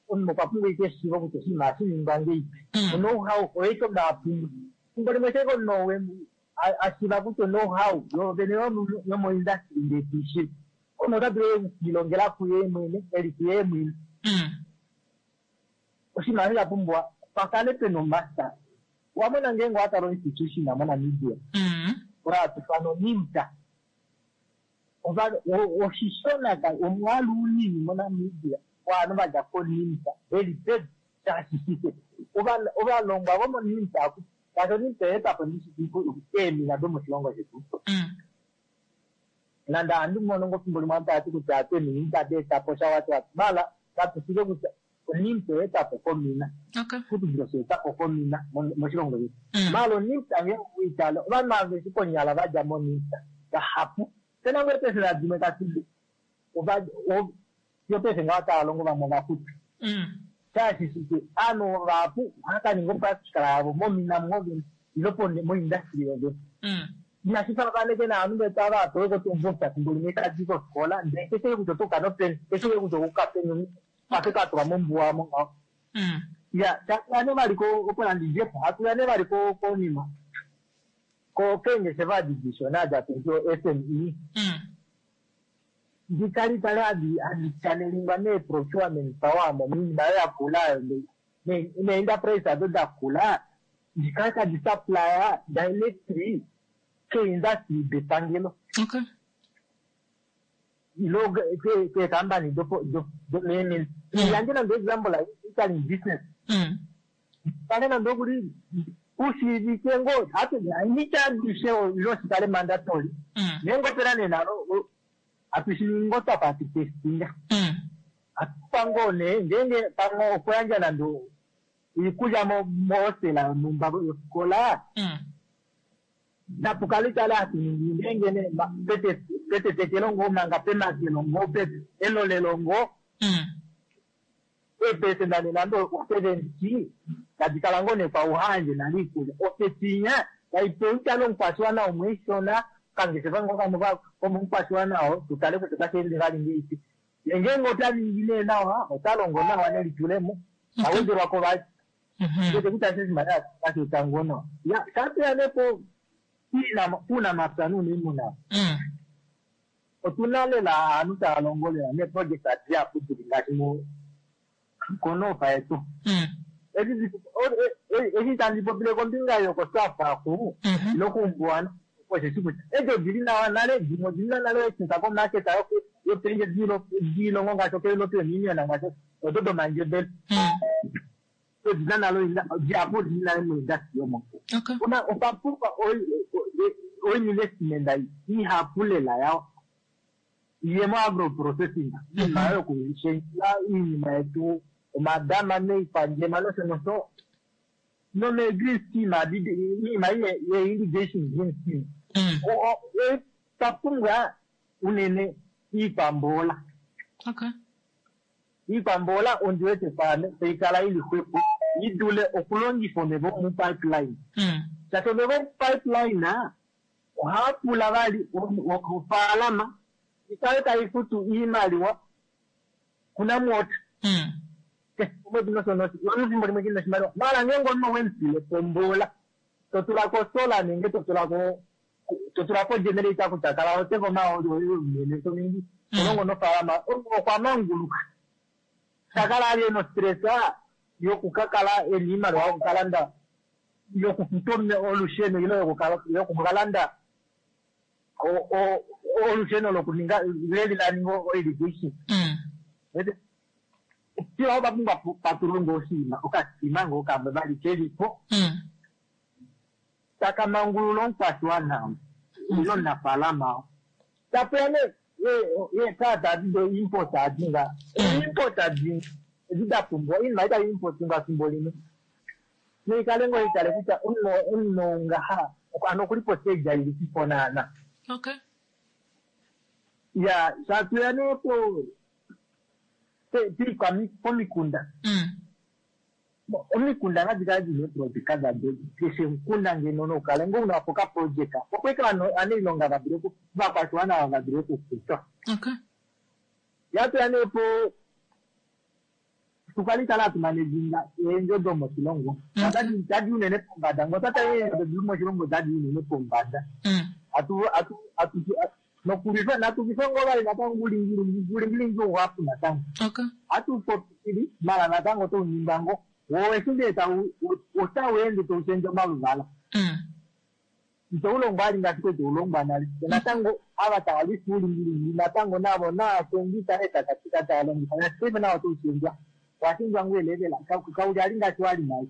omunhu okwa pumbwa ike eshiivo kutya oshinima ohashi ningwa ngeipi. Know-how oyo ike omunhu apumbwa. Fimbo limwe sheke omunhu ashiiva kutya know-how yovene yomoindustry ndee tiishiiva omunhu ota dulu okwiilongela kuye mwene eli kuye mwene. Oshinima osho sha pumbwa pakale pena omaster. Wamona ngeenge owatala institution moNamibia oyo hatu ifana oNIMTA oshishona omwaalu unini moNamibia waanhu vadja koNIMTA veli pedu shaashi shike ovalongwa vomoNIMTA ngaashi oNIMTA oya etapo ndishi eemina domoshilongo shetu. Nande ohandi mono ngoo fimbo limwe aantu tava ti kutya atu eemina itadi etapo sha wati wati maala katushike kutya oNIMTA oya etapo komina oshiputudhilo sha etapo komina moshilongo shetu. Maala oNIMTA ngeenge owiitale ovanhu aveshe konyala vadja moNIMTA vahapu pena ngoo eepesela dimwe tadi fiyo paife ngaho otava longo vamwe ovakutu. Shaashi shike ovanhu vahapu ohava kaninga opractical yavo momina mwovene ilo moindustry yovene. Inashi faafaneke naanhu vetu ava hapewe kotumvukya fimbo limwe itadi kofikola ndee keshe kutya otoka nopeni keshe kutya okuka peni ate katulwa mombuwa mo ngaho. Ya hatuya nee vali opo nandi djepo hatuya nee vali konima keengeshefa adi dishona adi hatu ti o-SME ndikali tale hadi chanelingwa mee-procurement power mominima oyo yakula oyo nee-enterprise ado dakula ndikale tadi supplya directly keindustry depangelo. Ilo keekampani domeemina. Yandje nande example catering business. Kale nande okuli ushiivike ngoo nitya adishe ilo shikale mandatory. Ngeenge opena nee nalo atushi ngoo twafa hatu testinga. Atupa ngoo nee ngeenge pamwe okuyandja nande iikulya mohostela yonhumba yofikola napukale tale hatu ningi ngeenge nee petetekelo ngoo manga pemakelo ngoo elolelo ngoo eepesenda nee nande o70 tadi kala ngoo nee kwauhandje nale iikulya ofetinya taipewa itale omukwashiwana umwe ishona. Okangeshefa ngoo kamwe komukwashiwana oo, tu tale kutya otashi ende vali ngahelipi. Ye ngeenge ota ningi nee nawa, ota longo nawa nelitulemo, ta wedelwa ko vali. Wete kutya eshi oshimaliwa otashi eta ngoo nawa. Ya, shatuya nee po puunamapya nuuniimuna. Otuna lela aantu taya longo lela neeproject dihapu dili ngaashi konofa yetu. Eshi tandi popile kombinga yokoSwapo nokuumbuwana osheshi kutya edi odili nawa nale, dimwe odili na nale echuka komarket yopendje diilongo ngaashi okoEuropean Union ngaashi odo domandjebele. Odina nale dihapu odili nale moindustry omo. Una opa pumbwa oinvestment ihapu lela yao yemo agro processing, iinima yokushendjela iinima yetu omadama neikwandjema nosho nosho nome green scheme iinima ye irrigation green scheme. Twa pumbwa unene iikwamboola. Iikwamboola ondi wete kwaame tai kala ili xwepo i dule okulongifa omeva omupipeline. Shaashi omeva omupipeline ohaa pula vali ofaalama ikale tai futu iimaliwa kuNamwater. Keshe omwedi nosho nosho. Efimbo limwe kina oshimaliwa. Maala ngeenge omunhu owemufile pomboola, to tula ko solar nenge to tula ko to tula ko generator kutya kala oteka omahooli oye unene to ningi to longo nofaalama, omunhu okwa manguluka. Ta kala ali ena ostress yokukakala ena iimaliwa yokukalanda yokufuta olusheno ile yokukalanda olusheno lokuninga leli la ninga irrigation. Sila opa pumbwa patulongo oshinima okasima ngoo kamwe vali kelipo taka mangulula omukwashiwana ile omunafaalama. Tapeya nee yeekaa tadi do import adi nga import adi edi da pumbwa oinima itai import ngafimbo limwe noikale ngoo itale kutya omunhu ngaha ano okuli postage ilipipo naana. Ya shatuya nee po pomikunda. Omikunda nadi kale dina eeprojeka dado keshe omukunda ngeno nokukala ngoo una po okaprojeka opo ike anailonga va dule ovakwashiwana va dule okufutwa. Yatuya nee po tukale tala hatu managinga eendjo domoshilongo. Tadi unene pombada ngoo tata eendjo domoshilongo otadi unene pombada. Atu nokulwifa natulwife ngoo vali natango ulingilingi ouhapu natango. Atu popili mala natango otounyinga ngoo. Wo eshi ndee otau ende taushendje omaluvala. Ito ulongwa ali ngaashi kwete ulongwa nale. Natango ava tava lwifa uulingilingi natango navo naashendjisa eetakatika tava longifa. Paife nao otoushendjwa. Washendjwa ngoo elevela. Kauli ali ngaashi wali nale.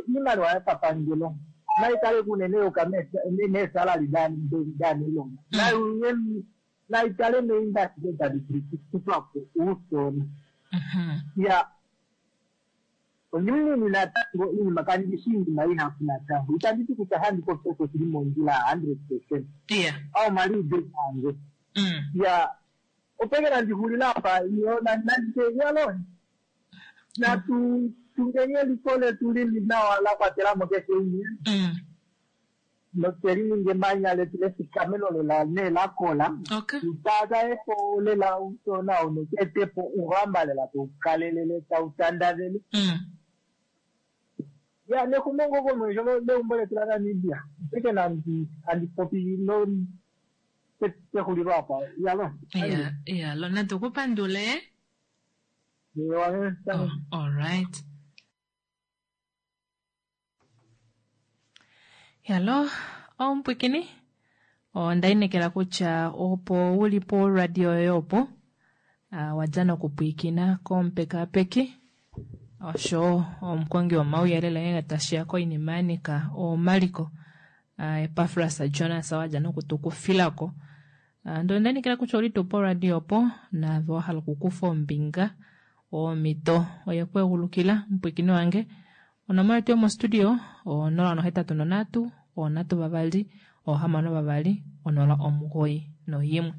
Iimaliwa yopapangelo naikale kunene yoka meesalary daaniilonga. Naikale meindustry tadi kutwa po uusona. Ya ondimunini natango iinima kandi shi iinima ihapu natango. Itandi ti kutya handi popi osho shili mondjila 100%. Ao maliudo ange. Ya opeke nandixulila apa iyo nandite yalo natu tungeni eliko letu lili nawa la kwatela mo keshe umwe. Noteli ninge emanya letu lefikameno lela nee lakola. Tutaka epo lela usona unoketepo uhamba lela taukalelele tautandavele. Ya nexumongo komesho leumbo letu laNamibia. Peke nandi andi popi no pexulilo apa yalo. Ya, natu kupandule. Oh, all right. Hello, omupwikini. Onda inekela kutya opo uli po radio yoye opo wadja nokupwikina komupekapeki osho omukongi womauyelele ngenge tashiya koinima ya nika omaliko Epafras Jonas wadja nokutukufilako. Ndele onda inekela kutya ouli tuu poradio opo naave wa hala okukufa ombinga omhito oye ku egulukila mupwikini wange. Onomola yetu yomostudio 083 3 6 2 091.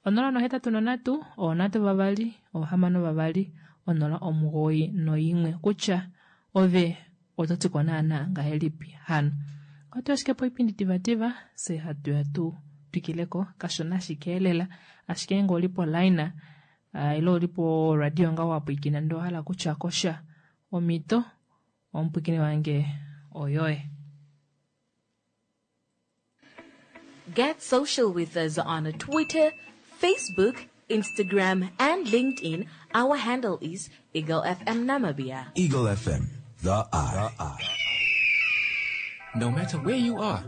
083 3 6 2 091 kutya ove oto tiko naana ngahelipi hano. Ohatu ashike poipindi divadiva, fye hatu ya tu twikileko kashona ashike elela. Ashike ngee ouli poline ile ouli poradio ngaho wa pwiikina ndee owa hala okutya ko sha, omhito omupwiikini wange oyoye. Get social with us on Twitter, Facebook, Instagram, and LinkedIn. Our handle is Eagle FM Namibia. Eagle FM, the eye. No matter where you are,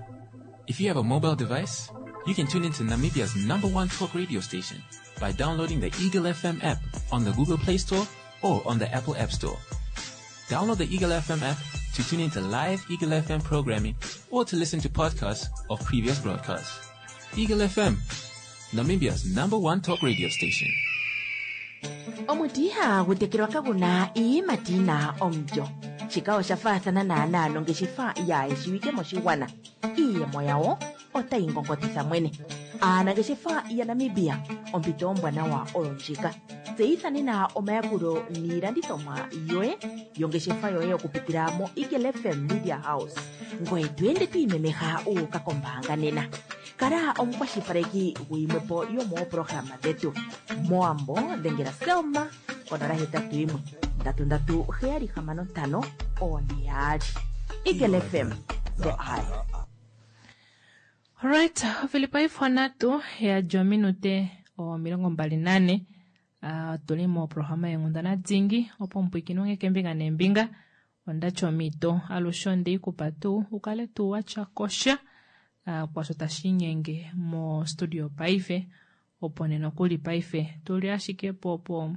if you have a mobile device, you can tune into Namibia's number one talk radio station by downloading the Eagle FM app on the Google Play Store or on the Apple App Store. Download the Eagle FM app to tune into live Eagle FM programming or to listen to podcasts of previous broadcasts. Eagle FM, Namibia's number one talk radio station. Omuti ihagu tekelwa kagu na iiyimati yi na omulyo. Shika osha faathana naanaa nongeshefa yaa shiwike moshigwana. Iiyemo yawo otayi ngongotitha mwene. Aanangeshefa yaNamibia, ompito ombwanawa oyo ndjika. Tseyitha nena omayakulo niilandithomwa yoye yongeshefa yoye okupitila moEagle FM Media House. Ngoye to ende to imemeha u uka kombaanga nena. Kala omukwashilipaleki guyimwepo yomooprograma dhetu. Mowambo dhengela Selma ko 081 337 6542. Eagle FM, the eye. Alright, ovili paife onhatu yadja ominute 24. Otu li moprograma yeenghundana dingi opo omupwiikini wange keembinga neembinga. Onda tya omhito alushe onde i kupa tuu u kale tuu wa tya kosha kwaasho tashi linyenge mostudio paife. Opo nee nokuli paife tu li ashike po po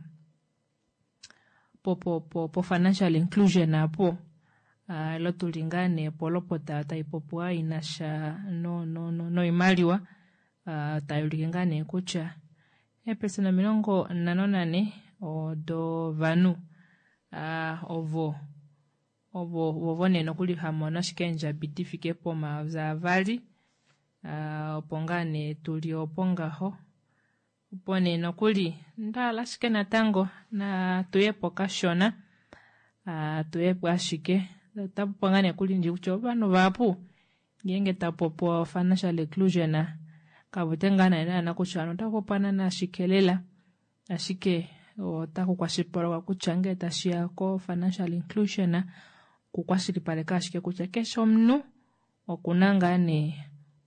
po po po po financial inclusion apo ilo tu li ngaa nee polopota tai popiwa i na sha no no no noimaliwa tai ulike ngaa nee kutya eepesenda 54 dovanhu ovo ovo vovo nee nokuli ha mono ashike eendjabi di fike pomayovi avali opo ngaa nee tu li opo ngaho. Opo nee nokuli nda hala ashike natango natu ye po kashona, tu ye po ashike. Ota popiwa ngaa nee kuli ndji kutya ovanhu vahapu ngeenge ta popiwa financial inclusion kavute ngaa nee naana kutya ovanhu otava popiwa naana shike lela, ashike ota kukwashilipalekwa kutya ngee tashiya ko financial inclusion okukwashilipaleka ashike kutya keshe omunhu okuna ngaa nee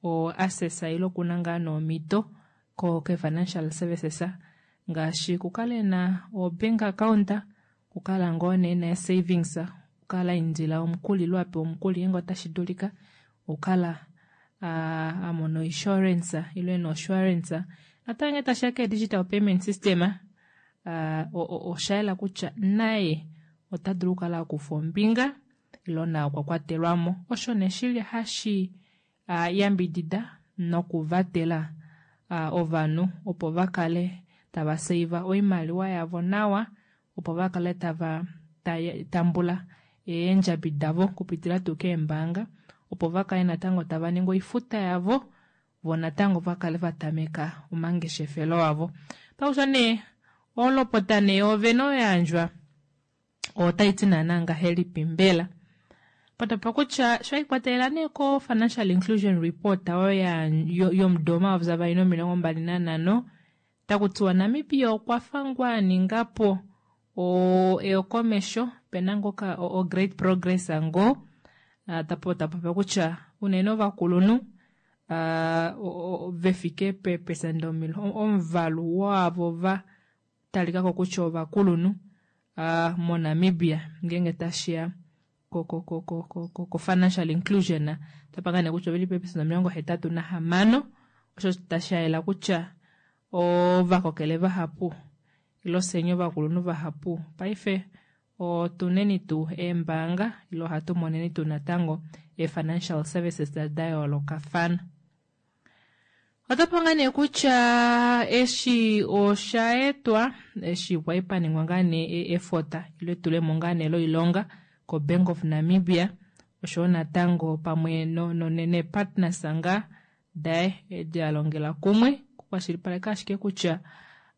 o access ile okuna ngaa nee omhito ko ke financial services ngaashi okukala ena o bank account, okukala ngoo nee ena savings, okukala aindila omukuli ile apewa omukuli ngeenge otashi dulika, okukala a mona insurance ile ena insurance. Natango ngee tashiya ke digital payment system osha yela kutya naye ota dulu okukala akufa ombinga ile naye okwa kwatelwamo. Osho nee shili hashi yambidida nokuvatela ovanhu opo vakale tava save oimaliwa yavo nawa, opo vakale tava tambula eendjabi davo okupitila tuu keembaanga, opo vakale natango tava ningi oifuta yavo, vo natango vakale vatameka omangeshefelo avo. Pakusha nee olopota nee yoovene oyo yayandjwa otaiti naana ngahelipi mbela? Patapa kutya sho ikwatelela nee ko financial inclusion report oyo yomudo 2025 taku tiwa Namibia okwa fa ngoo a ninga po eyokomesho pena ngoka o great progress ngoo tapopya kutya unene ovakulunhu vefike peepesenda omuvalu waavo va talikako kutya ovakulunhu moNamibia ngeenge tashiya ko financial inclusion otapa ngaa nee kutya oveli peepesenda 86 osho tashayela kutya ovakokele vahapu ile osenya ovakulunhu vahapu paife otuneni tuu eembaanga ile ohatu moneni tuu natango ee-financial services da yoolokafana. Otapa ngaa nee kutya eshi osha etwa eshi kwali paningwa ngaa nee efota ile etulemo ngaa nee loilonga ko Bank of Namibia oshowo natango pamwe neepartners ngaa daye edi alongela kumwe okukwashilipaleka ashike kutya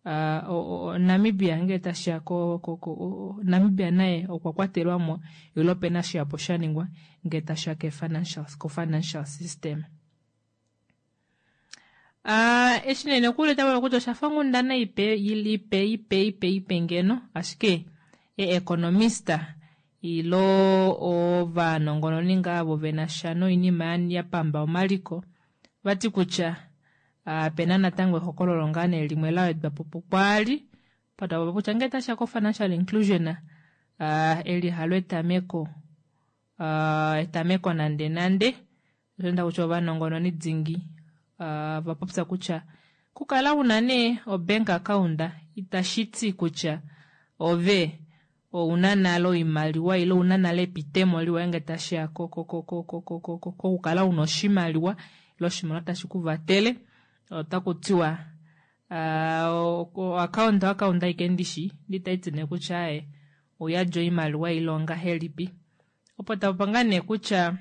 Namibia ngee tashiya ko Namibia naye okwa kwatelwamo ile opena shihapu shaningwa ngee tashiya ko financial system. Eshi nee nokuli otava kutya oshafa onghundana ipe ipe ipe ipe ipe ngeno, ashike eeconomista ilo ovanongononi ngaa avo vena sha noinima ya pamba omaliko vati kutya pena natango ehokololo ngaa nee limwe la wedwa po pukwaali patava kutya ngee tashiya ko financial inclusion eli halo etameko etameko nande nande. Osho kutya ovanongononi dingi va popya kutya kukala una nee obank account itashi ti kutya ove ouna nale oimaliwa ile ouna nale epitemo liwa ngee tashiya kokukala una oshimaliwa ile oshimaliwa tashi kuvatele. Otaku tiwa account account aike ndishi nditaiti nee kutya aye oyadja oimaliwa ile ongahelipi. Opo tapa ngaa nee kutya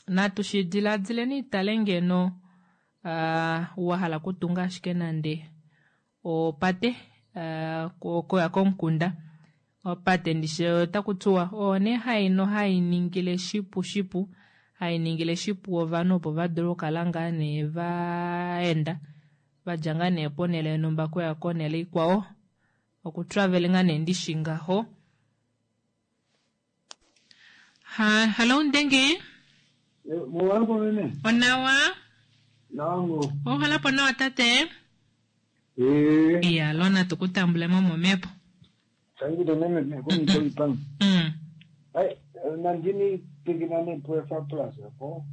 natu shi diladileni itale ngeno wahala kutunga ashike nande opate koya komukunda opate ndishe otaku tiwa oyo nee haino hainingile shipu shipu hainingile shipu ovanhu opo vadule okukala ngaa nee vaenda vadja ngaa nee ponele yonhumba kuya konele ikwao okutravelinga nee ndishi ngaho. Hallo Ndenge. Mowalako meme. Onawa. Nango. Ohalapo nawa tate. Iya lona tukutambule mo momepo. Sangile meme kumito ipang. Ai nandini piginane puefa plus po.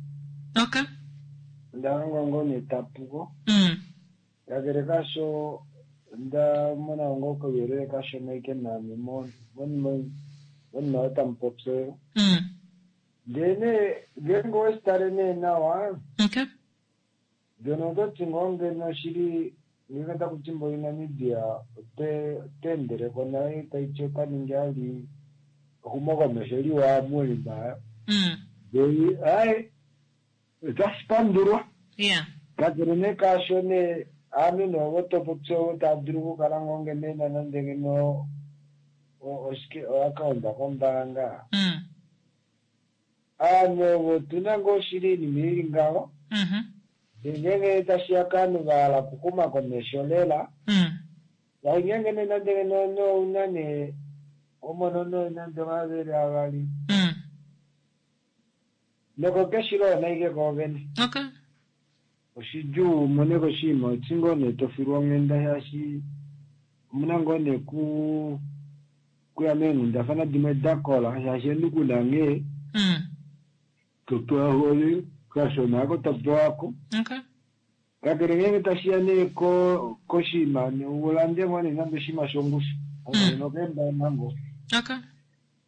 Okay. Ndango ngone tapuko. Kakele kasho nda mona ngoko yerere kasho naike nami mo mon mon tampopse. Ndene ngeenge oweshitale nee nawa. Okay. Ndeno ototi ngoo ngeno shili ngenge taku mboli Namibia oteendeleko naye taiti ota ningi ali exumokomesho liwa molima. Ndele ai otashi pandulwa. Yeah. Kakele nee kaasho nee aanhu noovo topopya ovo tava dulu okukala ngoo ngeno ena nande ngeno oshike oaccount kombaanga. Aanhu ovo otuna ngoo shili oinima ili ngaho. Ngeenge tashiya kaanhu vahala okuxuma komesho lela. Ngeenge nee nande ngeno ouna nee omono nee nande omavele avali. Noko keshilo naike koovene. Okay. Oshidjuu umone koshinima oti ngoo nee tofilwa onghenda shaashi omuna ngoo nee kuya meenghundafana dimwe dakola shaashi omunhu kuna nghee topewa hole kashona ako topewako. Okay. Kakele ngeenge tashiya nee koshinima ulande ngoo nee nande oshinima shongushu nokeembaanga ngoo. Okay.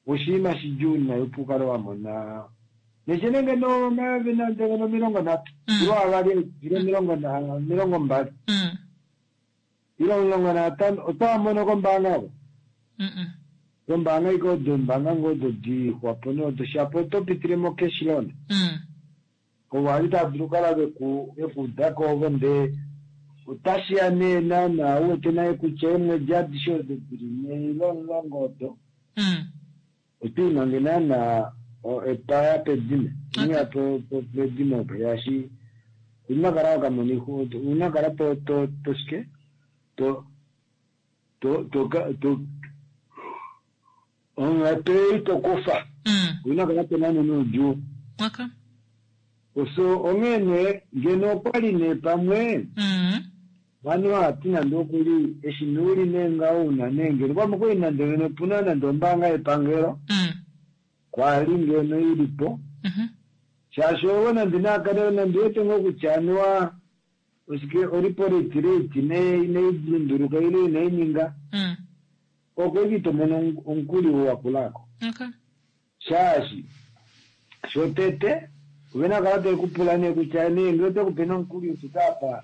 Oshinima shidjuu nayi opo ukale wamona neshene ngeno omayovi nande ngeno 30 ilo 2 ilo 20 ilo 15 otaamono kombaanga oko. Kombaanga iko odo ombaanga ngoo odo dixwapo nodo shapo oto pitile mo cash loan. Ovo ali tava dulu okukala vekuudako ovo ndee otashiya nee naana uwete naye kutya eemwedi adishe odo dili 4 ile 10 odo otwiimange naana epaya pedimo iniya pedimo opo shaashi una kala wakamona una kala to toshike to to to to onghatu tokufa una kala tonane noudjuu. Okay. So onghee nee ngeno okwali nee pamwe vanhu hati nande okuli eshi nuuli nee ngaho una nee ngeno pamwe kwali nande ngeno opuna nande ombaanga yepangelo kwali ngeno ilipo shaashi ovo nande naakale nande wete ngoo kutya anuwa oshike orepo rate rate inai lunduluka ile inai ninga okweki tomono omukuli wakulako. Okay. Shaashi shotete ovena kala tekupula nee kutya nee ngee otekupe nomukuli ufikapa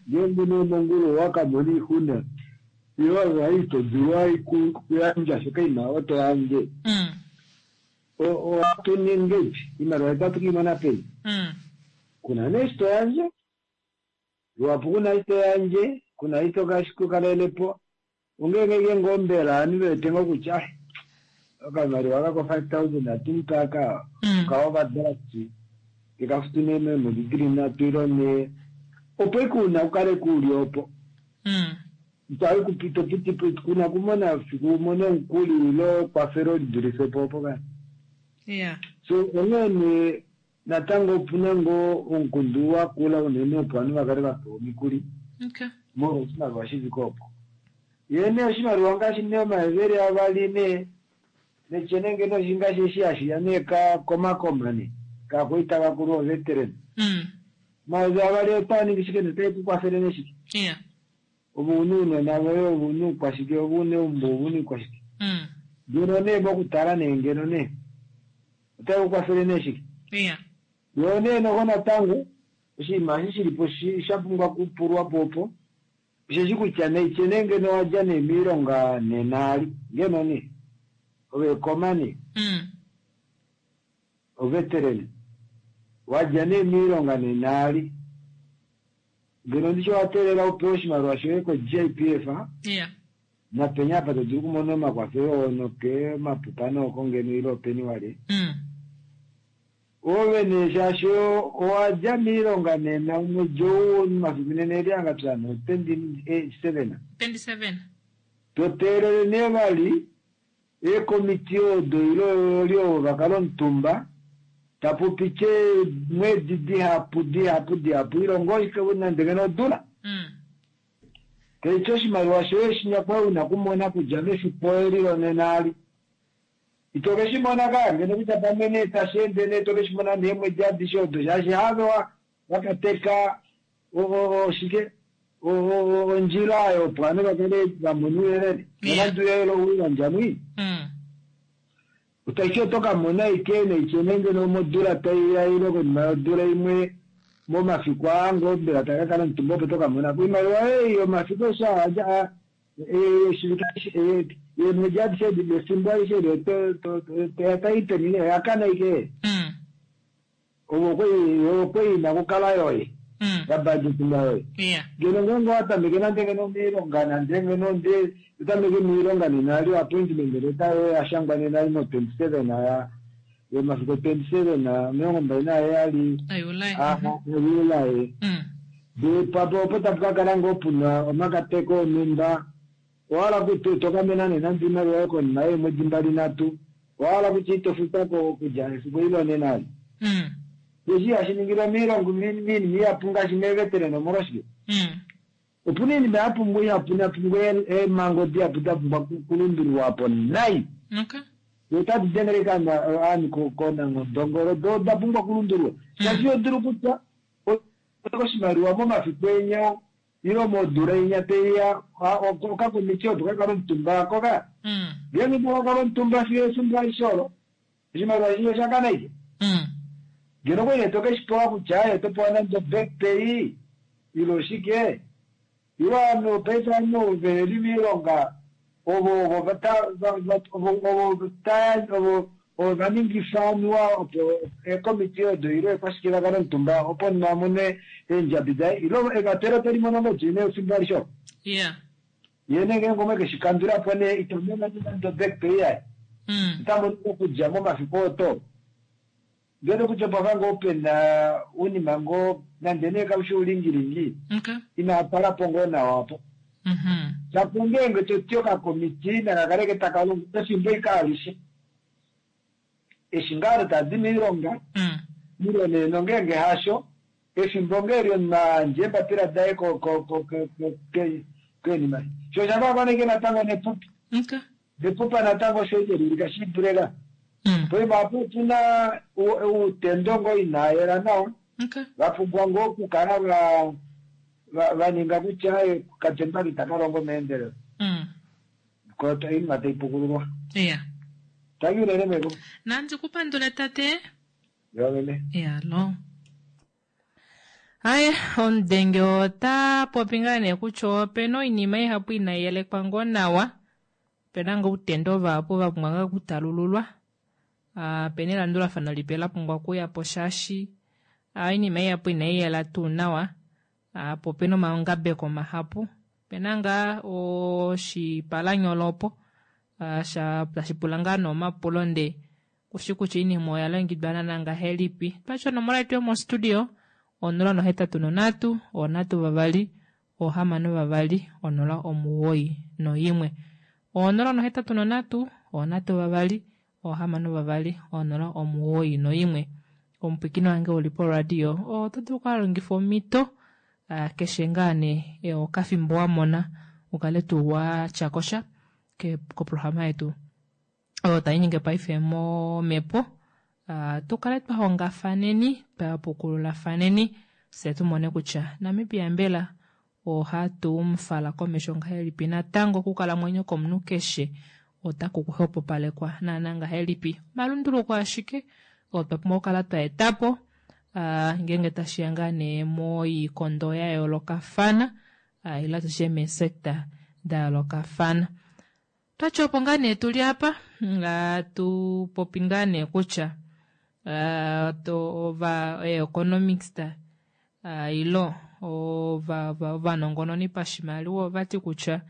ngeenge nee mongulu wakamona oixuna ile ai todulu ai kuyandja shoka imaliwa toyandje ohatu ningi imaliwa itatu kiimona peni kuna nee eshi toyandje luhapu kuna eshi toyandje. Kuna ito kashi po ongeenge ke ngoo mbela ovanhu vewete ngoo kutya "Ah, okamaliwa kako 5000 atumupa aka Mm. ka overdraft kekafutu nee meemwedi dili nhatu ilo ne opo ike una ukale kuuli opo Mm. itopitipo kuna kumona fiku umone omukuli ilo ekwafelo lidulife po opo kani Yeah. so onghee nee natango opuna ngoo omukundu wakula unene opo ovanhu vakale vapewa omikuli Okay. molwa oshimaliwa shifike opo ye nee oshimaliwa ngaashi nee omayevele avali nee netyene ngeno ngaashi eshi hashiya nee ka komakoma nee kakwaita vakulu oveteran Mm. omayeve avali otaa ningi shike notae ku kwafele neshike Yeah. ove una uunona voye ove una uukwashike ove una eumbo ove una iikwashike Mm. ngeno nee mokutala nee ngeno nee otae ku kwafele nee shike Yeah. yo nee noho natango oshinima eshi shilipo shi- sha pumbwa kupulwa po opo osheshi kutya neityene ngeno wadja nee miilonga nenaali ngeno nee ove ekoma nee Mm. oveteran wadja nee miilonga nenaali ngeno ndishi wateelela upewe oshimaliwa shoye ko-jpf Yeah. napenya apa to dulu okumona omakwafelo ono ke mapupa nooko ngeno ile openi wale Mm. ove nee shaashi owadja miilonga nena omwedi ou omafiku nena eli angapyana 27 27. to teelele nee vali eekomiti odo ile oli ovo vakala omutumba tapu pite mwedi dihapu dihapu dihapu ilongo nande ngeno odula Mm. keityo oshimaliwa shoye shinyakwa una kumona kudja mefiku eli lonena ali ito ke shi mona kaa ngeno kutya pamwe nee tashi ende nee to ke shi mona neemwedi adishe odo shaashi have wa- wakateka o- o- oshike o- o- o- ondjila oyo opo ovanhu vakale vamona ouyelele nonande ouyelele ouyandja mwii Mm. utashi oto ka mona ike neityene ngeno modula taiya ile konima yodula imwe momafiku aango mbela taka kala omutumba opo toka mona ko oimaliwa ei yomafiku eshi aadja eemwedi adishe edi efimbo alishe eli otaipeni nee oyakana ike Mm. ovo kwei okweina kukala yoye Mm. yabudgetinga yoye Yeah. ngeno ngenge watameke nande ngeno miilonga nande ngeno nde otameke miilonga nena ali appointment leta yoye yashangwa nena ali mo 27 ya yomafiku 27 27 Ayulai. ayulaye Mm. de papo opo tapu kakala ngoo puna omakateko onhumba owahala kuti tokamena nena iimaliwa yoye konima yeemwedi mbali nhatu owahala kutya ito futako okudja efiku ilo nena ali Mm. eshi hashi ningilwa miilongo minima ihapu ngaashi meevetereni omolwashike Mm. opuna iinima ya pumbwa ihapu napumbwa eemhango dihapu da pumbwa kulundululwa po nai Okay. otadi dengele aanhu konangodongolo do oda pumbwa kulundululwa shaashi odulu kutya oshimaliwa momafiku enya ilo modula inya teiya okakomiti opo kakala omutumba koka Mm. ngenge takakala omutumba fiyo efimbo alishe olo oshimaliwa shiyo shakana ike Mm. ngeno kwene tokeshi pewa kutya aye topewa nande back pay ilo shike ilo ovanhu paife ovanhu veli miilonga ovo ovo vata- va- va- ovo ovo taya ovo ovo vaningifa anuwa opo ekomiti odo ilo ekwashike vakale omutumba opo omunhu amone eendjabi daye ilo evatelo teli mono ngodi efimbo alishe olo Yeah. ye nee ngeenge omwe keshi kandulapo nee itamona nande back pay yaye Mm. itamono okudja momafiku oto ngeno kutya pava ngoo pena unima ngoo nande nee kaushi ulingilingi Okay. inapala po ngoo nawa apo Mhm. shapo ngeenge toti okakomiti nakakaleke taka longo efimbo ike alishe eshi ngaa tadi miilonga Mm. ilo nee nongeenge hasho efimbo ngeeli omunhu eembapila daye ko- ko- ko- ko- ko- ke- kenima sho osha natango nepupi Okay. nepupa natango osho ike shidulela Mm. poima apo opuna uutendo ngoo inayela nawa Okay. vapumbwa ngoo okukala va va- va ninga kutya eh, katemba itaka longo meendelelo Mm. ko oinima tai pukululwa Yeah. tangi unene meko Nandi kupandule tate. yo meme Yalo. Aye, omudenge ota popi ngaa nee kutya opena oinima ihapu inayi yelekwa ngoo nawa. Opena ngoo outendo vahapu va pumbwa ngaa okutalululwa. Ah, opena elandulafano lipe la pumbwa okuya po shaashi ah, oinima ihapu inayi yela tuu nawa. Ah, po opena omangabeko mahapu. Opena ngaa oshipalanyolo opo sha tashi pula ngaa nee omapulo ndee kushi kutya oinima oya longekidwa naana ngahelipi. Twati onomola yetu yomostudio 083 3 6 2 091. 083 3 6 2 091. Omupwiikini wange uli poradio oto dulu okulongifa omhito keshe ngaa nee okafimbo wamona ukale tuu watyakosha koprograma yetu oyo tainyenge paife momhepo. Tukale twahongafaneni, twapukululafaneni fyee tumone kutya Namibia mbela ohatu mufala komesho ngahelipi natango okukalamwenyo komunhu keshe otaku kuxwepopalekwa naana ngahelipi. Omalunduluko ashike oo twa pumbwa okukala twa etapo ngeenge tashiya ngaa nee moikondo ya yoolokafana ile tushe meesector da yoolokafana. Twati opo ngaa nee tuli apa tupopi ngaa nee kutya ova economics ilo ovanongononi pashimaliwa ovati kutya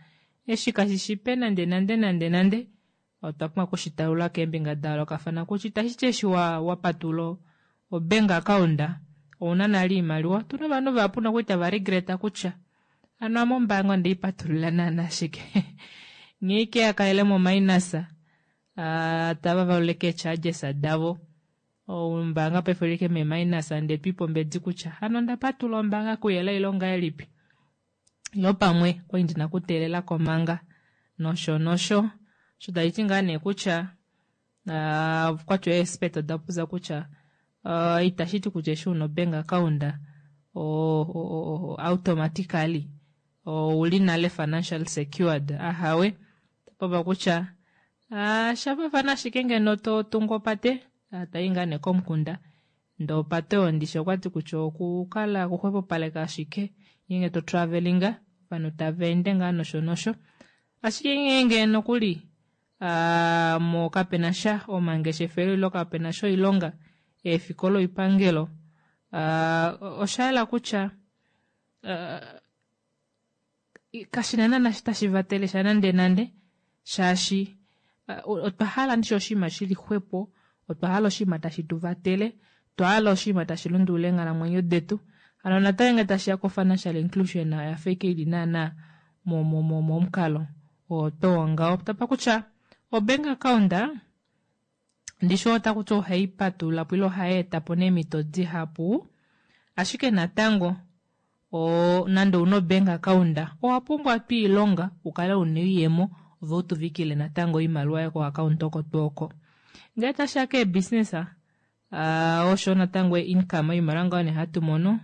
eshi kashishi nande nande nande nande otwa pumbwa okushitalula keembinga da yoolokafana kutya itashiti eshi wapatula obank account ouna nale oimaliwa. Otuna ovanhu vahapu nokuli tava regreta kutya hano ame ombaanga ondeipatulula naana shike nghee ike yakalele mominus tava valula eecharges davo ombaanga paife oili ike meminus ndee twiipe ombedi kutya hano ondapatulula ombaanga kuyela ile ongahelipi ilo pamwe okwali ndina okuteelelako manga nosho nosho. Osho tashiti ngaa nee kutya okwati eexpert oda popya kutya itashiti kutya eshi una obank account automatically ouli nale financial secured ahawe. Tapopya kutya shafaafana ashike ngeno totungu opate tayi ngaa nee komukunda ndee opate oyo ndishi okwati kutya okukala okuxwepopaleka ashike ngeenge to travellinga ovanhu tava ende ngaa nosho nosho. Ashike ngeenge nokuli mo kapena sha omangeshefelo ilo kapena sha oilonga eefikola oipangelo oshayela kutya kashina naana tashi vatele sha nande nande shaashi otwa hala ndishi oshinima shili xwepo, otwa hala oshinima tashi tu vatele, otwa hala oshinima tashi lundulula eenghalamwenyo detu. Hano natango ngee tashiya ko financial inclusion oyafa ike ili naana momukalo oo too ngaho. Tapa kutya obank account ndishi otakuti ohai patululapo ile ohai etapo neemhito dihapu, ashike natango nande ouna obank account owa pumbwa twiilonga ukale una oiyemo ove utuvikile natango oimaliwa yoye ko account oko tuu oko. Ngee tashiya keebusiness osho natango income oimaliwa ngaho nee hatu mono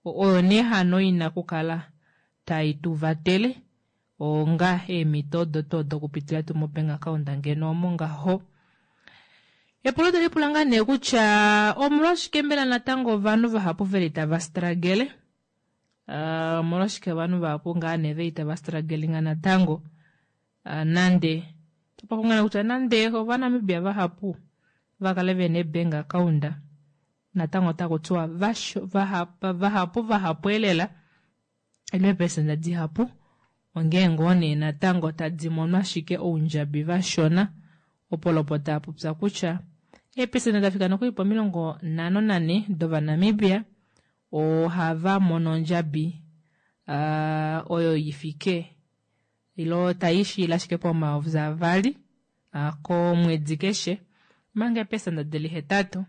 oyo nee hano ina okukala tai tu vatele onga eemhito odo tuu dokupitila tuu mobank account ngeno omo ngaho. Epulo tali ngaa nee kutya omolwashike mbela natango ovanhu vahapu veli tava struggle, omolwashike ovanhu vahapu ngaa nee veli tava strugglinga natango nande topapo kutya nande ovanamibia vahapu vakale vena eebank account natango otaku tiwa vahapu vahapu elela ile eepesenda dihapu ongee ngoo nee natango tadi mono ashike oundjabi vashona. Opolopota yapopya kutya eepesenda dafika nokuli pomilongo nhano nanhe dovanamibia ohava mono ondjabi oyo ifike ilo taishiila ashike pomayovi avali komwedi keshe, omanga eepesenda dili hetatu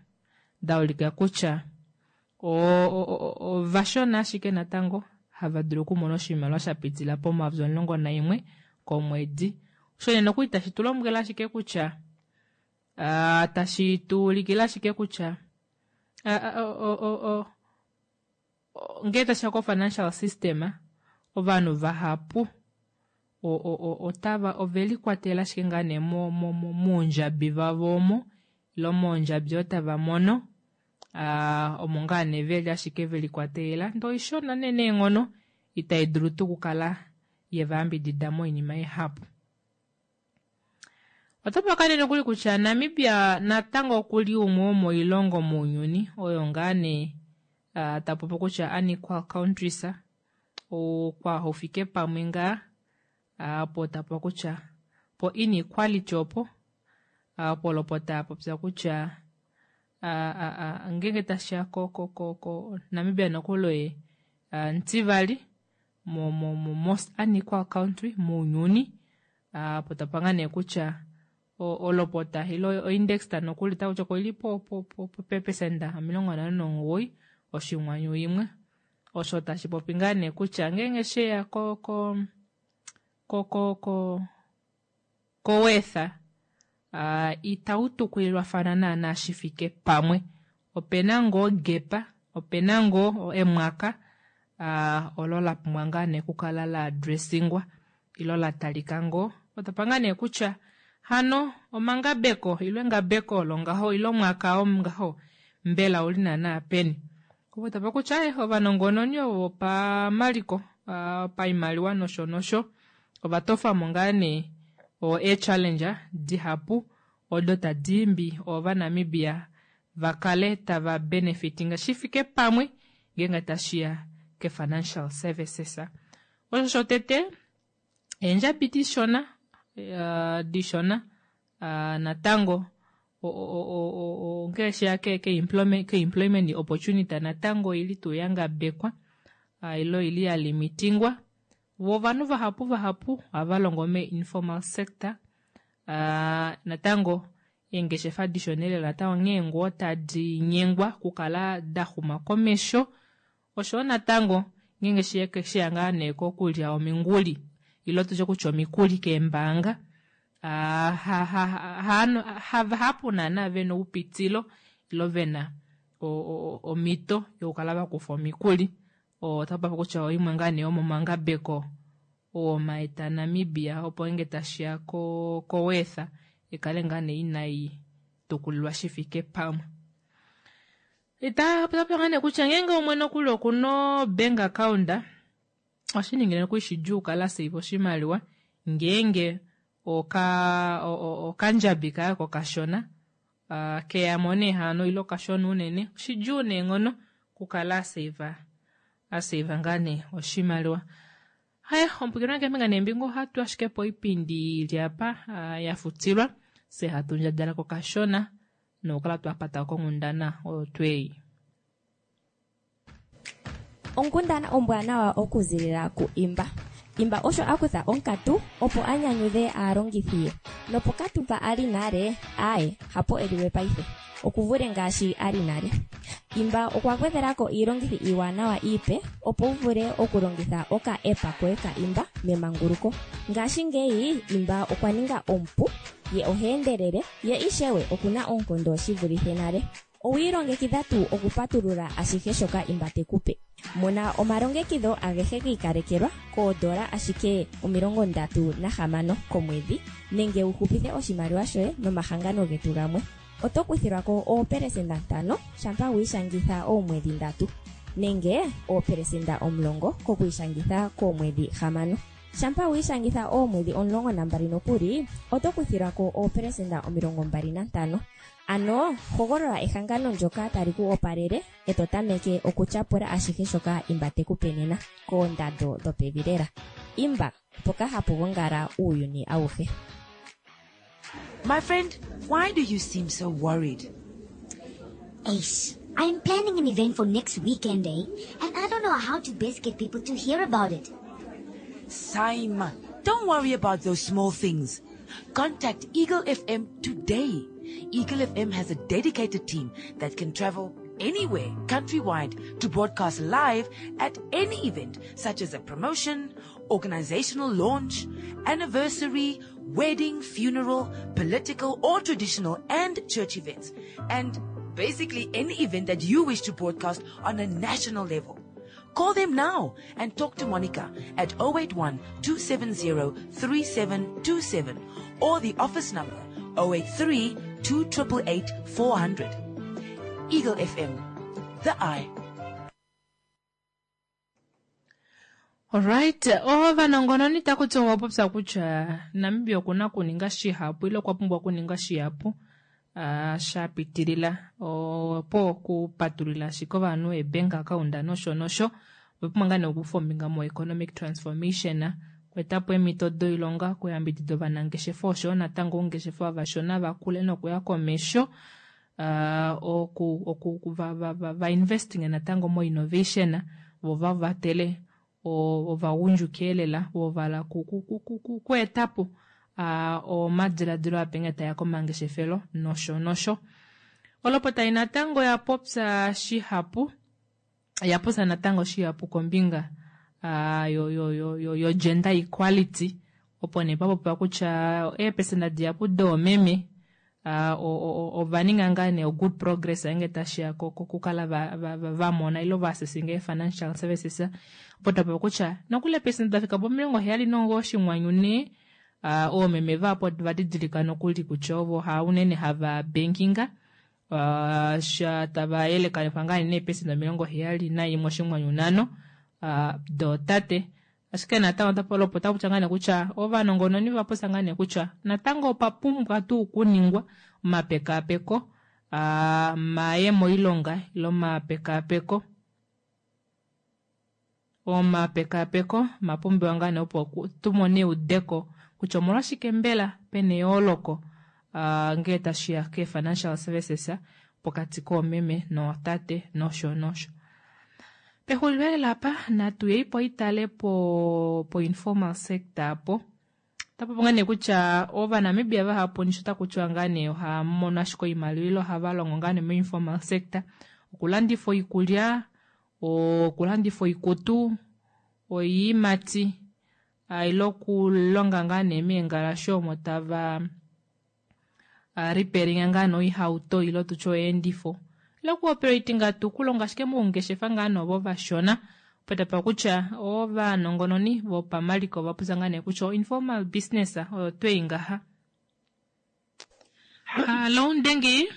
daulika kutya ovashona ashike natango hava dulu okumona oshimaliwa shapitila pomayovi 11 komwedi. Osho nee nokuli tashi tu lombwele ashike kutya tashi tuulikile ashike kutya ngee tashiya ko financial system ovanhu vahapu otava ovelikwatela ashike ngaa nee moundjabi vavo omo ilo moondjabi oyo tava mono omo ngaa nee veli ashike velikwatelela ndee oishona nee neenghono itai dulu tuu okukala yevayambidida moinima ihapu. Otapa nee nokuli kutya Namibia natango okuli umwe womoilongo mounyuni oyo ngaa nee tapopi kutya unequal countries. Okwaahufike pamwe ngaa opo tapopiwa kutya po inequality opo opo olopota yapopya kutya ngeenge tashiya ko ko ko ko Namibia nokuli oye omutivali mo mo mo most unequal country mounyuni opo tapopiwa ngaa nee kutya olopota ile oindex nokuli otakutya oili po po po peepesenda 59 oshinghwanyu imwe osho tashi popi ngaa nee kutya ngeenge sheya ko ko ko ko ko kowetha uh, itau tukulilwafana naanaa shi fike pamwe. Ope na ngoo gepa, ope na ngoo emwaka uh, olo la pumbwa ngaa nee okukala la addressingwa ilo la talika ngoo. Otapa ngaa nee kutya hano omangabeko ilo engabeko olo ngaho ilo omwaka oo ngaho mbela ouli naanaa peni. Opo tapa kutya eh, ovanongononi ovo vopamaliko uh, paimaliwa nosho nosho ova tofamo ngaa nee o ee-challenge dihapu odo tadi imbi Ovanamibia va kale tava benefitinga shi fike pamwe ngeenge tashiya ke-financial services. Osho shotete, eendjabi dishona, uh, dishona uh, natango ongele sheya ke-employment opportunity natango oili tuu ya ngabekwa uh, ile oili ya limitingwa. Vo ovanhu vahapu vahapu ohava longo me-informal sector. Uh, natango eengeshefa dishona elela natango onghee ngoo tadi nyengwa okukala da xuma komesho. Oshoyo natango ngeenge sheya ngaa nee kokulya ominguli ile tutye kutya omikuli keembaanga uh, ha, ha, ha, havahapu naana vena oupitilo ilo vena omhito yokukala vakufa omikuli. Ota popi kutya oimwe ngaa nee yomomangabeko oo maeta Namibia opo ngeenge tashiya ko koweetha ikale ngaa nee inai tukulilwa shi fike pamwe. Ita popi ngaa nee kutya ngeenge umwe nokuli okuna obank account ohashi ningile nokuli shidjuu okukala asave oshimaliwa ngeenge oka okandjabi kaye oko kashona uh, keyamo nee hano ile okashona unene oshidjuu neenghono okukala asave asave ngaa nee oshimaliwa. Haya, omupwilikini wange keembinga neembinga ohatu ashike po oipindi ili apa ya futilwa fye hatu ndjadjalako kashona nokukala twa pata konghundana oyo twei. Onkundana ombwanawa okuzilila ku Imba. Imba osho a kutha onkatu opo a nyanyudhe aalongithi ye. Nopokatu mpa a li nale, aaye, hapo e li we paife. Oku vule ngaashi a li nale. Imba okwa gwedhela ko iilongithi iiwanawa iipe opo wu vule okulongitha oka-app koye ka Imba memanguluko. Ngashingeyi Imba okwa ninga omupu, ye oha endelele, ye ishewe oku na oonkondo shi vulithe nale. Owi ilongekidha tuu okupatulula ashihe shoka Imba te ku pe? Mona omalongekidho agehe gi ikalekelwa koodola ashike 36 komwedhi nenge wu hupithe oshimaliwa shoye nomahangano getu gamwe. Oto kuthilwa ko oopelesenda 5 shampa wi ishangitha oomwedhi ndatu, nenge oopelesenda 10 kokwiishangitha koomwedhi hamano. Shampa wi ishangitha oomwedhi 12 nokuli, oto kuthilwa ko oopelesenda 25. Ano hogolola ehangano ndyoka tali ku opalele e to tameke okutyapula ashihe shoka Imba te ku pe nena, koondando dhopevi lela. Imba, mpoka hapu gongala uuyuni awuhe. My friend, why do you seem so worried? Ace, I'm planning an event for next weekend, eh? And I don't know how to best get people to hear about it. Saima, don't worry about those small things. Contact Eagle FM today. Eagle FM has a dedicated team that can travel anywhere countrywide to broadcast live at any event such as a promotion, organizational launch, anniversary, wedding, funeral, political or traditional and church events, and basically any event that you wish to broadcast on a national level. Call them now and talk to Monica at 081 270 3727 or the office number 083 288 400. Eagle FM, the eye. Alright, ovanongononi taku ti ova popya kutya Namibia oku na okuninga shihapu ile okwa pumbwa okuninga shihapu uh, sha pitilila opo okupatulula ashike ovanhu eebank account nosho nosho. Ova pumbwa ngaa nee okukufa ombinga mo-economic transformation, okweeta po eemhito doilonga, okuyambidida ovanangeshefa oshoyo natango oungeshefa vavashona va kule nokuya komesho, oku, oku, va, va, va, va investing natango mo-innovation, vo va vatele ovagundjuka elela vo vala kueta po omadiladilo ape nghee taya komangeshefelo nosho nosho. Olopota ei natango oya popya shihapu oya popya natango shihapu kombinga yo yo yo yo yo gender equality opo nee pa popiwa kutya eepesenda dihapu doomeme ova ninga ngaa nee good progress ngeenge tashiya kokukala va mona ile va accessinga ee-financial services opo twa pewa kutya nokuli eepesenda da fika pomilongo heyali nongo oshinghwanyu nhee oomeme vahapu ova didilika nokuli kutya ovo ha unene hava bankinga sha tava yelekanifwa ngaa nee neepesenda 71 oshinghwanyu nhano dootate. Ashike natango otapa lopota kutya ngaa nee kutya ovanongononi ova popya ngaa nee kutya natango opa pumbwa tuu okuningwa omapekaapeko maye moilonga ile omapekaapeko omapekaapeko mapumbiwa ngaa nee opo tu mone eudeko kutya omolwashike mbela pena eyooloko ngee tashiya kee financial services pokati koomeme nootate nosho nosho. Pexulilo elela apa natu yei po itale po po informal sector apo. Otapu ngaa nee kutya Ovanamibia vahapu nisho taku tiwa ngaa nee ohaa mono ashike oimaliwa ile ohava longo ngaa nee moinformal sector okulandifa oikulya, okulandifa oikutu, oiimati ile okulonga ngaa nee meengalashe omo tava repairinga ngaa nee oihauto ile tutye oyeendifo ile okuoperatinga tuu okulonga ashike moungeshefa ngaa nee ovo vashona. Opo tapa kutya ovanongononi vopamaliko ova popya ngaa nee kutya informal business oyo twei ngaha. Hallo Ndengi.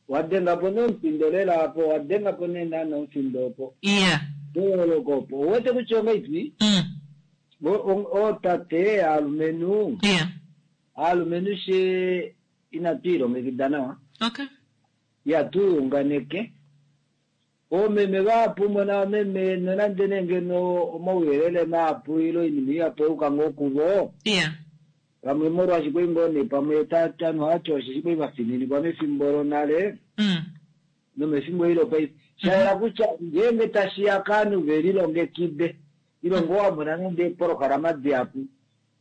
Wa denga po nomufindo lela apo, wa denga po nee naana omufindo opo. Iya. Eyooloko opo. Ouwete kutya ongaipi? Ootate aalumenhu. Iya. Aalumenhu she inatu ilongekida nawa. Okay. Ya tu unganeke. Oomeme vahapu mona omeme nonande nee ngeno omauyelele mahapu ile oinima ihapu oyuka ngoo kuvo. Iya. Pamwe molwaashi kwali ngoo nee pamwe tanu hati osheshi kwali vafininikwa mefimbo lonale. Nomefimbo eli lopaife. Sha yela kutya ngeenge tashiya kaanhu ve lilongekide ile ngoo wa mona nande eepolohalama dihapu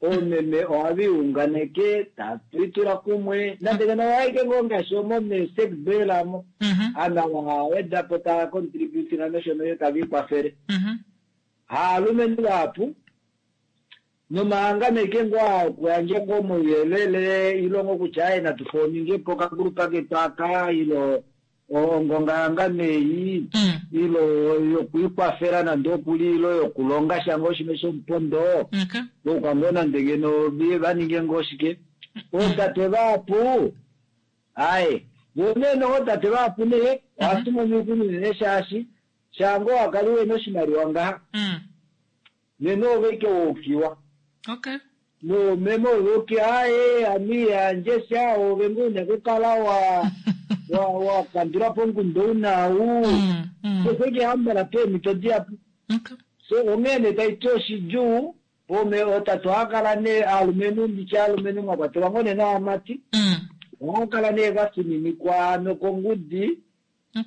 oomeme ohava iunganeke tatu itula kumwe nande ngeno ohaike ngoo ngaashi omo mesekbel amo aanhu ava hava weda po tava contributinga nosho nosho tava ikwafele. Haalumenhu vahapu nomahangano aike ngoo aa okuyandja ngoo omauyelele ile ngoo kutya aaye natu fooninge po okagrupa ketu aka ile ongongahangano ei ile yokwiikwafela nande okuli ile yokulonga sha ngoo shimwe shomupondo ouka ngoo nande ngeno va ninge ngoo shike ootate vahapu aaye vo nee nootate vahapu nee ohatu mono oixuna unene shaashi shaa ngoo wakali wena oshimaliwa ngaha nena ove ike waukiwa. Okay. Noomeme ove uki aaye ame ihandje sha ove ngoo una okukala wa wa wa kandula po omukundu ou naau. Keshe ike hambala peemhito dihapu. So onghee nee taiti oshidjuu ome ootate ohava kala nee aalumenhu nditye aalumenhu mwa kwatelwa ngoo nee naamati ohava kala nee vafininikwa nokongudi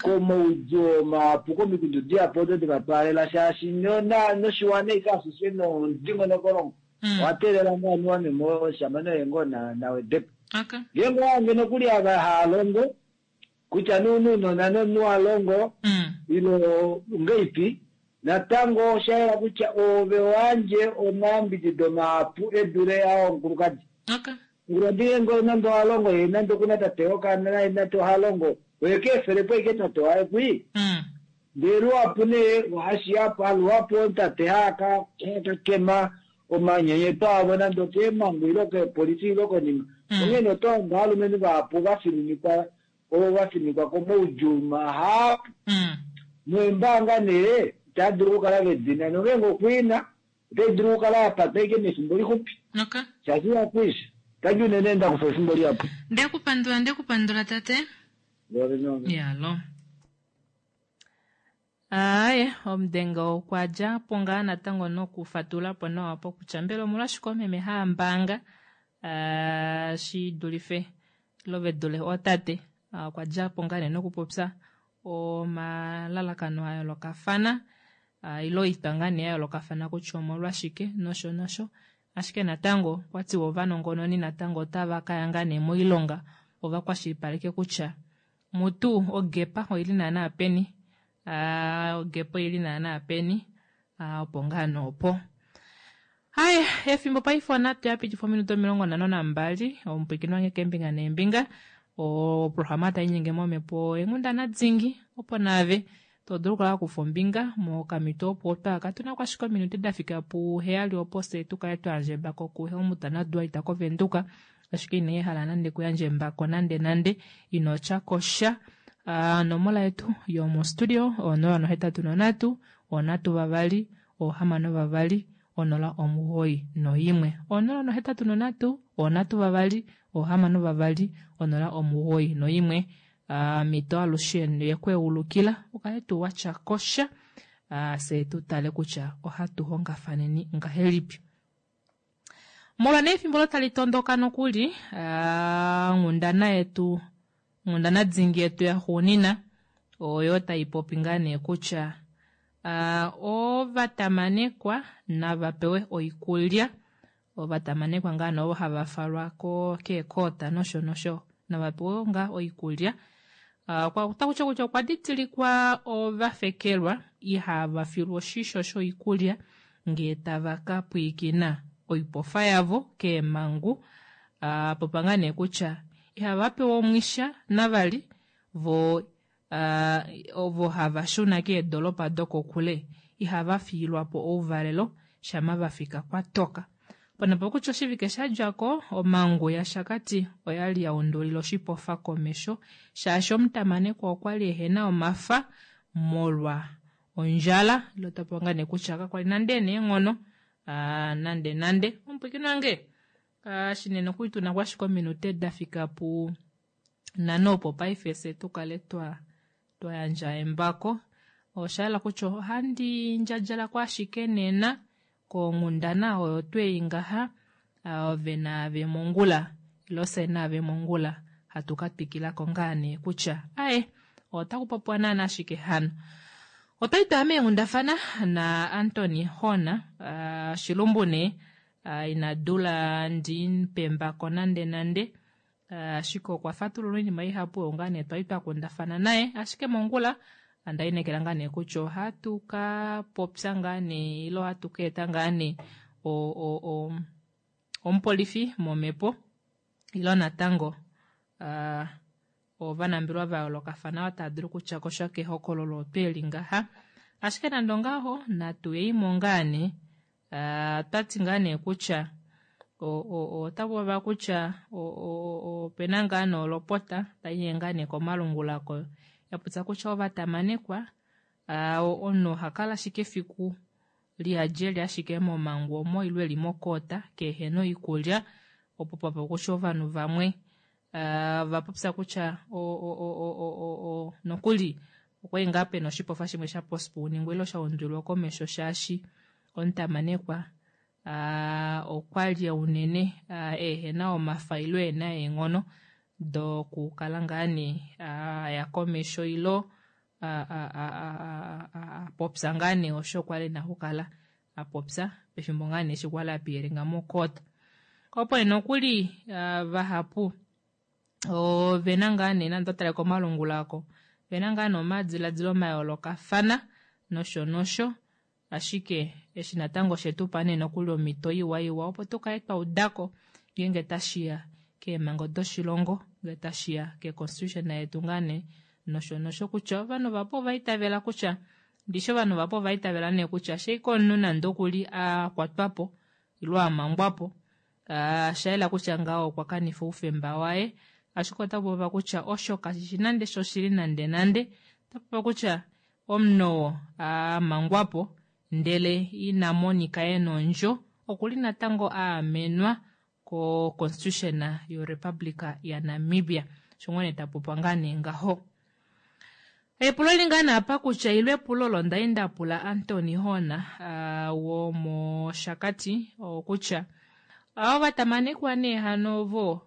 komaudjuu mahapu komikundu dihapu odo devatwaalela shaashi noshiwana ike ashishe nomudingonokolongo owa teelela ngoo anuwa meme oshamane oye ngoo nawedepo. Ngeenge owange nokuli ava haalongo kutya nounona nomunhu alongo ile ngeipi natango osha yela kutya ove wandje omayambidido mahapu edule aa omukulukadi. Omukulukadi ngeenge nande ohalongo ye nande okuna tate wokaana naye nande ohalongo oye keefele po ashike tate waye kwii. Ndele luhapu nee ohashiya luhapu tate haaka kema omanyenyeto avo nande okeemhangu ile keepolifi ile konima. Onghee oto hange aalumenhu vahapu vafininikwa ovo vafininikwa komaudjuu mahapu. Neembaanga nee itava dulu okukala vedina nongeenge okwiina otai dulu okukala yapatwa ashike mefimbo lixupi. Shaashi ihakwiisha. Otadi unene ndakufa efimbo lihapu. Ndekupandula ndekupandula tate. Yalo. Aaye, omudenga okwa dja po ngaa natango nokufatula po nawa po kutya mbela omolwashike oomeme haya mbaanga shi dulife ile ve dule ootate. Okwa dja po ngaa nee nokupopya omalalakano a yoolokafana ile oitwa ngaa nee ya yoolokafana kutya omolwashike nosho nosho. Ashike natango okwa tiwa ovanongononi natango otava ka ya ngaa nee moilonga opo va kwashilipaleke kutya mutu ogepa oili naana peni, ogepa oili naana peni, opo ngaa nee opo. Haye, efimbo paife onhatu ya pitifa ominute 52, omupwiikini wange keembinga neembinga, oprograma tai nyenge momhepo yenghundana dingi, opo naave to dulu okukala wa kufa ombinga mokamhito opo otwa katu na ko ashike ominute da fika puheyali opo fye tu kale twa yandja embako kuHelmut naDuaita kOvenduka, ashike ina hala nande kuyandja embako nande nande, ino tya ko sha. Onomola yetu yomostudio 083 3 6 0 91. 083 3 6 091. Omhito alushe yekweulukila ukale tuu watya kosha, fye tu tale kutya ohatu hongafaneni ngahelipi. Molwa nee efimbo olo tali tondoka nokuli, onghundana yetu, onghundana dingi yetu yaxuunina oyo tai popi ngaa nee kutya ovatamanekwa nava pewe oikulya. Ovatamanekwa ngaa nee ovo hava falwa keekoota nosho nosho nava pewe ngaa oikulya. Otaku ti kutya okwa didilikwa ovafekelwa ihava filwa oshisho shoikulya ngee tava ka pwiikina oipofa yavo keemhangu. Popa ngaa nee kutya ihava pewa omwisha navali vo ovo hava shuna keedolopa dokokule ihava fiilwa po ouvalelo shama va fika kwa toka. Ponapo kutya oshivike sha dja ko, omhangu yaShakati oya li ya undulila oshipofa komesho shaashi omutamanekwa okwa li ehena omafa molwa ondjala. Ile ota popi ngaa nee kutya kakwali nande ena eenghono nande nande. Omupwiikini wange, shinene okuli tuna ko ashike ominute da fika pu nhano opo paife fye tu kale twa yandja embako. Osha yela kutya ohandi ndjadjalako ashike nena konghundana oyo twei ngaha, ove naave mongula ile fye naave mongula hatu ka twikilako ngaa nee kutya aye otaku popiwa naana ashike hano. Otwali twaya meenghundafana na Anthony Horn, Shilumbu nee ina dula ndi pembako nande nande, ashike okwa fatulula oinima ihapu oyo ngaa nee twali twa kundafana naye. Ashike mongula onda inekela ngaa nee kutya ohatu ka popya ngaa nee ile ohatu ka eta ngaa nee omupolifi momhepo ile natango ovanambelwa va yoolokafana otava dulu okutya ko sha kehokololo otwe li ngaha. Ashike nande ongaho natu yeimo ngaa nee, otwati ngaa nee kutya otaku popiwa kutya opena ngaa nee olopota tai ngaa nee komalungula ko ya popya kutya ovatamanekwa omunhu oha kala ashike efiku liyadjeli ashike momangu omo ile eli mokoota kehena oikulya, opo popa kutya ovanhu vamwe va popya kutya nokuli okwali ngaa pena oshipofa shimwe sha postponingwa ile sha undulilwa komesho shaashi omutamanekwa okwali unene ehena omafa ile ena eenghono dokukala ngaa nee aya komesho ilo popya ngaa nee osho kwali ena okukala apopya pefimbo ngaa nee eshi kwali apiyelenga mokoota. Opo nee nokuli vahapu ovena ngaa nee nande otale komalungula ako vena ngaa nee omadiladilo mayoolokafana nosho nosho, ashike eshi natango oshetupa nee nokuli omhito iwa iwa opo tukale twa udako ngeenge tashiya keemhango doshilongo, ngee tashiya keconstitution yetu ngaa nee nosho nosho, kutya ovanhu vapo ova itavela kutya ndishi ovanhu vapo ova itavela nee kutya sheika omunhu nande okuli akwatwapo ile amangwapo, shayela kutya ngaho okwa kanifa oufemba waye, ashike ota popiwa kutya osho kashishi nande shoshili nande nande. Ota popiwa kutya omunhu oo amangwapo ndele ina monika ena ondjo okuli natango aamenwa ko constitution yo Republic ya Namibia. Osho ngoo nee ta popiwa ngaa nee ngaho. Epulo li ngaa naapa kutya ilo epulo olo ndali nda pula Anthony Horn womoshakati okutya ovatamanekwa nee hano ovo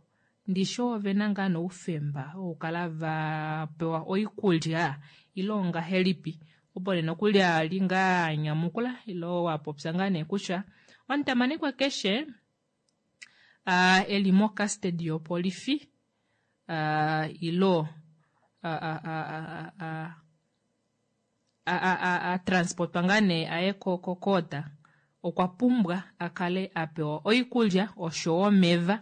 ndishi ovena ngaa noufemba wokukala va pewa oikulya ile ongahelipi opo nee nokuli ali ngaa anyamukula ile wapopya ngaa nee kutya omutamanekwa keshe eli mocustody yopolifi ilo a transportwa ngaa nee aye kokoota okwa pumbwa a kale a pewa oikulya oshowo omeva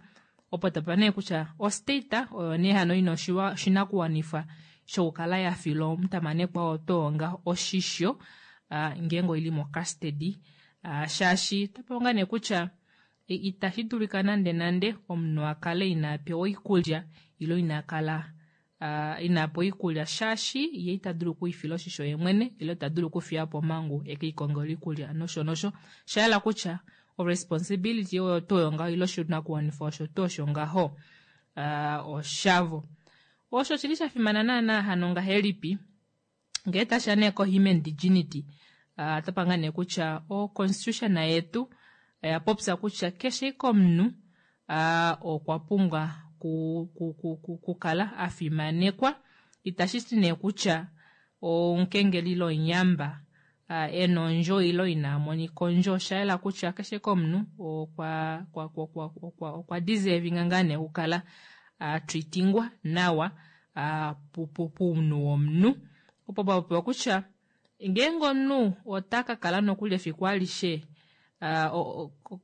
opo tapa nee kutya ostate oyo nee hano ina oshinakuwanifwa shokukala ya fila omutamanekwa oo toonga oshisho ngeenge oili mocustody shaashi otapewa ngaa nee kutya itashi dulika nande nande omunhu a kale ina pewa oikulya ilo ina kala ina pewa oikulya shaashi ye ita dulu okwiifila oshisho ye mwene ile ita dulu okufiya po omhangu eke ikongele oikulya nosho nosho. Osha yela kutya oresponsibility oyo tuu oyo ngaho ile oshinakuwanifwa osho tuu osho ngaho oshavo. Osho oshili sha fimana naana hano ngahelipi ngee tashiya nee ko-human dignity otapa ngaa nee kutya o-constitution yetu oya popya kutya keshe ike omunhu okwa pumbwa kukala a fimanekwa. Itashi ti nee kutya omukengeli ile omuyamba e na ondjo ile ina monika ondjo. Osha yela kutya keshe ike omunhu okwa okwa deservinga ngaa nee okukala a treatingwa nawa pounhu womunhu. Opo pa popiwa kutya ngeenge omunhu ota ka kala nokuli efiku alishe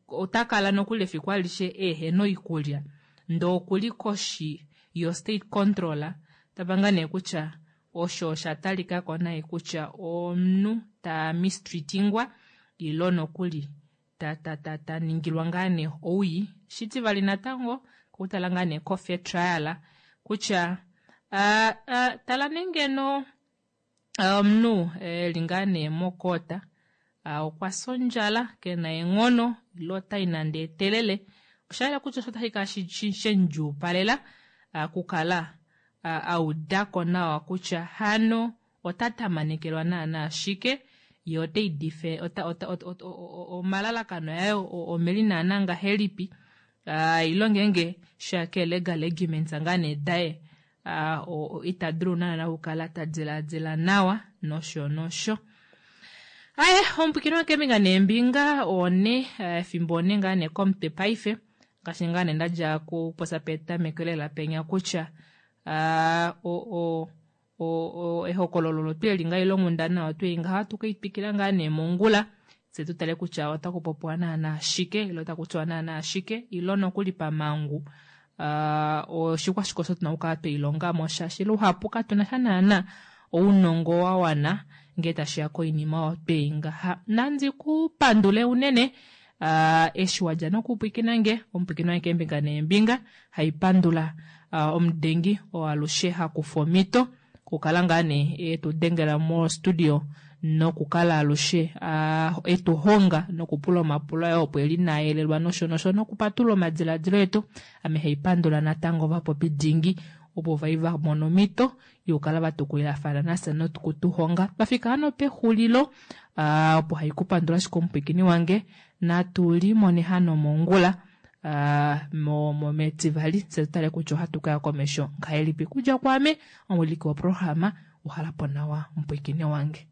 ota kala nokuli efiku alishe ehena oikulya ndee okuli koshi yo state control tapa ngaa nee kutya osho osha talikako nai kutya omunhu ta mistreatingwa ilo nokuli ta ta ta ta ningilwa ngaa nee owii. Shitivali natango okutala ngaa nee ko fair trial kutya tala nee ngeno omunhu eli ngaa nee mokoota okwa fya ondjala kena eenghono ile otai nande etelele osha yela kutya osho otashi kala shemudjuupalela okukala a udako nawa kutya hano ota tamanekelwa naana shike ye otei dife omalalakano aye omeli naana ngahelipi ile ngeenge shake legal arguments ngaa nee daye ita dulu naana okukala ta diladila nawa nosho nosho. Aye omupwikini wakeembinga neembinga one efimbo one ngaa nee komutwe paife ngaashi ngaa nee ndadja kupopya petameko lela penya kutya ehokololo olo tweli ngaa ile onghundana oyo tweli ngaha ohatu ke i twikila ngaa nee mongula tse tu tale kutya otaku popiwa naana shike ile otaku tiwa naana shike ile nokuli pamangu oshikwashike osho tuna okukala tweilongamo shaashi luhapu katuna sha naana ounongo wa wana ngee tashiya koinima oyo twei ngaha. Nandi ku pandule unene eshi wadja nokupwikina nge omupwikini wange keembinga neembinga haipandula omudengi oo alushe hakufa omhito okukala ngaa nee etu dengela mo studio nokukala alushe etu honga nokupula omapulo aye opo eli naayelelwa nosho nosho nokupatulula omadiladilo etu. Ame haipandula natango ovapopi dingi opo vai va mona omhito yokukala va tukulilafana nafye nokutuhonga. Twafika hano pexulilo opo haikupandula ashike omupwikini wange natu limone hano mongula metivali tse tutale kutya ohatu kaya komesho ngahelipi. Kudja kwaame omuwiliki woprograma uhalapo nawa omupwikini wange.